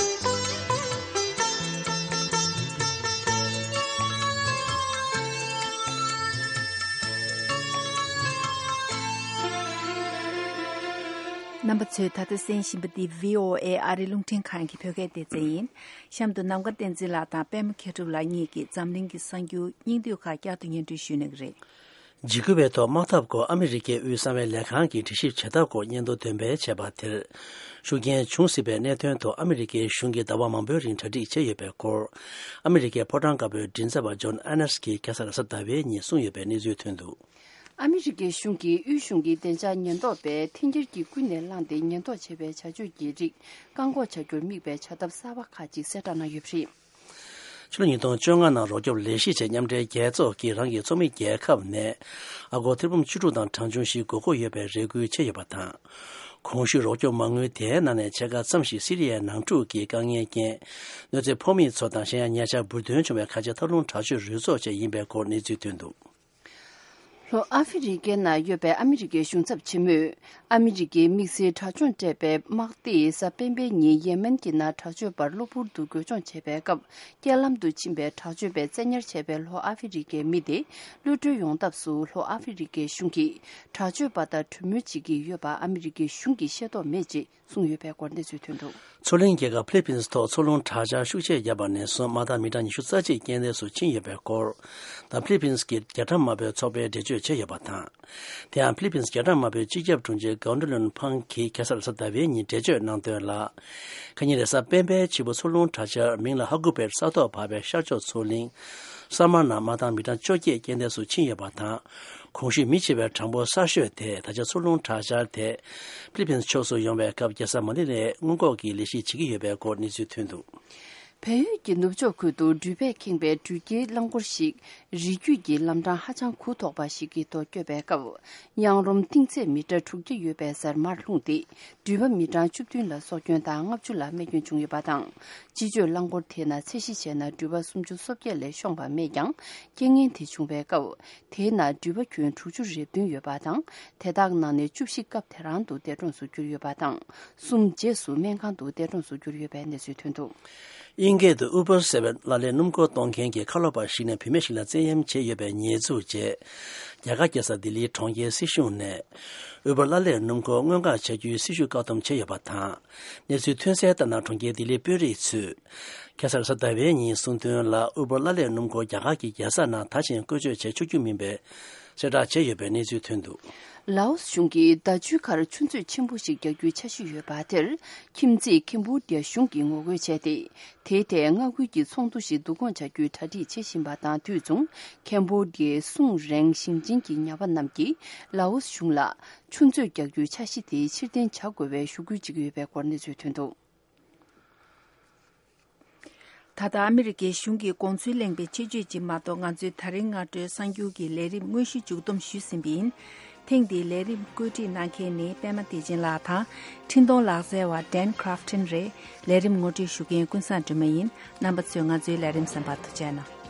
རྣམ་པ་ཚོས་ད་ལྟ་གསན་བཞིན་པ་འདི་བྷི་ཨོ་ཨེ་ཨ་རིའི་རླུང་འཕྲིན་ཁང་གི་བོད་སྐད་སྡེ་ཚན་ཡིན། གཤམ་དུ་ནམ་མཁའ་བསྟན་འཛིན་ལགས་དང་པད་མ་མཁས་གྲུབ་ལགས་གཉིས་ཀྱིས་འཛམ་གླིང་གི་གསར་འགྱུར་སྙིང་བསྡུས་ཁག་བསྐྱར་དུ་སྙན་སྒྲོན་ཞུ་གནང་གི་རེད། འཇིགས་སྐུལ་བའི་ཐོག་དམག་འཐབ་སྐོར་ཨ་མི་རི་ཀའི་དབུས་གསང་བའི་ལས་ཁང་གིས་དྲི་ཞིབ་བྱེད་ཐབས་སྐོར་སྙན་ཐོ་འདོན་སྤེལ་བྱས་པ་དེར། ཤུགས་རྐྱེན་བྱུང་སྲིད་པའི་གནད་དོན་ཐོག་ཨ་མི་རི་ཀའི་གཞུང་གིས་ཟླ་བ་མང་པོའི་རིང་གྲ་སྒྲིག་བྱས་ཡོད་པའི་སྐོར། ཨ་མི་རི་ཀའི་ཕོ་བྲང་དཀར་པོའི་མགྲིན་ཚབ་པ་ཇོན་ཨ་ནེས་ཀྱིས་ཁ་སང་རེས་གཟའ་ཟླ་བའི་ཉིན་གསུངས་ཡོད་པའི་གནས་ཚུལ་ཐོན་འདུག་ཨ་མི་རི་ཀའི་གཞུང་གིས་དབུས་གཞུང་གི་བདེ་འཇགས་ཉེན་རྟོག་པས་འཐེན་འཁྱེར་གྱིས་ཀུན་ནས་བསླངས་ཏེ་ཉེན་རྟོག་བྱེད་པའི་བྱ་སྤྱོད་ཀྱི་རིགས་བཀག་འགོག་བྱ་རྒྱུར་དམིགས་པའི་བྱ་ཐབས་གསར་པ་ཁག་ཅིག་གསལ་བསྒྲགས་གནང་ཡོད་པ་རེད། ཕྱི་ལོ་ཉིས་སྟོང་བཅོ་ལྔ་ནང་རོགས་སྐྱོབ་ལས་གཞི་ཆེད་མཉམ་འབྲེལ་རྒྱལ་ཚོགས་ཀྱིས་རང་གི་ཚོགས་མི་རྒྱལ་ཁབ་ནས་ཨ་སྒོར་ཐེར་འབུམ་བཅུ་དྲུག་དང་གྲངས་ཆུང་ཞིག་དགོས་མཁོ་ཡོད་པའི་རེ་སྐུལ་བྱས་ཡོད་པ་དང་། གོང་ཞུས་རོགས་སྐྱོབ་མ་དངུལ་དེའི་ནང་ནས་ཕྱེད་ཀ་ཙམ་ཞིག་སི་རི་ཡའི་ནང་འཁྲུག་གི་དཀའ་ངལ་རྐྱེན། གནོད་འཚེ་ཕོག་མི་ཚོ་དང་གཞན་ཡང་ཉེ་ཆར་འབུར་ཐོན་བྱུང་བའི་ཁ་ཆེ་འཐབ་རླུང་དྲག་སྤྱོད་རུས་ཚོགས་བཅས་ཡིན་པའི་སྐོར་གནས་ཚུལ་ཐོན་འདུག་ལྷོ་ཨ་ཧྥེ་རི་ཀའི་ནང་ཡོད་པའི་ཨ་མི་རི་ཀའི་གཞུང་ཚབ་ཆེན་མོས། ཨ་མི་རི་ཀའི་དམིགས་བསལ་དྲག་སྦྱོང་སྤྲད་པའི་དམག་སྡེས་གཟའ་སྤེན་པའི་ཉིན་ཡེ་མེན་གྱི་ནང་དྲག་སྤྱོད་པར་གློ་བུར་དུ་རྒོལ་སྦྱོང་བྱས་པའི་སྐབས། རྐྱེན་ལམ་དུ་ཕྱིན་པའི་དྲག་སྤྱོད་པས་བཙན་ཉར་བྱས་པའི་ལྷོ་ཨ་ཧྥེ་རི་ཀའི་མི་དེ་གློད་གྲོལ་ཡོང་ཐབས་སུ། ལྷོ་ཨ་ཧྥེ་རི་ཀའི་གཞུང་གིས་དྲག་སྤྱོད་པ་དང་གྲོས་མོལ་བྱེད་ཀྱི་ཡོད་པ་ཨ་མི་རི་ཀའི་གཞུང་གིས་ཤེས་རྟོགས་མེད་ཅེས་གསུངས་ཡོད་པའི་སྐོར་གནས་ཚུལ་ཐོན་འདུག་མཚོ་གླིང་རྒྱལ་ཁབ་ཕི་ལི་པིན་སི་ཐོག་མཚོ་རླུང་དྲག་ཆར་ཤུགས་ཆེ་བརྒྱབ་པ་ནས་བཟུང་དམག་དང་མི་གྲངས་ཉི་ཤུ་རྩ་གཅིག་རྐྱེན་འདས་སུ་ཕྱིན་ཡོད་པའི་སྐོར་དང་། ཕི་ལི་པིན་སི་གི་རྒྱ་གྲམ་དམར་པོའི་ཚོགས་པས་འགྲེལ་བརྗོད་བྱས་ཡོད་པ་དང་། དེ་ཡང་ཕི་ལི་པིན་སི་རྒྱ་གྲམ་དམར་པོའི་སྤྱི་ཁྱབ་དྲུང་ཆེ་གའོ་ཌོ་ལོན་ཕང་གིས་ཁ་སང་རེས་གཟའ་ཟླ་བའི་ཉིན་འགྲེལ་བརྗོད་གནང་དོན་ལ། ཁ་ཉིན་རེས་གཟའ་སྤེན་པའི་ཕྱི་པོ་མཚོ་རླུང་དྲག་ཆར་མིང་ལ་ཧ་གུ་པེར་ས་ཐོག་བབས་པའི་ཤར་ཕྱོགས་མཚོ་གླིང་སར་མ་ནང་དམག་དང་མི་གྲངས་བཅོ་བརྒྱད་རྐྱེན་འདས་སུ་ཕྱིན་ཡོད་པ་དང་། གོང་ཞུས་མི་བྱེད་པའི་གྲངས་འབོར་གསར་ཤོས་དེ་ད་ཆ་མཚོ་རླུང་དྲག་ཆར་དེ་ཕི་ལི་པིན་སི་ཕྱོགས་སུ་ཡོང་བའི་སྐབས་རྒྱལ་ས་མ་ནི་ལའི་སྔོན་འགོག་གི་ལས་གཞི་བྱེད་ཀྱི་ཡོད་པའི་སྐོར་གནས་ཚུལ་ཐོན་འདུག་བལ་ཡུལ་གྱི་ནུབ་ཕྱོགས་ཁུལ་དུ་འགྲུལ་པས་ཁེངས་པའི་འགྲུལ་སྐྱེལ་རླངས་འཁོར་ཞིག་རི་རྒྱུད་ཀྱི་ལམ་འཕྲང་ཧ་ཅང་གུག་དོག་པ་ཞིག་གི་ཐོག་བསྐྱོད་པའི་སྐབས། གཡང་རོམ་གཏིང་ཚད་མི་ཊར་དྲུག་བརྒྱ་ཡོད་པའི་ཟར་མར་ལྷུང་སྟེ། འགྲུལ་པ་མི་གྲངས་བཅུ་བདུན་ལ་སྲོག་སྐྱོན་དང་ལྔ་བཅུ་ལ་རྨས་སྐྱོན་བྱུང་ཡོད་པ་དང་། སྤྱི་སྤྱོད་རླངས་འཁོར་དེ་ནང་ཚད་གཞི་བྱས་ན་འགྲུལ་པ་སུམ་ཅུ་སོ་བརྒྱད་ལས་ཤོང་བ་མེད་ཀྱང་། རྐྱེན་ངན་དེ་བྱུང་བའི་སྐབས། དེའི་ནང་འགྲུལ་པ་ཁྱོན་དྲུག་ཅུ་རེ་བདུན་ཡོད་པ་དང་། དེ་དག་ནང་ནས་བཅུ་བཞི་སྐབས་དེ་རང་དུ་འདས་གྲོངས་སུ་གྱུར་ཡོད་པ་དང་། གསུམ་རྗེས་སུ་སྨན་ཁང་དུ་འདས་གྲོངས་སུ་གྱུར་ཡོད་པའི་གནས་ཚུལ་ཐོན་འདུག་དབྱིན་སྐད་དུ་Uber ཟེར་བའི་གླ་ལེན་སྣུམ་འཁོར་གཏོང་མཁན་གྱི་ཁ་ལོ་པ་ཞིག་ནས་བུད་མེད་ཞིག་ལ་བཙན་གཡེམ་བྱས་ཡོད་པའི་ཉེས་འཛུགས་བྱས། རྒྱ་གར་རྒྱལ་ས་ལྡི་ལིའི་གྲོང་ཁྱེར་སྲིད་གཞུང་ནས་Uber གླ་ལེན་སྣུམ་འཁོར་སྔོན་འགོག་བྱ་རྒྱུའི་སྲི་ཞུ་བཀག་སྡོམ་བྱས་ཡོད་པ་དང་། གནས་ཚུལ་ཐོན་གསལ་ལྟར་ན། གྲོང་ཁྱེར་ལྡི་ལིའི་དཔོན་རིགས་ཚོས་ཁ་སང་རེས་གཟའ་ཟླ་བའི་ཉིན་གསུངས་དོན་ལ། Uber གླ་ལེན་སྣུམ་འཁོར་རྒྱ་གར་གྱི་རྒྱལ་ས་ནང་ད་ཕྱིན་བཀོལ་སྤྱོད་བྱེད་ཆོག་རྒྱུ་མིན་པའི་གསལ་བསྒྲགས་བྱས་ཡོད་པའི་གནས་ཚུལ་ཐོན་འདུག་ལའོ་སི་གཞུང་གིས་ཟླ་མཆོད་ཁར་ཆུ་མཛོད་ཆེན་པོ་ཞིག་རྒྱག་རྒྱུའི་འཆར་གཞི་ཡོད་པ་དེར། ཁྱིམ་མཚེས་ཁེམ་བྷོ་ཌི་ཡ་གཞུང་གིས་ངོ་རྒོལ་བྱས་ཏེ། དེའི་ཐད་མངའ་ཁུལ་གྱི་ཚོགས་འདུ་ཞིག་བསྡུ་སྐོང་བྱ་རྒྱུའི་གྲ་སྒྲིག་བྱེད་བཞིན་པ་དང་དུས་མཚུངས། ཁེམ་བྷོ་ཌི་ཡའི་སྲུང་རེངས་ཞིང་ཆེན་གྱི་ཉ་པ་རྣམས་ཀྱིས་ལའོ་སི་གཞུང་ལ་ཆུ་མཛོད་རྒྱག་རྒྱུའི་འཆར་གཞི་དེ་ཕྱིར་འཐེན་བྱ་དགོས་པའི་ཞུ་སྐུལ་བྱེད་ཀྱི་ཡོད་པའི་སྐོར་གནས་ཚུལ་ཐོན་འདུག། ད་ལྟ་ཨ་མི་རི་ཀའི་གཞུང་གིས་དགོངས་ཚུལ་གླེང་བའི་ཆེད་བརྗོད་ཅིག་མ་གཏོགས། ང་ཚོས་ད་རིང་སྔ་དྲོའི་གསར་འགྱུར་གྱི་ལས་རིམ་དངོས་གཞི་མཇུག་བསྡོམས་ཞུས་ཟིན་པ་ཡིན། ཐེངས་འདིའི་ལས་རིམ་བཀོད་སྒྲིག་གནང་མཁན་ནི་པད་མ་བདེ་ཆེན་ལགས་དང་། འཕྲིན་གཏོང་ལག་རྩལ་བ་ཌན་ཁྲ་ཕ་ཊན་རེད། ལས་རིམ་ངོ་སྤྲོད་ཞུ་མཁན་ཀུན་བཟང་སྒྲོལ་མ་ཡིན། རྣམ་པ་ཚོས་ང་ཚོའི་ལས་རིམ་གསན་པར་ཐུགས་རྗེ་གནང་།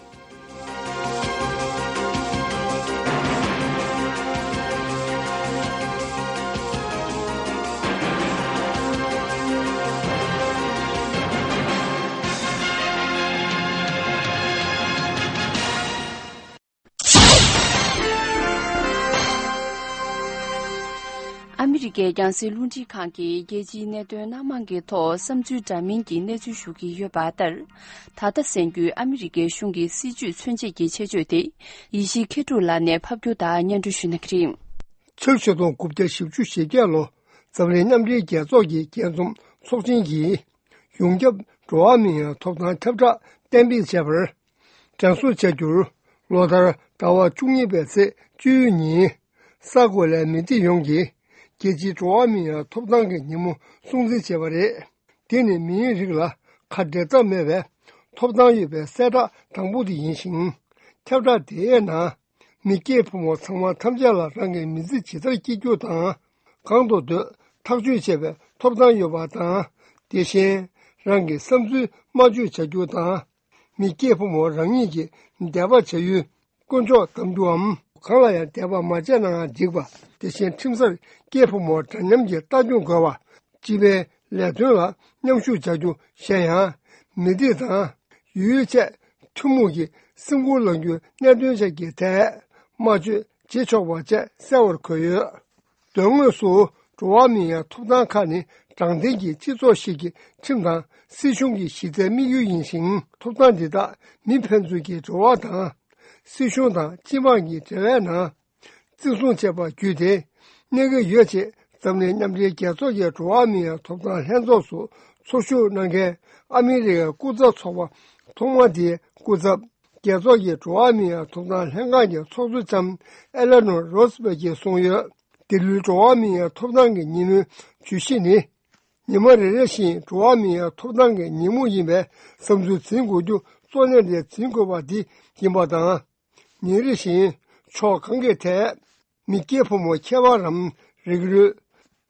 ཨ་མི་རི་ཀའི་རྒྱང་སྲིང་རླུང་འཕྲིན་ཁང་གིས་རྒྱལ་སྤྱིའི་གནད་དོན་སྣ་མང་གི་ཐོག་བསམ་ཚུལ་འདྲ་མིན་གྱི་གནས་ཚུལ་ཞུ་གི་ཡོད་པ་ལྟར། ད་ལྟ་གསན་རྒྱུའི་ཨ་མི་རི་ཀའི་གཞུང་གི་སྲིད་བྱུས་མཚོན་བྱེད་ཀྱི་ཆེད་བརྗོད་དེ། ཡེ་ཤེས་མཁས་གྲུབ་ལགས་ནས་ཕབ་སྒྱུར་དང་སྙན་སྒྲོན་ཞུ་གནང་གི་རེད། ཕྱི་ལོ་ཆིག་སྟོང་དགུ་བརྒྱ་བཞི་བཅུ་ཞེ་བརྒྱད་ལོ། འཛམ་གླིང་མཉམ་འབྲེལ་རྒྱལ་ཚོགས་ཀྱི་རྒྱས་འཛོམས་ཚོགས་ཆེན་གྱིས། ཡོངས་ཁྱབ་འགྲོ་བ་མིའི་ཐོབ་ཐང་ཁྱབ་བསྒྲགས་གཏན་འབེབས་བྱས་པར་དྲན་གསོ་བྱ་རྒྱུར། ལོ་ལྟར་ཟླ་བ་བཅུ་གཉིས་པའི་ཚེས་བཅུའི་ཉིན། ས་གོ་ལའི་མི་སྡེ་ཡོངས་ཀྱིས་རྒྱལ་སྤྱིའི་འགྲོ་བ་མིའི་ཐོབ་ཐང་གི་ཉིན་མོ་སྲུང་བརྩི་བྱས་པ་རེད། དེ་ནི་མིའི་རིགས་ལ་ཁ་འབྲལ་ཐབས་མེད་པའི་ཐོབ་ཐང་ཡོད་པའི་གསལ་བསྒྲགས་དང་པོ་དེ་ཡིན་ཞིང་། ཁྱབ་བསྒྲགས་དེའི་ནང་། མི་སྐྱེས་ཕོ་མོ་ཚང་མ་ཐམས་ཅད་ལ་རང་གི་མི་ཚེ་ཇི་ལྟར་སྐྱེལ་རྒྱུ་དང་། གང་དུ་སྡོད་ཐག་གཅོད་བྱེད་པའི་ཐོབ་ཐང་ཡོད་པ་དང་། དེ་བཞིན་རང་གི་བསམ་ཚུལ་སྨྲ་བརྗོད་བྱ་རྒྱུ་དང་། མི་སྐྱེས་ཕོ་མོ་རང་ཉིད་ཀྱི་འདས་པ་བྱ་ཡུལ་དཀོན་མཆོག་གདམས་རྒྱུའམ། གང་ལ་ཡང་དད་པ་མ་བྱས་ནའང་འགྲིག་པ། དེ་བཞིན་ཁྲིམས་སར་སྐྱེས་ཕོ་མོ་འདྲ་མཉམ་གྱི་ལྟ་སྐྱོང་དགོས་པ། སྤྱི་པའི་ལས་དོན་ལ་མཉམ་ཞུགས་བྱ་རྒྱུ་གཞན་ཡང་། མི་སྡེ་དང་། ཡུལ་བཅས་ཐུན་མོང་གི་སེམས་ཁུར་ལངས་རྒྱུའི་གནད་དོན་བཅས་ཀྱི་ཐད་སྨྲ་བརྗོད་བྱེད་ཆོག་པ་བཅས་གསལ་བར་འཁོད་ཡོད། དོན་དངོས་སུ་འགྲོ་བ་མིའི་ཐོབ་ཐང་ཁག་ནི་དྲང་བདེན་གྱི་སྤྱི་ཚོགས་ཤིག་གི་ཁྲིམས་དང་སྲིད་གཞུང་གི་གཞི་རྩའི་དམིགས་ཡུལ་ཡིན་ཞིང་། ཐོབ་ཐང་འདི་དག་མི་ཕན་ཚུན་གྱི་འབྲེལ་བ་དང་། སྲིད་གཞུང་དང་སྤྱི་དམངས་ཀྱི་འབྲེལ་བའི་ནང་། བརྩི་སྲུང་བྱས་པ་བརྒྱུད་དེ་གནས་ཀྱི་ཡོད་ཅེས། འཛམ་གླིང་མཉམ་འབྲེལ་རྒྱལ་ཚོགས་ཀྱི་འགྲོ་བ་མིའི་ཐོབ་ཐང་ལྷན་ཚོགས་སུ་ཚོགས་ཞུགས་གནང་མཁན་ཨ་མི་རི་ཀའི་སྐུ་ཚབ་ཚོགས་པ་ཐོག་མ་དེའི་སྐུ་ཚབ། རྒྱལ་ཚོགས་ཀྱི་འགྲོ་བ་མིའི་ཐོབ་ཐང་ལྷན་ཁང་གི་ཚོགས་གཙོ་ལྕམ་ཨེ་ལེ་ནོར་རོ་སི་བྷེལ་གྱིས་གསུངས་ཡོད། འདི་ལོའི་འགྲོ་བ་མིའི་ཐོབ་ཐང་གི་ཉིན་མོའི་བརྗོད་གཞི་ནི། ཉི་མ་རེ་རེ་བཞིན་འགྲོ་བ་མིའི་ཐོབ་ཐང་གི་ཉིན་མོ་ཡིན་པས། བསམ་ཚུལ་འཛིན་དགོས་རྒྱུ་གཙོ་གནད་ལས་འཛིན་དགོས་པ་འདི་ཡིན་པ་དང་། ཉིན་རེ་བཞིན་ཕྱོགས་གང་གི་ཐད། མི་སྐྱེས་ཕོ་མོ་ཁྱད་པར་རམ། རིགས་རུས།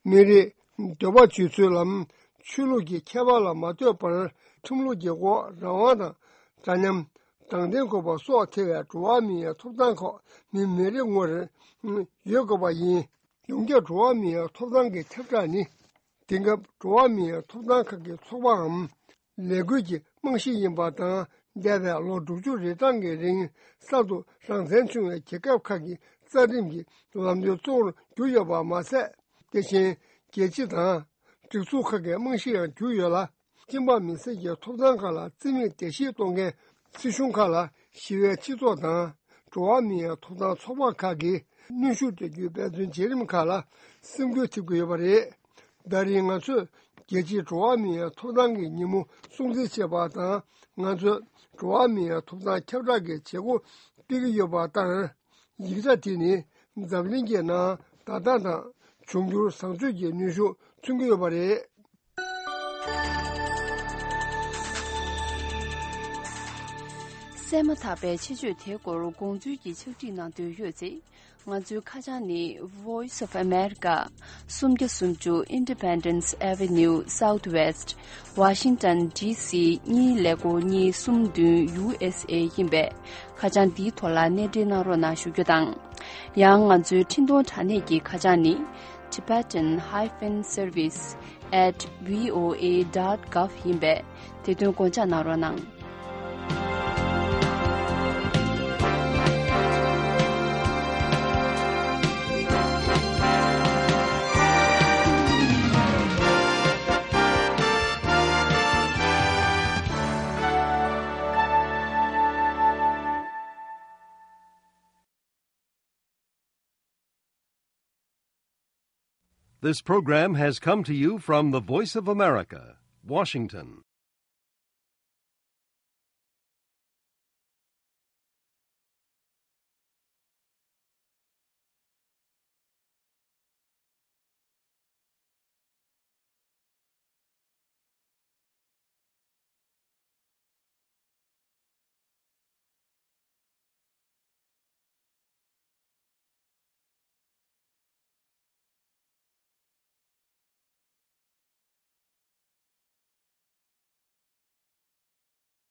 མི་རིགས། འདོད་པ་སྤྱོད་ཚུལ་ལམ། ཆོས་ལུགས་ཀྱི་ཁྱད་པར་ལ་མ་ལྟོས་པར། ཁྲིམས་ལུགས་ཀྱི་འོག་རང་དབང་དང་། འདྲ་མཉམ། དྲང་བདེན་དགོས་པ་སོགས་ཐེ་བའི་འགྲོ་བ་མིའི་ཐོབ་ཐང་ཁག་མི་མི་རེ་ངོ་རེར་ཡོད་དགོས་པ་ཡིན། ཡོངས་ཁྱབ་འགྲོ་བ་མིའི་ཐོབ་ཐང་གི་ཁྱབ་བསྒྲགས་ནི། དེང་སྐབས་འགྲོ་བ་མིའི་ཐོབ་ཐང་ཁག་གི་ཚོགས་པའམ། ལས་འགུལ་གྱི་རྨང་གཞི་ཡིན་པ་དང་། འདས་པའི་ལོ་དྲུག་ཅུ་རེ་གྲངས་ཀྱི་རིང་གསར་དུ་རང་བཙན་བྱུང་བའི་རྒྱལ་ཁབ་ཁག་གི་རྩ་ཁྲིམས་ཀྱི་ལམ་སྟོན་གཙོ་བོར་གྱུར་ཡོད་པ་མ་ཟད། དེ་བཞིན་རྒྱལ་སྤྱི་དང་། སྒྲིག་འཛུགས་ཁག་གི་རྨང་གཞི་ཡང་གྱུར་ཡོད་ལ། སྤྱི་འབངས་མི་སེར་གྱི་ཐོབ་ཐང་ཁག་ལ་བརྩི་མེད་བརྡལ་བཤིག་གཏོང་མཁན་སྲིད་གཞུང་ཁག་ལ་ཞི་བའི་སྤྱི་ཚོགས་དང་། འགྲོ་བ་མིའི་ཐོབ་ཐང་ཚོགས་པ་ཁག་གིས་གནོན་ཤུགས་སྤྲད་རྒྱུའི་འབད་བརྩོན་བྱེད་རིམ་ཁག་ལ་སེམས་འགུལ་ཐེབས་ཀྱི་ཡོད་པ་རེད། ད་རེས་ང་ཚོས་རྒྱལ་སྤྱིའི་འགྲོ་བ་མིའི་ཐོབ་ཐང་གི་ཉིན་མོ་སྲུང་བརྩི་བྱས་པ་དང་། ང་ཚོས་འགྲོ་བ་མིའི་ཐོབ་ཐང་ཁྱབ་བསྒྲགས་ཀྱི་བྱེད་སྒོ་སྤེལ་གྱི་ཡོད་པ་ལྟར། ཡིག་ཆ་དེ་ནི་འཛམ་གླིང་གི་ནང་བརྡ་དག་དང་འབྱུང་འགྱུར་བཟང་སྤྱོད་ཀྱི་གནོན་ཤུགས་མཚོན་གྱི་ཡོད་པ་རེད། གསན་མ་ཐག་པའི་ཆེད་བརྗོད་དེའི་སྐོར་དགོངས་ཚུལ་གྱི་ཕྱག་བྲིས་གནང་འདོད་ཡོད་ཚེ། ང་ཚོའི་ཁ་བྱང་ནི། Voice of America། སུམ་བརྒྱ་སུམ་ཅུ་Independence Avenue Southwest། Washington D C གཉིས་ཀླད་ཀོར་གཉིས་གསུམ་བདུན། U S A ཡིན་པས། ཁ་བྱང་འདིའི་ཐོག་ལ་གནས་འབྲེལ་གནང་རོགས་གནང་ཞུ་རྒྱུ་དང་། ཡང་ང་ཚོའི་འཕྲིན་གཏོང་དྲ་གནས་ཀྱི་ཁ་བྱང་ནི། Tibetan hyphen service at V O A dot gov ཡིན་པས། དེ་དོན་དགོངས་འཇགས་གནང་རོགས་གནང་། This program has come to you from the Voice of America, Washington.